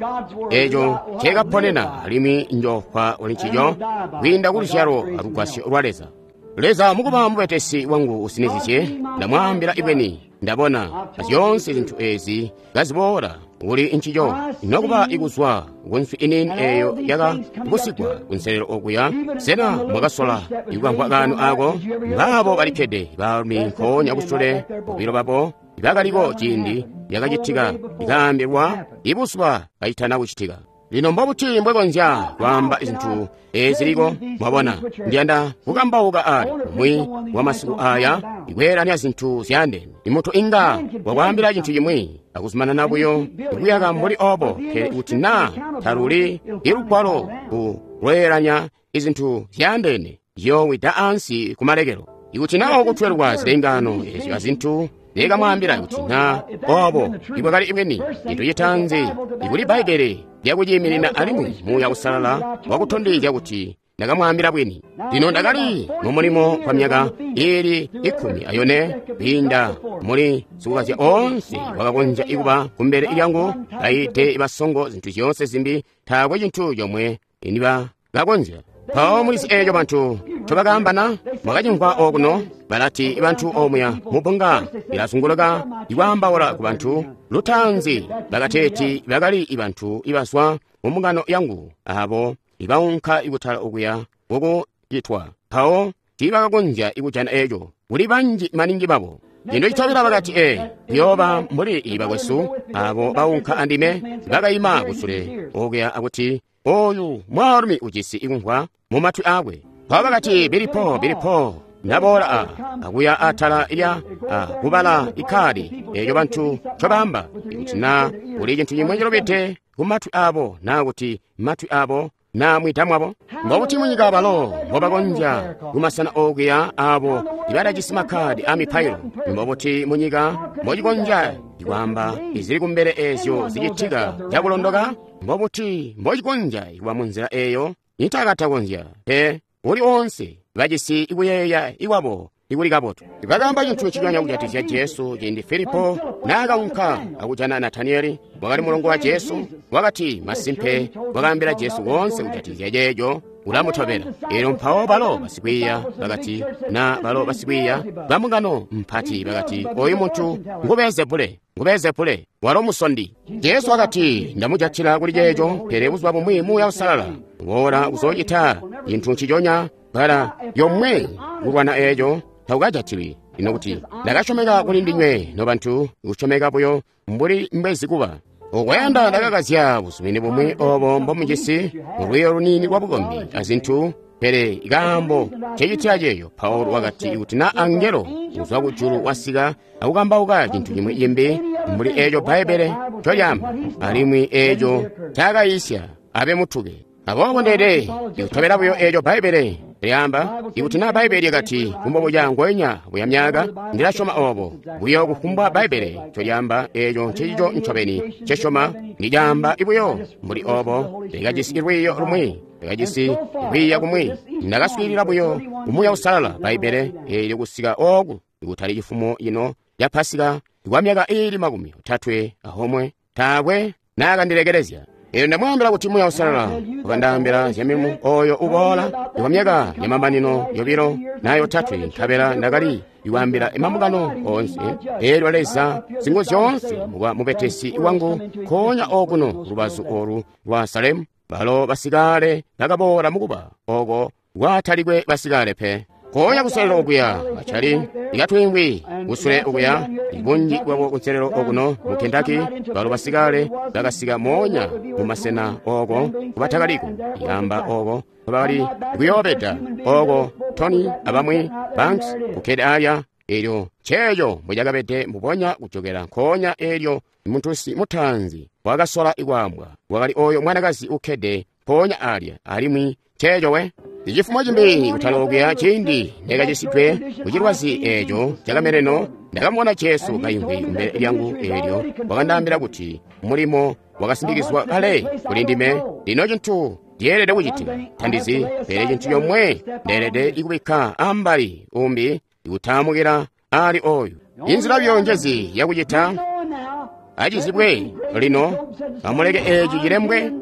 eco nceekaponena, alimwi njofwa uli ncico kwiinda ku luzyalo alugwasyo lwa Leza. Leza mukuba mubetesi wangu usinizizye, ndamwaambila ibweni, ndabona azyoonse zintu ezi kaziboola kuli ncico, nokuba ikuzwa kunswi inini eyo yakabusigwa kunselelo okuya. Sena mwakasola ikukamvwa kanu ako? Baabo balikkede baalumi nkoonya kusule bobilo babo bakaliko ciindi yakacitika, ikaambilwa ibuzuba kacitana kucitika. Lino mbobuti mbwekonzya kwaamba zintu eziliko? Mwabona, ndiyanda kukambauka ali umwi wa masiku aya ikweelanya zintu zyaandeene. Imuntu inga wakwaambila cintu cimwi akuzumanana buyo ikuyaka mbuli obo, pele kuti naa taluli ilugwalo ku lweelanya izintu zyaandeene, ziyowida ansi kumalekelo. Ikuti naa okutwelwa zilengano ezyo azintu nekamwaambila kuti naa obo ibwakali ibweni, cintu citaanzi ikuli Bbaibbele lyakuciiminina alimwi Muuya Uusalala wakutondezya kuti ndakamwaambila bwini. Lino ndakali mu mulimo kwa myaka ili ikkumi ayone, kwiinda muli sikukazya oonse wakakonzya ikuba kumbele lyangu, baite basongo zintu zyoonse zimbi, taakwe cintu comwe nibakakonzya. Mpawo mulizi eeco bantu ncobakaambana, mwakacimvwa okuno, balati bantu omuya mubbunga lilazunguluka ikwaambaula ku bantu. Lutaanzi bakateeti bakali ibantu ibazwa mu mbungano yangu abo ibaunka ikutala okuya kukucitwa. Mpawo tiibakakonzya ikujana eeco, kuli banji maningi babo. Lino citobela bakati ee, kuyooba mbuli ibakwesu abo baunka andime bakaima kusule okuya akuti oyu mwaalumi ujisi ikumvwa mu matwi akwe. Mpawo bakati bilipo bilipo naboola a akuya atala lya a kubala ikkaadi eeco bantu ncobaamba, ikuti naa Kuli cintu cimwe cilubide ku matwi abo, naa kuti matwi abo na mwida mwabo. Mbobuti munyika balo mbobakonzya kumasena okuya abo ibatajisi makkadi a mipailo? Mbobuti munyika mbocikonzya kwaamba izili kumbele ezyo zicitika cakulondoka? Mbobuti mbocikonzya kuba munzila eyo itakatakonzya pe uli onse bajisi ikuyeeya ikwabo ikuli kabotu. Bakaamba cintu nciconya kujatikizya Jesu ciindi Filipo naakaunka akujana Nataniyeli, wakali mulongo wa Jesu, wakati masimpe wakaambila Jesu woonse kujatikizya ceeco ulamutobela. Eelyo mpawo balo basikwiiya bakati, na balo basikwiiya bambungano mpati bakati, oyu muntu ngu Beelzebule, ngu Beelzebule, walo musondi. Jesu wakati, ndamujatila kuli ceeco, pele buzuba bumwi Muuya Uusalala uboola kuzoocita cintu nciconya bbala yomwe kulwana eeco takukajatilwi. Lino kuti ndakasyomeka kuli ndinywe nobantu, kusyomeka buyo mbuli mbwezi kuba. Okwayanda ndakakazya buzumini bumwi obo mbomujisi mulwiiyo luniini lwa bukombi azintu, pele kaambo ncecitila ceeyo. Paulo wakati kuti na angelo kuzwa kujulu wasika akukambauka cintu cimwi cimbi mbuli eeco Bbaibbele ncolyaamba, alimwi eeco ncaakayiisya abe mutuke. Aboobo ndeede ikutobela buyo eeco Bbaibbele lyaamba. Ikuti na Bbaibbele lyakati kumbobuca ngonya buya myaka, ndilasyoma obo buyo kufumbwa Bbaibbele ncolyaamba, eeco ncecico ncobeni ncesyoma. Ndicaamba ibuyo mbuli obo. Ndakajisi lwiiyo lumwi, ndakajisi kwiiya kumwi, ndakaswiilila buyo Muuya Uusalala Bbaibbele eelyo kusika ooku kutali cifumo cino ca Pasika kwa myaka iili makumi otatwe ahomwe, taakwe naakandilekelezya. Eelyo ndamwaambila kuti Muuya Uusalala wakandaambila zya milimo oyo uboola kwa myaka yamamanino yobilo na yotatwe, nkabela ndakali ikwaambila mambungano oonse. Eelyo Leza Singuzyoonse muba mubetesi wangu nkoonya okuno lubazu olu lwa Salemu, balo basikale bakaboola mukuba oko kwatalikwe basikale pe. Nkoonya kuselelo okuya bacali ikatwimbwi kusule okuya ibunji bwabo kunselelo okuno mu Kentucky, balo basikale bakasika moonya mu masena oko kubatakaliko yamba oko bakali kuyoobeda oko Tony abamwi Banks kukkede alya. Eelyo nceeco mbwecakabede mbubonya kujokela nkoonya eelyo muntusi mutaanzi wakasola ikwaambwa wakali oyo mwanakazi ukkede mpoonya alya, alimwi nceeco we. Icifumo cimbi kutalokuya ciindi ndakacisidwe kucilwazi eeco cakameleno, ndakamubona Jesu kaimvwi kumbele lyangu. Eelyo wakandaambila kuti mulimo wakasindikizwa kale kuli ndime. Lino cintu ndiyeelede kucitika tandizi, pele cintu comwe ndeelede ikubikka ambali umbi ikutamukila ali oyu. Inzila buyo njezi yakucita acizibwe lino, amuleke eeci cilembwe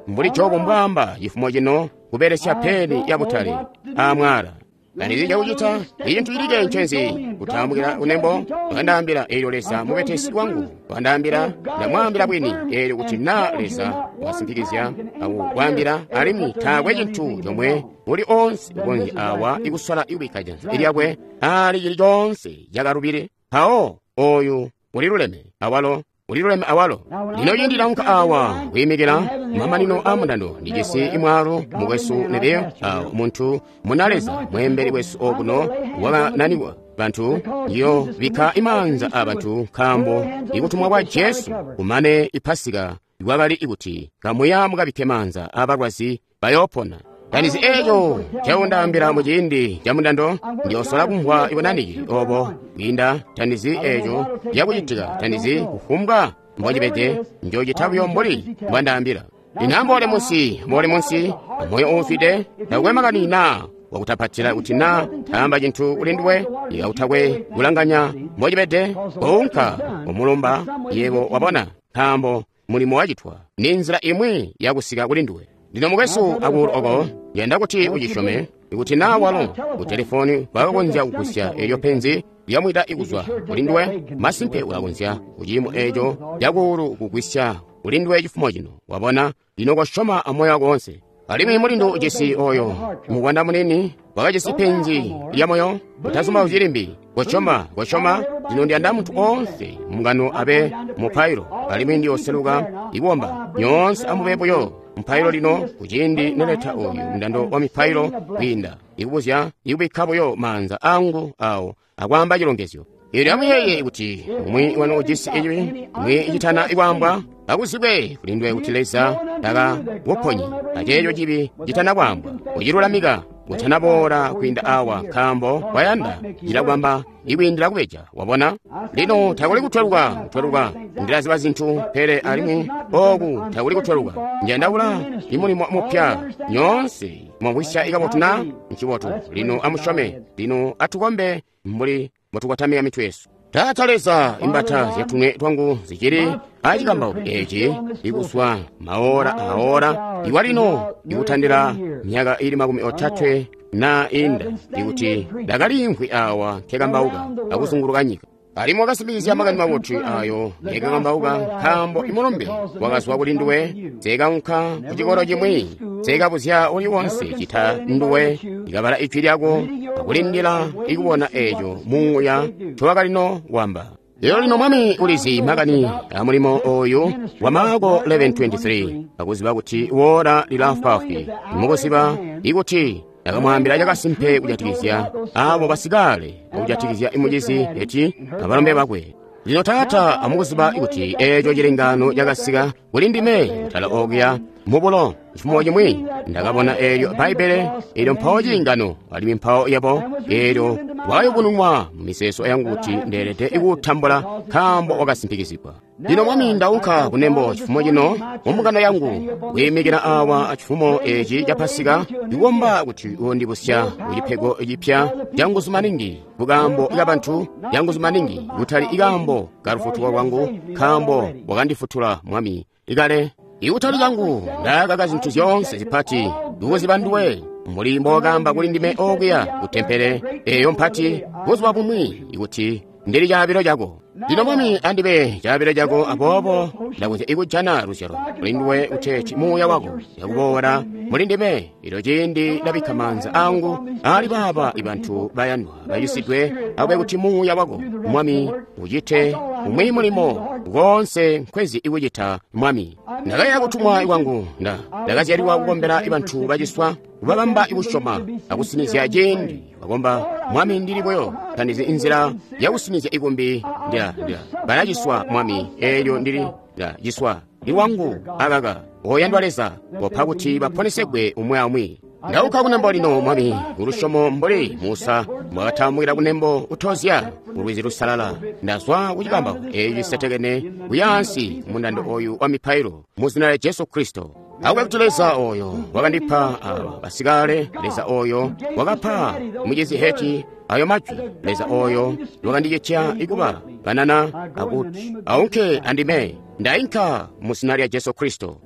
mbuli Jobu mbwaamba cifumo cino kubelesya peni ya butale amwala. Tandizi cakucita icintu cilikke ncenzi kutambukila kunembo. Wakandaambila eelyo Leza mubetesi wangu wakandaambila, ndamwaambila bwini eelyo kuti na Leza wasimpikizya akukwaambila, alimwi taakwe cintu comwe uli onse ukonzya awa ikusola ikubikka janza lyakwe ali cili conse cakalubile. Mpawo oyu uliluleme awalo, uliluleme awalo. Lino ciindi ndaunka awa kuyimikila mamanino a mundando, ndijisi imwaalu mukwesu Neville, awo muntu muna Leza mweembeli wesu okuno wakananiwa bantu, iyo bikka imaanza a bantu nkaambo ikutumwa kwa Jesu kumane ipasika kwakali ikuti kamuya mukabikke maanza abalwazi bayoopona. Tandizi eeco nceundaambila muciindi ca mundando, ndiyoosola kumvwa ibunaniki obo kwiinda. Tandizi eeco cakucitika, tandizi kufumbwa mbocibede, njoocita buyo mbuli mbwandaambila. Lino amboole munsi, mboole munsi, amoyo uufwide, takwe makani naa wakutapatila kuti naa taamba cintu kuli nduwe, ikakutakwe kulanganya mbocibede, kounka umulumba yebo wabona, nkaambo mulimo wacitwa ni nzila imwi yakusika kuli nduwe. Lino mukwesu akuulu oko, yanda kuti ucisyome, ikuti naa walo ku telefoni wakakonzya kugusya eelyo penzi lyamwida ikuzwa kuli nduwe, masimpe ulakonzya kuciimo eeco cakuulu kugwisya kuli nduwe cifumo cino. Wabona, lino kosyoma amoyo wako wonse. Alimwi mulindu ujisi oyo muvwanda munini wakajisi penzi lya moyo, utazumbauzyi limbi. Kosyoma, kosyoma. Lino ndiyanda muntu oonse mungano abe mupailo, alimwi ndiyoseluka ikuomba. Nyoonse amube buyo mupailo lino kuciindi neleta oyu mundando wa mipailo kwiinda ikubuzya ikubikka buyo maanza angu awo akwaamba cilongezyo. Elyo amuyeeye kuti umwi wanu ujisi icibi umwi icitana ikwaambwa, akuzibwe kuli nduwe kuti Leza taka kuponyi aceeco cibi citana kwaambwa, kucilulamika kutanaboola kwiinda awa, nkaambo kwayanda cilakubamba ikwiindila kubeja. Wabona? Lino takuli kutweluka, kutweluka ndilaziba zintu, pele alimwi oku takuli kutweluka. Njandaula imulimo mupya. Nyoonse mwamvwisya ikabotu na? Ncibotu. Lino amusyome. Lino atukombe mbuli mbotukotamika mitwe yesu. Taata Leza, imbata zyatunwe twangu zicili acikambauko eci ikuswa maora aora iwa lino ikutandila myaka ili makumi otatwe na inda, ikuti ndakaliimvwi awa nkekambauka akuzunguluka nyika. Alimwi wakasimbikizya makani mabotu ayo nkekambauka, nkaambo imulumbe wakazwa kuli nduwe. Nseekaunka ku cikolo cimwi, nseekabuzya uli wonse cita nduwe, ndikabala ijwi lyako akulindila ikubona eco muuya ncowakalino wamba. Lero lino Mwami ulizi makani a mulimo oyu wa Marko eleven twenty-three, akuziba kuti wora lilafwaafwi, mukuziba ikuti akamwambila cakasimpe kujatikizya abo basikale, kujatikizya imucizi eti abalombe bakwe. Lino Taata, amukuziba kuti eco cilengano cakasika kuli ndime kutala okuya mubulo cifumo cimwi, ndakabona eelyo Bbaibbele, eelyo mpawo cilengano, alimwi mpawo yabo eelyo wakayubununwa mu miseeso yangu kuti ndeelede ikuutambula, nkaambo wakasimpikizigwa. Lino Mwami, ndaunka kunembo cifumo cino mu mbungano yangu, kwiimikila awa acifumo eci ca Pasika, ndikukomba kuti uwondibusya kucipego cipya canguzu maningi, kukaambo kabantu canguzu maningi, kutali ikaambo ka lufutuko lwangu, nkaambo wakandifutula Mwami ikale. Ikutali cangu, ndakaka zintu zyoonse zipati, ndikuziba nduwe, mbuli mbowakaamba kuli ndime okuya ku tempele eyo mpati buzuba bumwi, ikuti ndili caabilo cako. Lino Mwami, andibe caabilo cako, aboobo ndakonzya ikujana luzyalo kuli nduwe kuteeti muuya wako yakuboola muli ndime. Elyo ciindi ndabikka maanza angu ali baaba ibantu bayandwa bacisidwe, akube kuti muuya wako Mwami ucite umwi mulimo konse nkwezi ikucita Mwami. Ndakaya kutumwa kwangu, nda ndakazyalilwa kukombela ibantu baciswa, kubabamba ikusyoma akusinizya ciindi bakomba. Mwami, ndili buyo tandizi inzila yakusinizya ikumbi, ndila ndila balaciswa Mwami, eelyo ndili ndaciswa ilwangu akaka. Oyandwa Leza, kopa kuti baponesegwe umwi aumwi. Ndauka kunembo lino Mwami kulusyomo mbuli Musa mbwakatambukila kunembo kutozya mulwizi lusalala. Ndazwa kucikambauko eeci cisetekene kuyaansi mundando oyu wa mipailo mu zina lya Jesu Kristo. Akube kuti Leza oyo wakandipa aba basikale, Leza oyo wakapa mucizi Heti ayo majwi, Leza oyo wakandicitya ikuba banana akuti aunke andime, ndainka mu zina lya Jesu Kristo.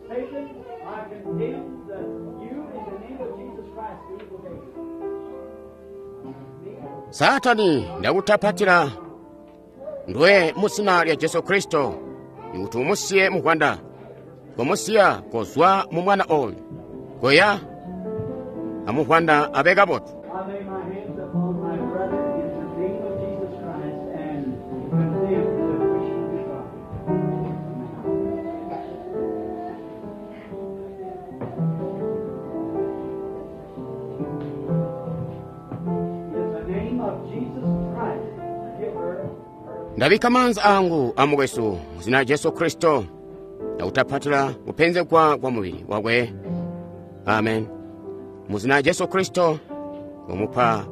Satan, I condemn that you in the name of Jesus Christ the evil day. Satani, ndakutapatila ndwe mu zina lya Jesu Kristo, ikuti umusiye muvwanda, komusiya kozwa mu mwana oyu, koya amuvwanda abe kabotu. I lay my hands upon my brother in the name of Jesus Christ and condemn the wishing to God. In the name of Jesus Christ, give her her Ndabika maanza angu amukwesu mu zina lya Jesu Kristo, ndakutapatila kupenzegwa kwa mubili wakwe. Amen. Mu zina lya Jesu Kristo, ngomupa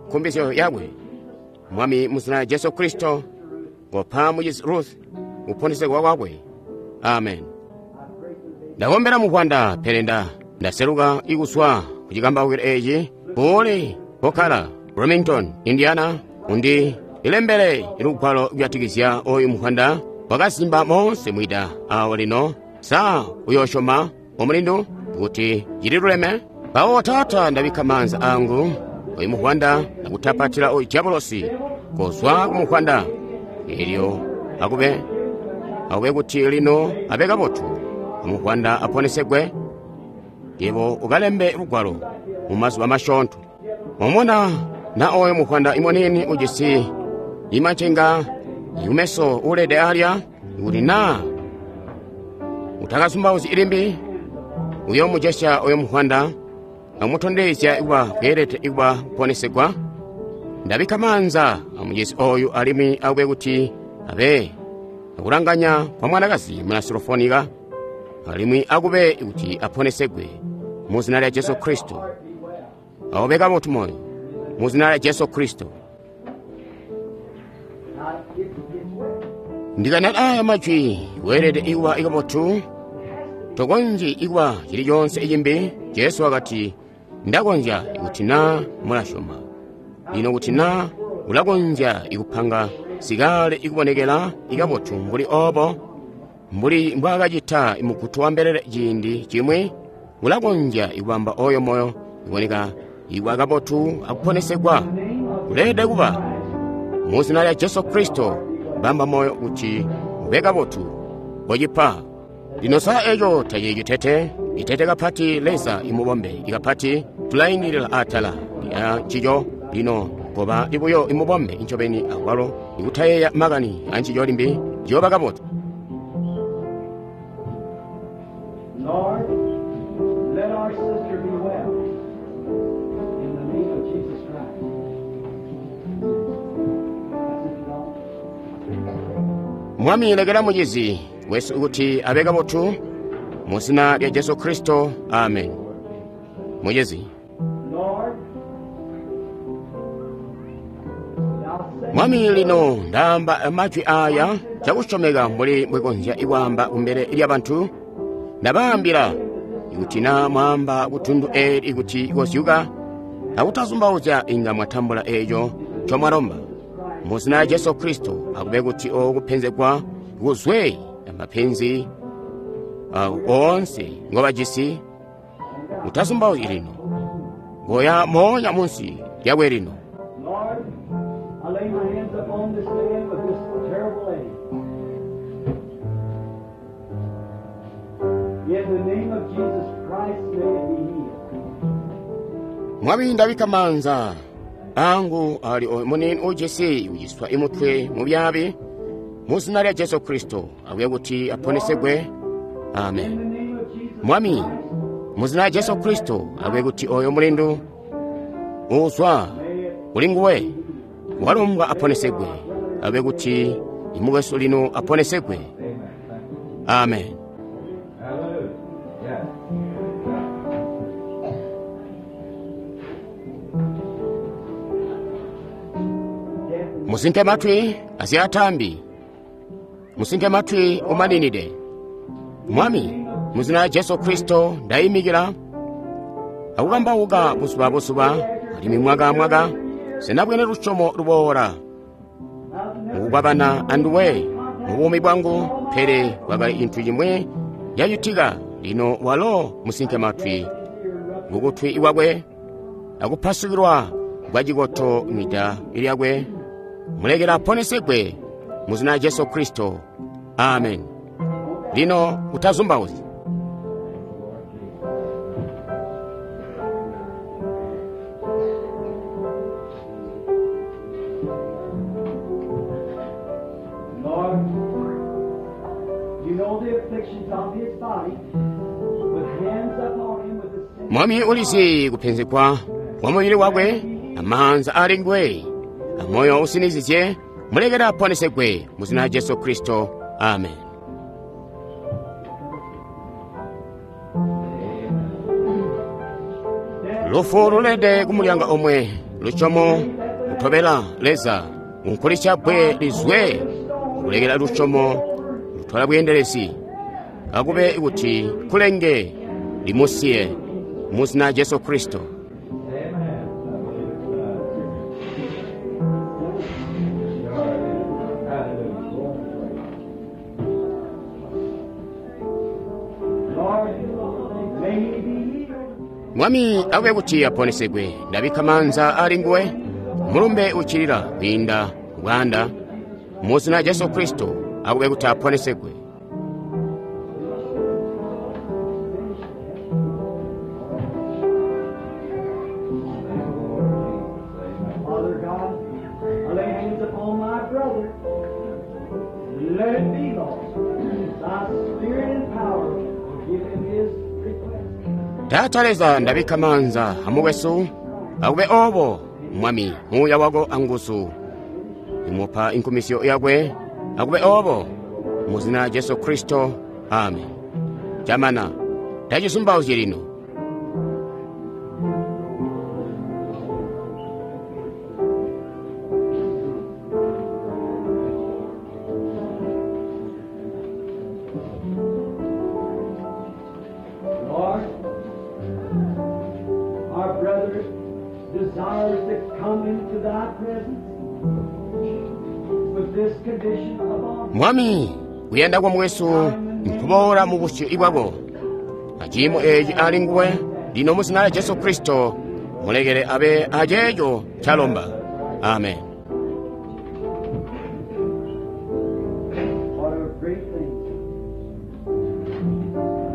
nkumbizyo yakwe. Mwami, mu zina lya Jesu Kristo, ngopa mucizi Ruth kuponesegwa kwakwe. Amen. Ndakombera muvwanda, pele nda ndaseluka ikuswa ku cikambaukilo eci kule kokkala Bloomington, Indiana, undi ilembele lugwalo kujatikizya oyu muvwanda wakasimba monse mwida awo lino. Sa uyosyoma omulindu kuti cililuleme? Pawo Taata, ndabikka maanza angu oyu muvwanda akutapatila oyu diabolosi kozwa ku muvwanda, elyo akube akube kuti lino abe kabotu, amuvwanda aponesegwe. Yebo ukalembe lugwalo mu mazuba masyoonto. Mwamona na oyo muvwanda imoneni ujisi imacenga ikumeso ulede alya, kuti na utakasumbauzi ilimbi, Uyomujesya oyo muhwanda akumutondezya kuba kweelede kuba kuponesegwa. Ndabikka maanza amucisi oyu alimwi akube kuti abe akulanganya kwa mwanakazi muna Sirofonika, alimwi akube kuti aponesegwe mu zina lya Jesu Kristo. Aube kabotu moyo mu zina lya Jesu Kristo. Ndikanena aya majwi weelede ikuba ikabotu, tokonzyi ikuba cili conse icimbi. Jesu wakati, ndakonzya ikuti na mulasyoma. Lino kuti na ulakonzya ikupanga sikale ikubonekela ikabotu mbuli obo, mbuli mbwaakacita mugutu wa mbelele ciindi cimwi, ulakonzya ikubamba oyo moyo iboneka ikuba kabotu akuponesegwa. Uleelede kuba mu zina lya Jesu Kristo, bamba moyo kuti ube kabotu kocipa. Lino sa eco tacili citete, itete kapati Leza imubombe ikapati tulaindilila atala lya ncico. Lino koba ibuyo imubombe incobeni akwalo ikutayeeya makani ancico limbi, ciyooba kabotu. Lord, let our sister be well in the name of Jesus Christ. That's it, Lord. Mwami lekela mucizi wesu kuti abe kabotu mu zina lya Jesu Kristo, amen. Mucizi. Lord, thou sayest, Mwami lino ndaamba majwi aya cakusyomeka mbuli mbwekonzya ikwaamba kumbele lya bantu. Ndabaambila ikuti na mwaamba kutundu eli ikuti kozyuka akutazumbauzya inga mwatambula eco ncomwalomba. Mu zina lya Jesu Kristo akube kuti okupenzegwa kuzwe amapenzi uh, oonse ngobajisi. Mutazumbauzyi lino, ngoya moonya munsi lyakwe lino. Lord, I lay my hands upon this man with this terrible ache. In the name of Jesus Christ, may it be healed. Mwami ndabikka maanza angu ali oyo munini ujisi uciswa imutwe mubyabi mu zina lya Jesu Kristo akube kuti aponesegwe. In Amen. the name of Jesus Mwami Christ, mu zina lya Jesu Kristo akube kuti oyo mulindu uzwa may it kuli nguwe walumbwa aponesegwe, akube kuti imukwesu lino aponesegwe. Amen. Hallelujah. Yeah. death Musinke matwi azyatambi, musinke matwi umaninide. Mwami mu zina lya Jesu Kristo ndayimikila akukambauka buzuba buzuba alimwi mwaka mwaka sinabwene lusyomo luboola mukukwabana anduwe mu buumi bwangu, pele kwakali cintu cimwi cacitika. Lino walo musinke matwi mukutwi kwakwe akupasukilwa kwa cikoto mwida lyakwe, mulekela aponesegwe mu zina lya Jesu Kristo. Amen. Lino utazumbauzyi. Lord, you know the afflictions of his body, with hands upon him with the sin. Mwami ulizi kupenzegwa kwa mubili wakwe, amaanza ali nguwe, amoyo usinizizye, mulekela aponesegwe mu zina lya Jesu Kristo. Amen. Lufu lulede kumulyanga omwe, lusyomo lutobela Leza, unkulisya bbwe lizwe, kulekela lusyomo lutwala bweendelezi. Akube kuti kulenge limusiye mu zina lya Jesu Kristo. Amen. I believe it's done. Hallelujah. Lord, may he be healed. Mwami akube kuti aponesegwe, ndabikka maanza ali nguwe, mulumbe ucilila kwiinda bwanda mu zina lya Jesu Kristo akube kuti aponesegwe. Father God, I lay hands upon my brother. Let it be, Lord. Thy spirit and power will give him his request. Taata Leza, ndabikka maanza amukwesu, akube obo, Mwami, muuya wako anguzu. Imupa inkumisyo yakwe, akube obo, mu zina lya Jesu Kristo, amen. Chamana, tacizumbauzyi lino. Lord, our brother desires to come into thy presence with this condition of our Mwami, kuyanda kwa mukwesu nkuboola mu busyu bwako. Aciimo eci ali nguwe, lino mu zina lya Jesu Kristo, mulekele abe aceeco ncalomba. Amen. What a great thing.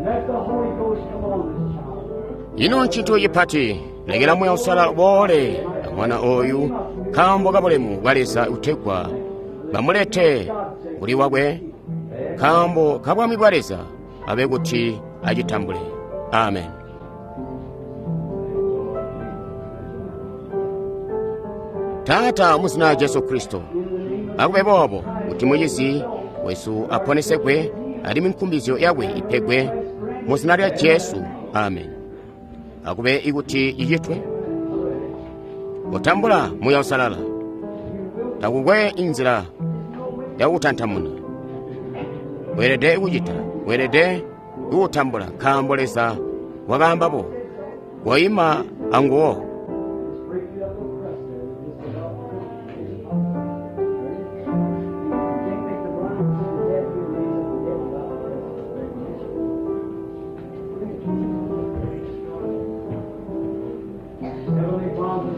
Let the Holy Ghost come on this child. Ino ntchito chipati, lekera Muuya Uusalala uboole na mwana oyu, nkaambo ka bulemu bwa Leza utegwa bamulete kuli wakwe, nkaambo ka bwami bwa Leza abe kuti acitambule. Amen. Taata, mu zina lya Jesu Kristo, akube boobo kuti mucizi wesu aponesegwe alimwi nkumbizyo yakwe ipegwe mu zina lya Jesu. Amen. Akube ikuti icitwe. Kutambula Muuya Uusalala takukwe inzila yakutantamuna. Weelede kucita, weelede kuutambula, nkaambo Leza wakaamba koima anguwo. Break you up little crust there. Just about. You can't make the blind see the dead, you raise up the dead without the crust. Heavenly Father,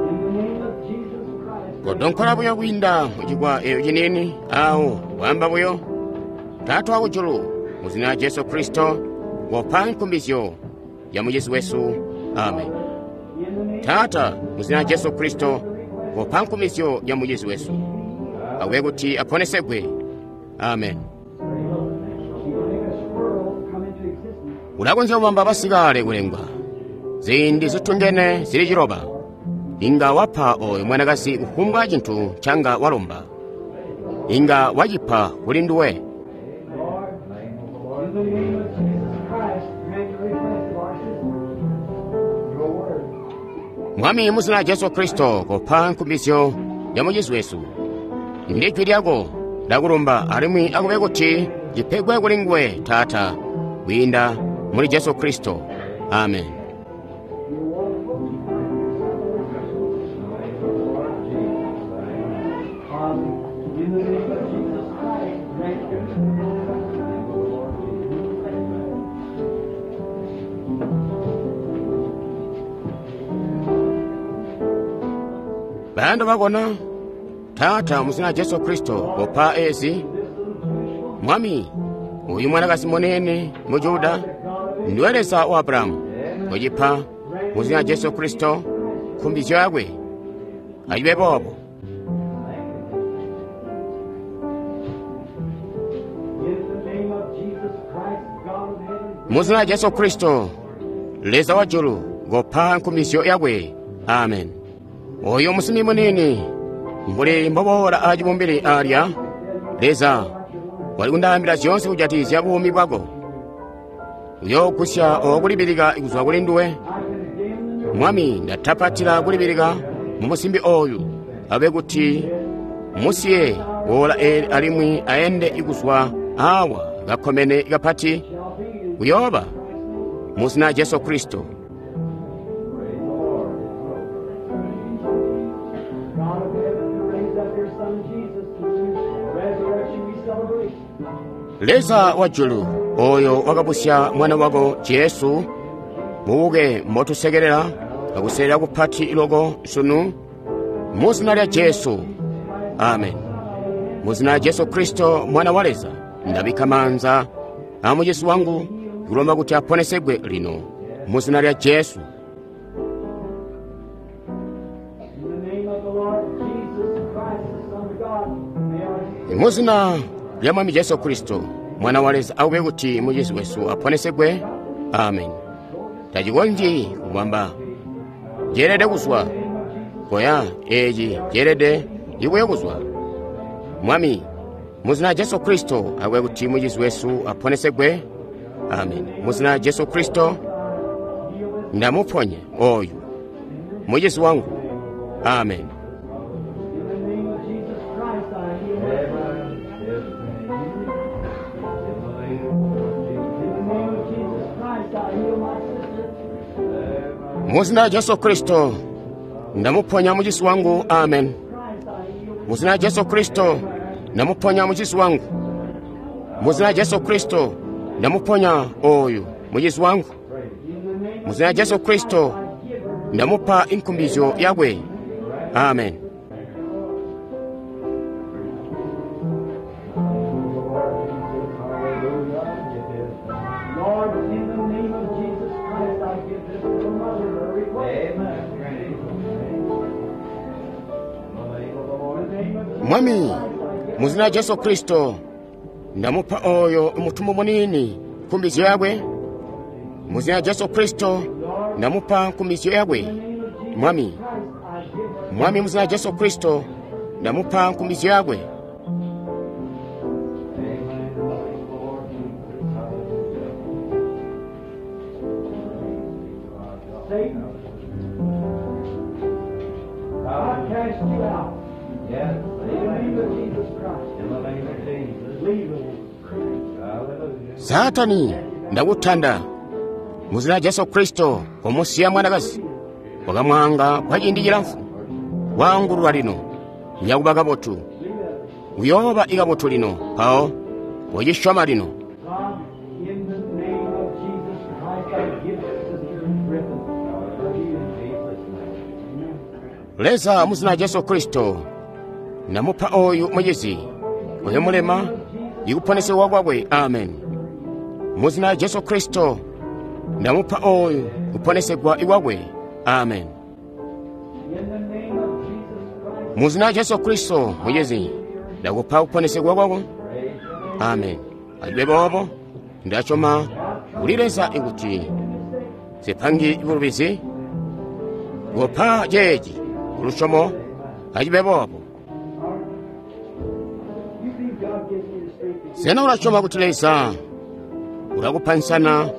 in the name of Jesus Christ, Kodonkola buyo kwiinda mucikwa eyo ciniini awo wamba buyo. Taata wakujulu, mu zina lya Jesu Kristo, kopa nkumbizyo ya mucizi wesu. Amen. in the name Taata, mu zina lya Jesu Kristo, kopa nkumbizyo ya mucizi wesu. Akube kuti aponesegwe. Amen. She will make a squirrel come into existence. Ulakonzya kubamba basikale kulengwa ziindi zitungene zili ciloba. Inga wapa oyo mwanakazi kufumbwa cinthu ncanga walomba. Inga wacipa kuli nduwe. Lord, in the name of Jesus Christ, grant the request of our sister. Your word. Mwami, mu zina lya Jesu Kristo, kopa nkumbizyo ya mucizi wesu. Ndi jwi lyako ndakulumba alimwi akube kuti cipegwe kuli nguwe, Taata, kwiinda muli Jesu Kristo. Amen. Father, in the name of Jesus Christ, grant your Bayando bakona, Taata, mu zina lya Jesu Kristo, kopa ezi. Mwami, uyu mwanakazi munene mu Juda, ndiwe Leza wa Abrahamu, kucipa mu zina lya Jesu Kristo, nkumbizyo yakwe ayibe boobo. In the name of Jesus Christ, God of heaven, Mu zina lya Jesu Kristo, Leza wa julu, kopa nkumbizyo yakwe. Amen. Oyo musimi munini, mbuli mboboola acibumbili alya, Leza wali kundaambila zyoonse kujatizya buumi bwako. Uyoogusya okulibilika kuzwa kuli nduwe. Mwami, ndatapatila kulibilika mu musimbi oyu, abe kuti musiye woola eli alimwi aende kuzwa awa kakomene kapati kuyooba mu zina lya Jesu Kristo. God of heaven, who raised up your Son Jesus, whose resurrection we celebrate. Leza wa julu, oyo wakabusya mwana wako Jesu, muuke motusekerera akuserera kupati loko sunu, mu zina lya Jesu. Amen. Mu zina lya Jesu Kristo mwana wa Leza, ndabikka maanza a mucizi wangu kulomba kuti aponesegwe lino mu zina lya Jesu. In the name of the Lord Jesus Christ, the Son of God, may our Mu zina lya Mwami Jesu Kristo mwana wa Leza akube kuti mucizi wesu aponesegwe. Amen. Tacikonzyi kubamba. Ceelede kuzwa. Koya, eci ceelede ikuye kuzwa. Mwami, muzina Jesu Kristo, akwe kuti mucizi wesu aponesegwe. Amen. Muzina Jesu Kristo, ndamuponya oyu mucizi wangu. Amen. In the name of Jesus Christ, I heal my In the name of Jesus Christ, I heal my sister. Muzina Jesu Kristo, ndamuponya mucizi wangu. Amen. Christ, I heal. Muzina Jesu Kristo, ndamuponya mucizi wangu. Muzina Jesu Kristo, ndamuponya oyu mucizi wangu. In the name of Muzina Jesu Kristo, I give her ndamupa inkumbizyo yakwe. Amen. Lord, in the name of Jesus Christ, I give this little mother her request. In the name of Jesus Mwami, Christ, I give muzina Jesu Kristo, ndamupa oyo mutumbu munini nkumbizyo yakwe. Muzina Jesu Kristo, ndamupa nkumbizyo yakwe. in the name of Jesus Mwami, Christ, I give her Mwami muzina Jesu Kristo, ndamupa nkumbizyo yakwe. Satan. I cast you out. Yes. In the name of Jesus Christ. In the name of Jesus. Leave the woman. Hallelujah. Satani, ndakutanda. Muzina Jesu Kristo, komusiya mwanakazi. Wakamwanga kwa ciindi cilamfu. Waangululwa lino. Yakuba kabotu. Uyooba ikabotu lino. Mpawo, ucisyoma lino. God, in the name of Jesus Christ, I give Sister Griffin her healing. Jesus' name. Leza muzina Jesu Kristo, ndamupa oyu mucizi. Oyo mulema, ikuponesebwa kwakwe. Amen. Muzina Jesu Kristo, ndamupa oyu kuponesegwa ikwakwe. Amen. In the name of Jesus Christ, Muzina Jesu Kristo, mucizi, ndakupa kuponesegwa kwako. Amen. Acibe boobo, ndasyoma kuli Leza ikuti zipangi bulubizi kupa ceeci kulusyomo acibe boobo. you think God gives me the strength to Sena ulasyoma kuti Leza ulakupa nsana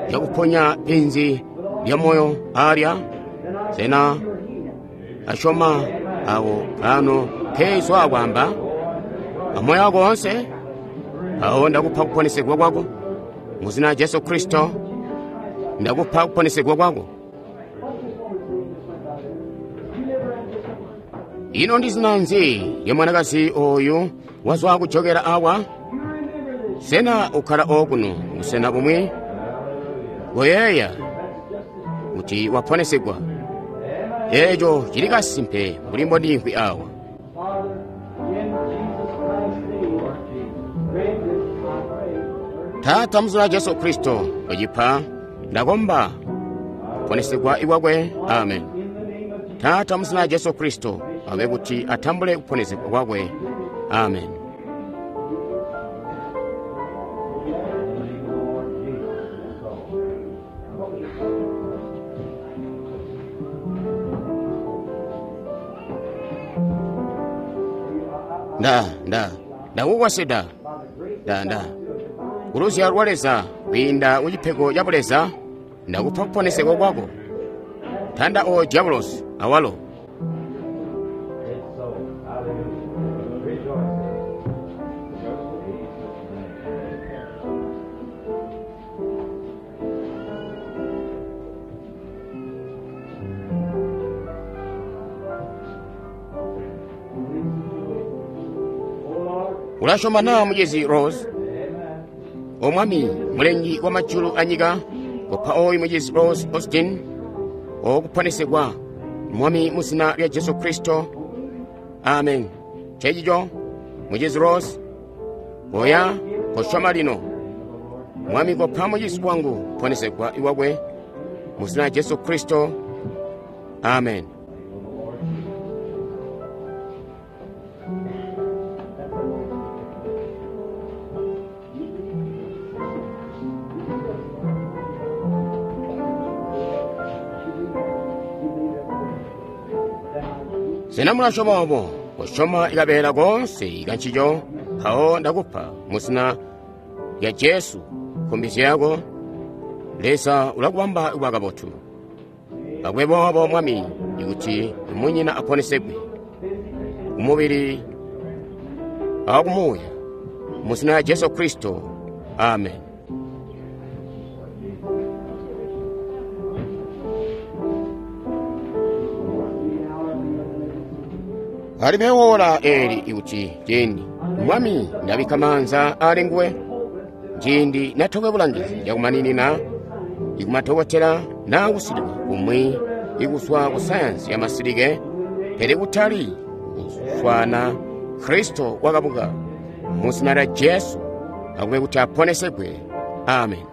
yakuponya penzi lya moyo alya? Then I Sena your healing. asyoma awo kano keizwa akwamba amoyo wako onse awo ndakupa kuponesegwa kwako muzina Jesu Kristo ndakupa kuponesegwa kwako. Ino ndi zina nzi ya mwanakazi oyu wazwa kuchokera awa? Sena ukhala okuno musena pomwe goyeya kuti waponesegwa. Echo chili kasimpe mbuli mbodinkhwi awa. Father, in Jesus Christ's name, grant this, I pray. Tata muzina Jesu Kristo wachipha ndakomba kuponesegwa ikwakwe. Amen. In the name of Jesus, Tata muzina Jesu Kristo awe kuti atambule kuponesegwa kwakwe. Amen. Nda nda ndakukwasida nda nda kuluzyalo lwa Leza kwiinda ku cipego ca buleza ndakupa kuponesegwa kwako. Tanda oyo diabulosi awalo. It's so. Hallelujah. Rejoice. Jesus' name. Ulasyoma na mucizi Rose? Omwami mulengi wa majulu anyika kopa oyu mucizi Rose Austin okuponesegwa mwami muzina lya Jesu Kristo. Amen. Chechicho mucizi Rose oya kosyoma lino. Mwami kopa mucizi wangu kuponesegwa iwakwe muzina lya Jesu Kristo. Amen. Sena mulasyoma obo? Kosyoma ikabeela koonse ikancico, mpawo ndakupa mu zina lya Jesu nkumbizyo yako. Leza ulakubamba kuba kabotu. Akube boobo Mwami, ikuti munyina aponesegwe kumubili akumuuya mu zina lya Jesu Kristo. Amen. Alibe wola eli ikuti ciindi Mwami ndabikka maanza ali nguwe, ciindi natokwe bulangizi yakumaninina ikumatokotela naa kusilikwa kumwi ikuswa ku sayansi ya masilike, pele kutali kuswana Kristo wakabuka mu zina lya Jesu, akube kuti aponesegwe. Amen.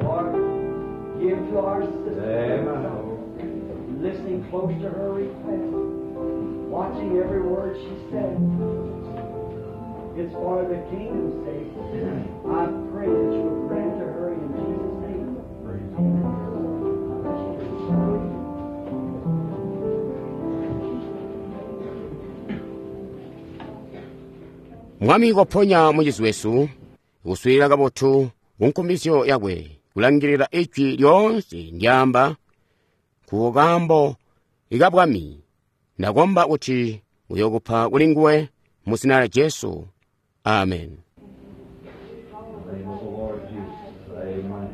Lord, give to our sister, Amen. listening close to her request, watching every word she said. It's for the kingdom's sake. I pray that you will grant to her in Jesus' name. Amen. Mwami koponya mucizi wesu, kuswiilila kabotu kunkumbizyo yakwe, kulangilila ijwi lyoonse ndyaamba ku kaambo ikabwami. Ndakomba kuti uyokupa kuli nguwe mu zina lya Jesu. Amen. In the name of the Lord Jesus. Amen.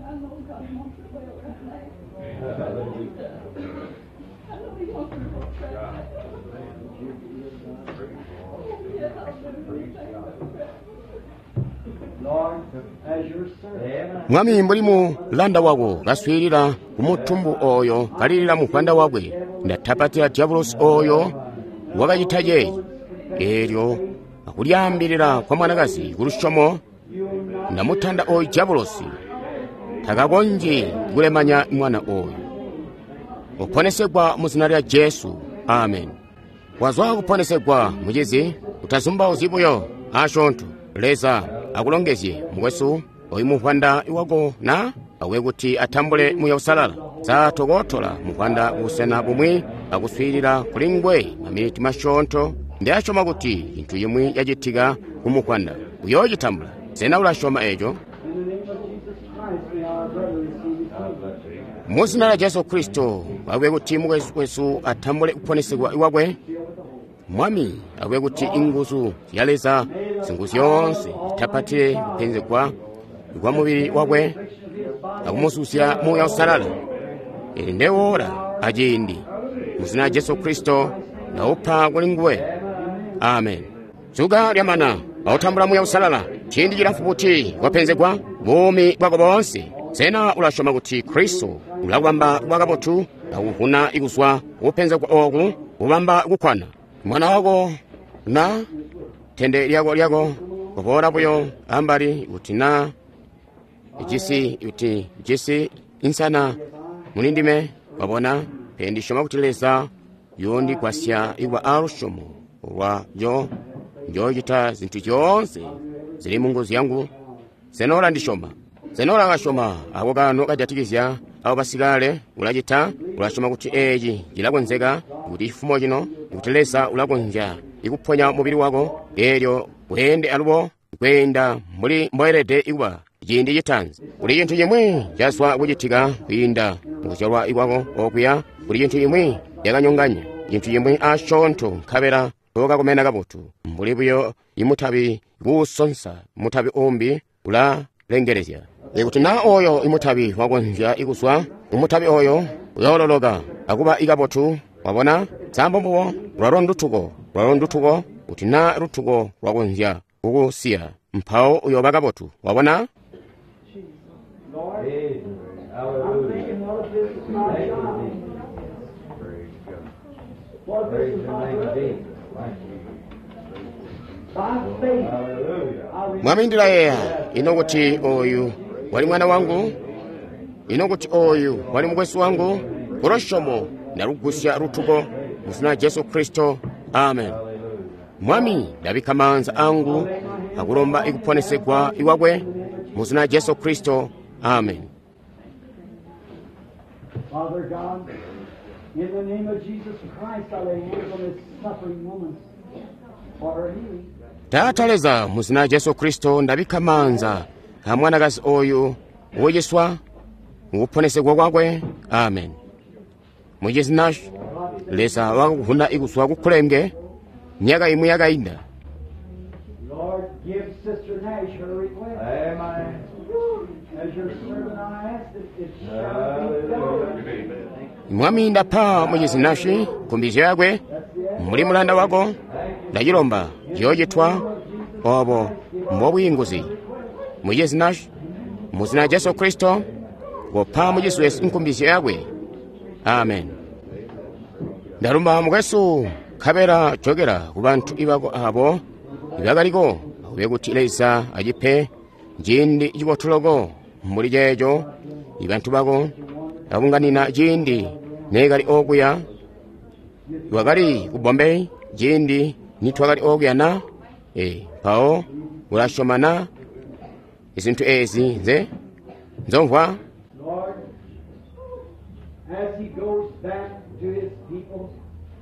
Amen. Lord, as your servant, Mwami mbuli mulanda wako kaswiilila ku mutumbu oyo kalilila muvwanda wakwe, ndatapatila diabulosi oyo wakacita ceeci. Eelyo akulyaambilila kwa mwanakazi ku lusyomo, ndamutanda oyu diabulosi takakonzyi kulemanya mwana oyu. Uponesegwa mu zina lya Jesu. Amen. Wazwa kuponesegwa mucizi, utazumbauzyi buyo asyoonto. Leza akulongezye mukwesu oyu muvwanda wako na akube kuti atambule Muuya Uusalala. Sa tokotola muvwanda kubusena bumwi akuswiilila kuli nguwe maminiti masyoonto. Ndasyoma kuti cintu cimwi cacitika ku muvwanda uyoocitambula. Sena ulasyoma eco? in the name of Jesus Christ, may our brother receive his healing. Mu zina lya Jesu Kristo akube kuti mukwesu wesu atambule kuponesegwa kwakwe. Mwami akube kuti inguzu zya Leza Singuzyoonse itapatile kupenzegwa kwa mubili wakwe akumuzuzya Muuya Uusalala. Ili ndewola aciindi muzina lya Jesu Kristo ndaupa kuli nguwe. Amen. Zuka lyamana awutambula Muuya Uusalala. Ciindi cilamfu buti wapenzegwa buumi bwako boonse. Sena ulasyoma kuti Kristo ulakubamba kuba kabotu akuvuna kuzwa kupenzegwa ooku kubamba kukkwana mwana wako na tende lyako lyako kuboola buyo ambali kuti na jisi kuti jisi insana mulindime wabona pe ndisyoma kuti Leza yondigwasya ikuba alusyomo lwayo njoocita zintu zyoonse zili mu nguzu yangu. Sena ulandisyoma? Sena ulakasyoma ako kano kajatikizya abo basikale? Ulacita? Ulasyoma kuti eeci cilakonzeka, kuti cifumo cino, kuti Leza ulakonzya ikuponya mubili wako eelyo weende alubo kweenda mbuli mboelede ikuba ciindi citaanzi. Kuli cintu cimwi cazwa kucitika kwiinda mukuzyalwa kwako okuya. Kuli cintu cimwi cakanyonganya cintu cimwi asyoonto nkabela tokakomena kabotu mbuli buyo imutabi kuusonsa mutabi umbi ulalengelezya. Ikuti na oyo imutabi wakonzya ikuzwa umutabi oyo uyoololoka akuba ikabotu. Wabona sambo mbubo lwalo ndutuko lwalo ndutuko. Kuti na lutuko lwakonzya kukusiya mpawo uyooba kabotu. Wabona? Lord, Amen. I'm Hallelujah. thinking, what if this is my Thank you, child? Jesus. Praise God. What if this Praise is the my name of brother? Jesus. Thank you. By faith, Hallelujah. I receive. Mwami ndilayeeya ino kuti oyu wali mwana wangu, ino kuti oyu wali mukwesu wangu. Kulusyomo ndalugusya lutuko mu zina lya Jesu Kristo. Amen. Mwami ndabikka maanza angu akulomba ikuponesegwa iwakwe mu zina lya Jesu Kristo. Amen. Father God, in the name of Jesus Christ, I lay hands on this suffering woman for her healing. Taata Leza, mu zina lya Jesu Kristo ndabikka maanza a mwanakazi oyu wociswa mukuponesegwa kwakwe. Amen. Mucizi Nash, Leza wakakuvuna ikuzwa kukhulenge myaka imwe yakainda. Lord, give Sister Nash her request. Amen. As your servant, I ask that it shall be done. Mwami ndapa mucizi Nash nkumbizyo yakwe mbuli mulanda wako ndacilomba ciyoocitwa obo mbobwiinguzi. Mucizi Nash, mu zina lya Jesu Kristo kopa mucizi wesu nkumbizyo yakwe. Amen. Ndalumba mukwesu nkabela jokela ku bantu ibako abo ibakaliko akube kuti Leza acipe ciindi cibotu loko mbuli ceeco ibantu bako abunganina ciindi neekali okuya wakali ku Bombay ciindi nitwakali okuya na e, mpawo ulasyoma na izintu ezi nze nzomvwa. Lord, as he goes back to his people,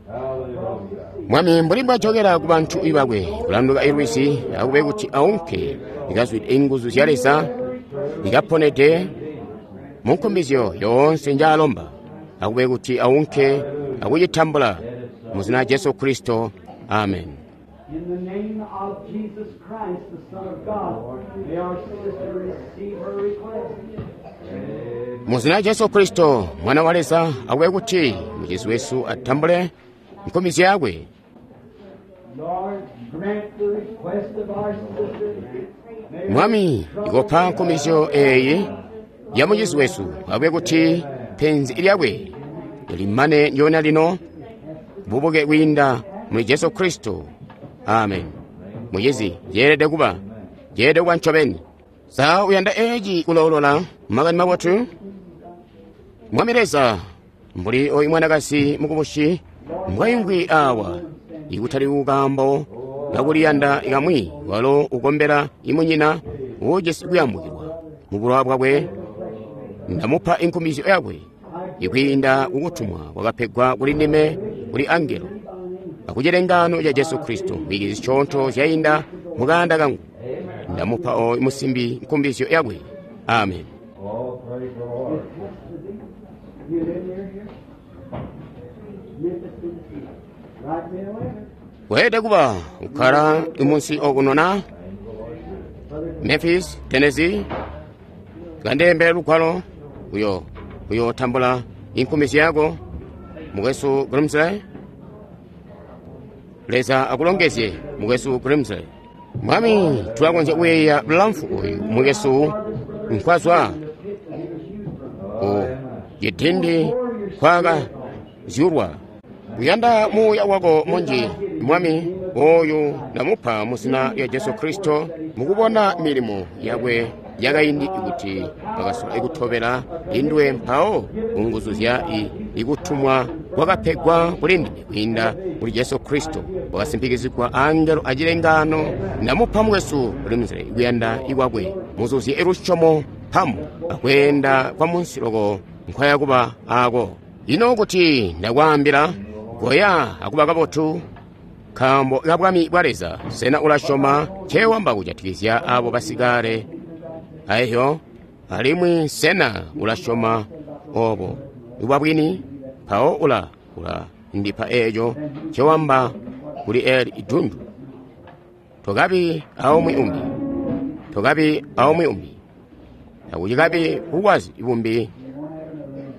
Hallelujah. Mwami mbuli mbwajokela ku bantu ibakwe kulanduka ilwisi akube kuti aunke ikazwide inguzu zya Leza ikaponede mu nkumbizyo yoonse njaalomba akube kuti aunke akucitambula mu zina lya Jesu Kristo. Amen. in the name of Jesus Christ, the Son of God, may our sister receive her request. Mu zina lya Jesu Kristo mwana wa Leza akube kuti mucizi wesu atambule nkumbizyo yakwe. Lord, grant the request of our sister. May Mwami ikopa nkumbizyo eyi ya mucizi wesu akube kuti penzi lyakwe limane ndyona lino bubuke kwiinda muli Jesu Kristo. Amen. Mucizi yeelede kuba yeelede kuba ncobeni. Sa uyanda eeci kuloolola makani mabotu? Mwami Leza, mbuli oyu mwanakazi mukubusi mbwaimvwi awa ikutali kukambo kakuliyanda kamwi walo ukombela imunyina uujisi kuyambukilwa mu bulowa bwakwe. Ndamupa inkumbizyo yakwe ikwiinda kukutumwa kwakapegwa kuli ndime kuli angelo akucilengano ca Jesu Kristo mwikizi coonto zyainda mukanda kangu. Ndamupa oyu musimbi nkumbizyo yakwe. Amen. Oh, praise the Lord. You live near here? Memphis, Tennessee. Write me a letter. Weelede kuba ukkala munsi okuno na Memphis, Tennessee. Kandembe lugwalo uyo uyotambula inkumisi yako mukwesu Grimsley. Leza akulongezye mukwesu Grimsley. Mwami, tulakonzya kuyeeya bulamfu uyu mukwesu nkwazwa ku cidindi kwaka zyulwa. Kuyanda muuya wako munji Mwami oyu ndamupa mu zina lya Jesu Kristo mukubona milimo yakwe yakaindi kuti bakasola ikutobela indwe mpawo kunguzu zya ikutumwa kwakapegwa kuli ndime kwiinda kuli Jesu Kristo wakasimpikizigwa angelo acilengano. Ndamupa mukwesu Grimsley kuyanda ikwakwe muzuzye ilusyomo mpamu akweenda kwa munsi loko nkwayakuba ako. Ino kuti ndakwaambila goya akuba kabotu nkaambo ka bwami bwa Leza. Sena ulasyoma ncewamba kujatikizya abo basikale aehyo? Alimwi sena ulasyoma obo bwa bwini? Mpawo ula ula ndipa eeco ncewamba kuli eli idundu. Tokabi aumwi umbi, tokabi aumwi umbi, takucikabi bukwazi bumbi,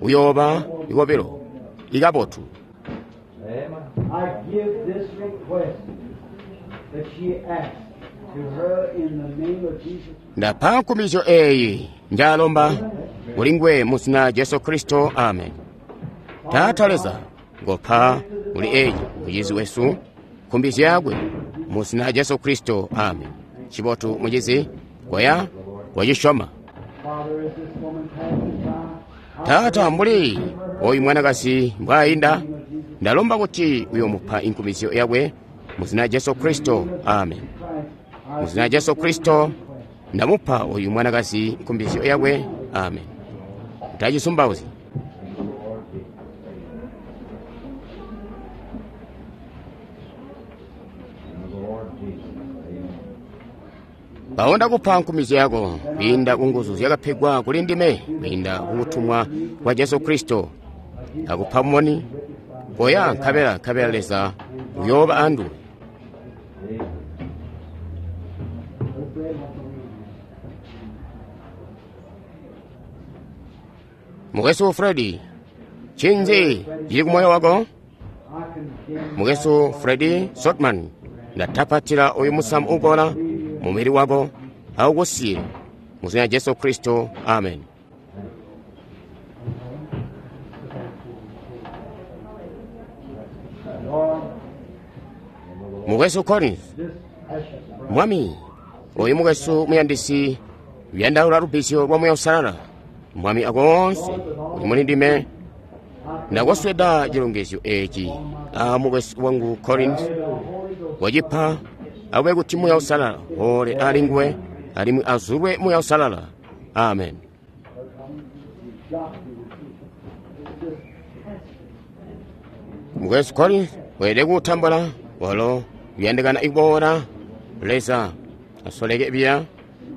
uyooba ikobilo ikabotu. I give this request that she asked to her in the name of Jesus. Ndapa nkumizyo eyi njalomba kuli ngwe mu zina Jesu Kristo, amen. Taata Leza, ngopa kuli eyi mucizi wesu nkumbizyo yakwe mu zina Jesu Kristo, amen. Cibotu mucizi, goya wacisyoma. Father, as this woman passes by, Taata, mbuli oyu mwanakazi mbwaayinda, ndalomba kuti uyomupa inkumizyo yakwe mu zina Jesu Kristo, amen. Mu zina Jesu Kristo ndamupa oyu mwanakazi nkumbizyo yakwe, amen. Utacisumbauzyi. The Lord Jesus. Amen. Mpawo ndakupa nkumizyo yako kwiinda ku nguzu zyakapegwa kuli ndime kwiinda kukutumwa kwa Jesu Kristo. Akupa moni koya nkabela nkabela Leza uyooba anduwe. Amen. Mukwesu Fredi, ncinzi cili kumoyo wako? I condemn Mukwesu Fredi Sotman, ndatapatila uyu musamu ukola mumubili wako aukusiye mu zina Jesu Kristo, amen. Lord Mukwesu Collins, this precious brother. Mwami oyu mukwesu muyandisi uyandaula lubbizyo lwa Muuya Uusalala. Mwami akoonse uli muli ndime ndakosweda chilongezyo eci a mukwesu wangu Collins wacipa akube kuti Muuya Uusalala ole ali nguwe alimwi azulwe Muuya Uusalala, amen. Mukwesu Collins weelede kuutambula walo uyandikana ikuboola. Leza asoleke biya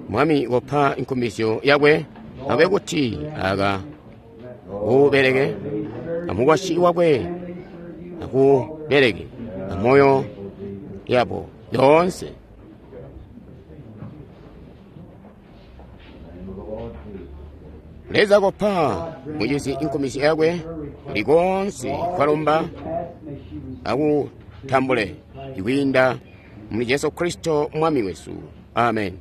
Mwami kopa inkumbizyo yakwe akube kuti aka ubeleke amukwasyi wakwe akubeleke amoyo yabo yoonse. Name of the Lord Jesus. Leza kopa mucizi inkumbizyo yakwe likonse kwalomba Ask, may she receive akutambule ikwiinda muli Jesu Kristo Mwami wesu, amen.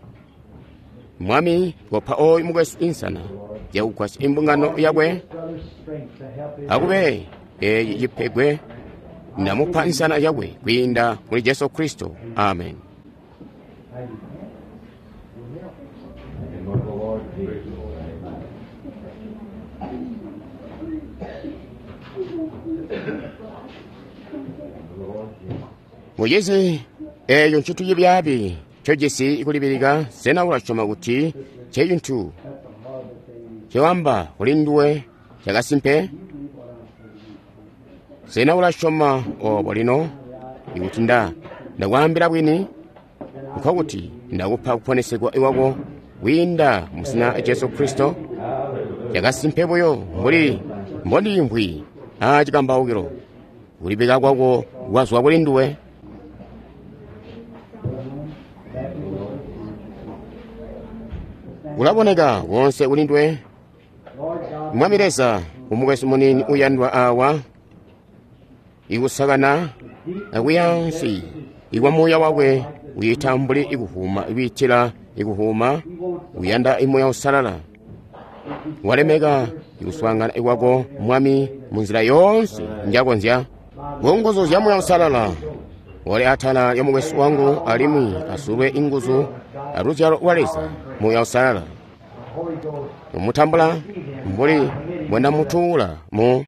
Mwami kopa oyu mukwesu insana yakugwasya imbungano yakwe this brother's strength to help his akube eyi cipegwe ndamupa insana yakwe kwiinda muli Jesu Kristo, amen. Name of the Lord Jesus. Amen. The Lord Jesus. Mucizi eyo ncintu cibyaabi ncojisi kulibilika. Sena ulasyoma kuti ncecintu cewamba kuli nduwe cakasimpe? Sena ulasyoma obo lino? Ikuti nda ndakwaambila bwini, nkokuti ndakupa kuponesegwa iwako kwiinda mu zina lya Jesu Kristo. Cakasimpe buyo mbuli mbondiimvwi aa cikambaukilo, kulibika kwako kwazwa kuli nduwe. Ulaboneka wonse kuli ndwe. Lord God, Mwami Leza, umukwesu muniini uyandwa awa, ikusakana akuyansi ikwa muuya wakwe uyita mbuli ikuhuma ibiitila ikuhuma uyanda imuya usalala walemeka ikuswaangana ikwako Mwami munzila yoonse njakonzya kunguzu zya muya usalala wali atala lya mukwesu wangu alimwi asulwe inguzu aluzyalo lwa Leza muya usalala Holy Ghost, umutambula mbuli mbwendamutuula mu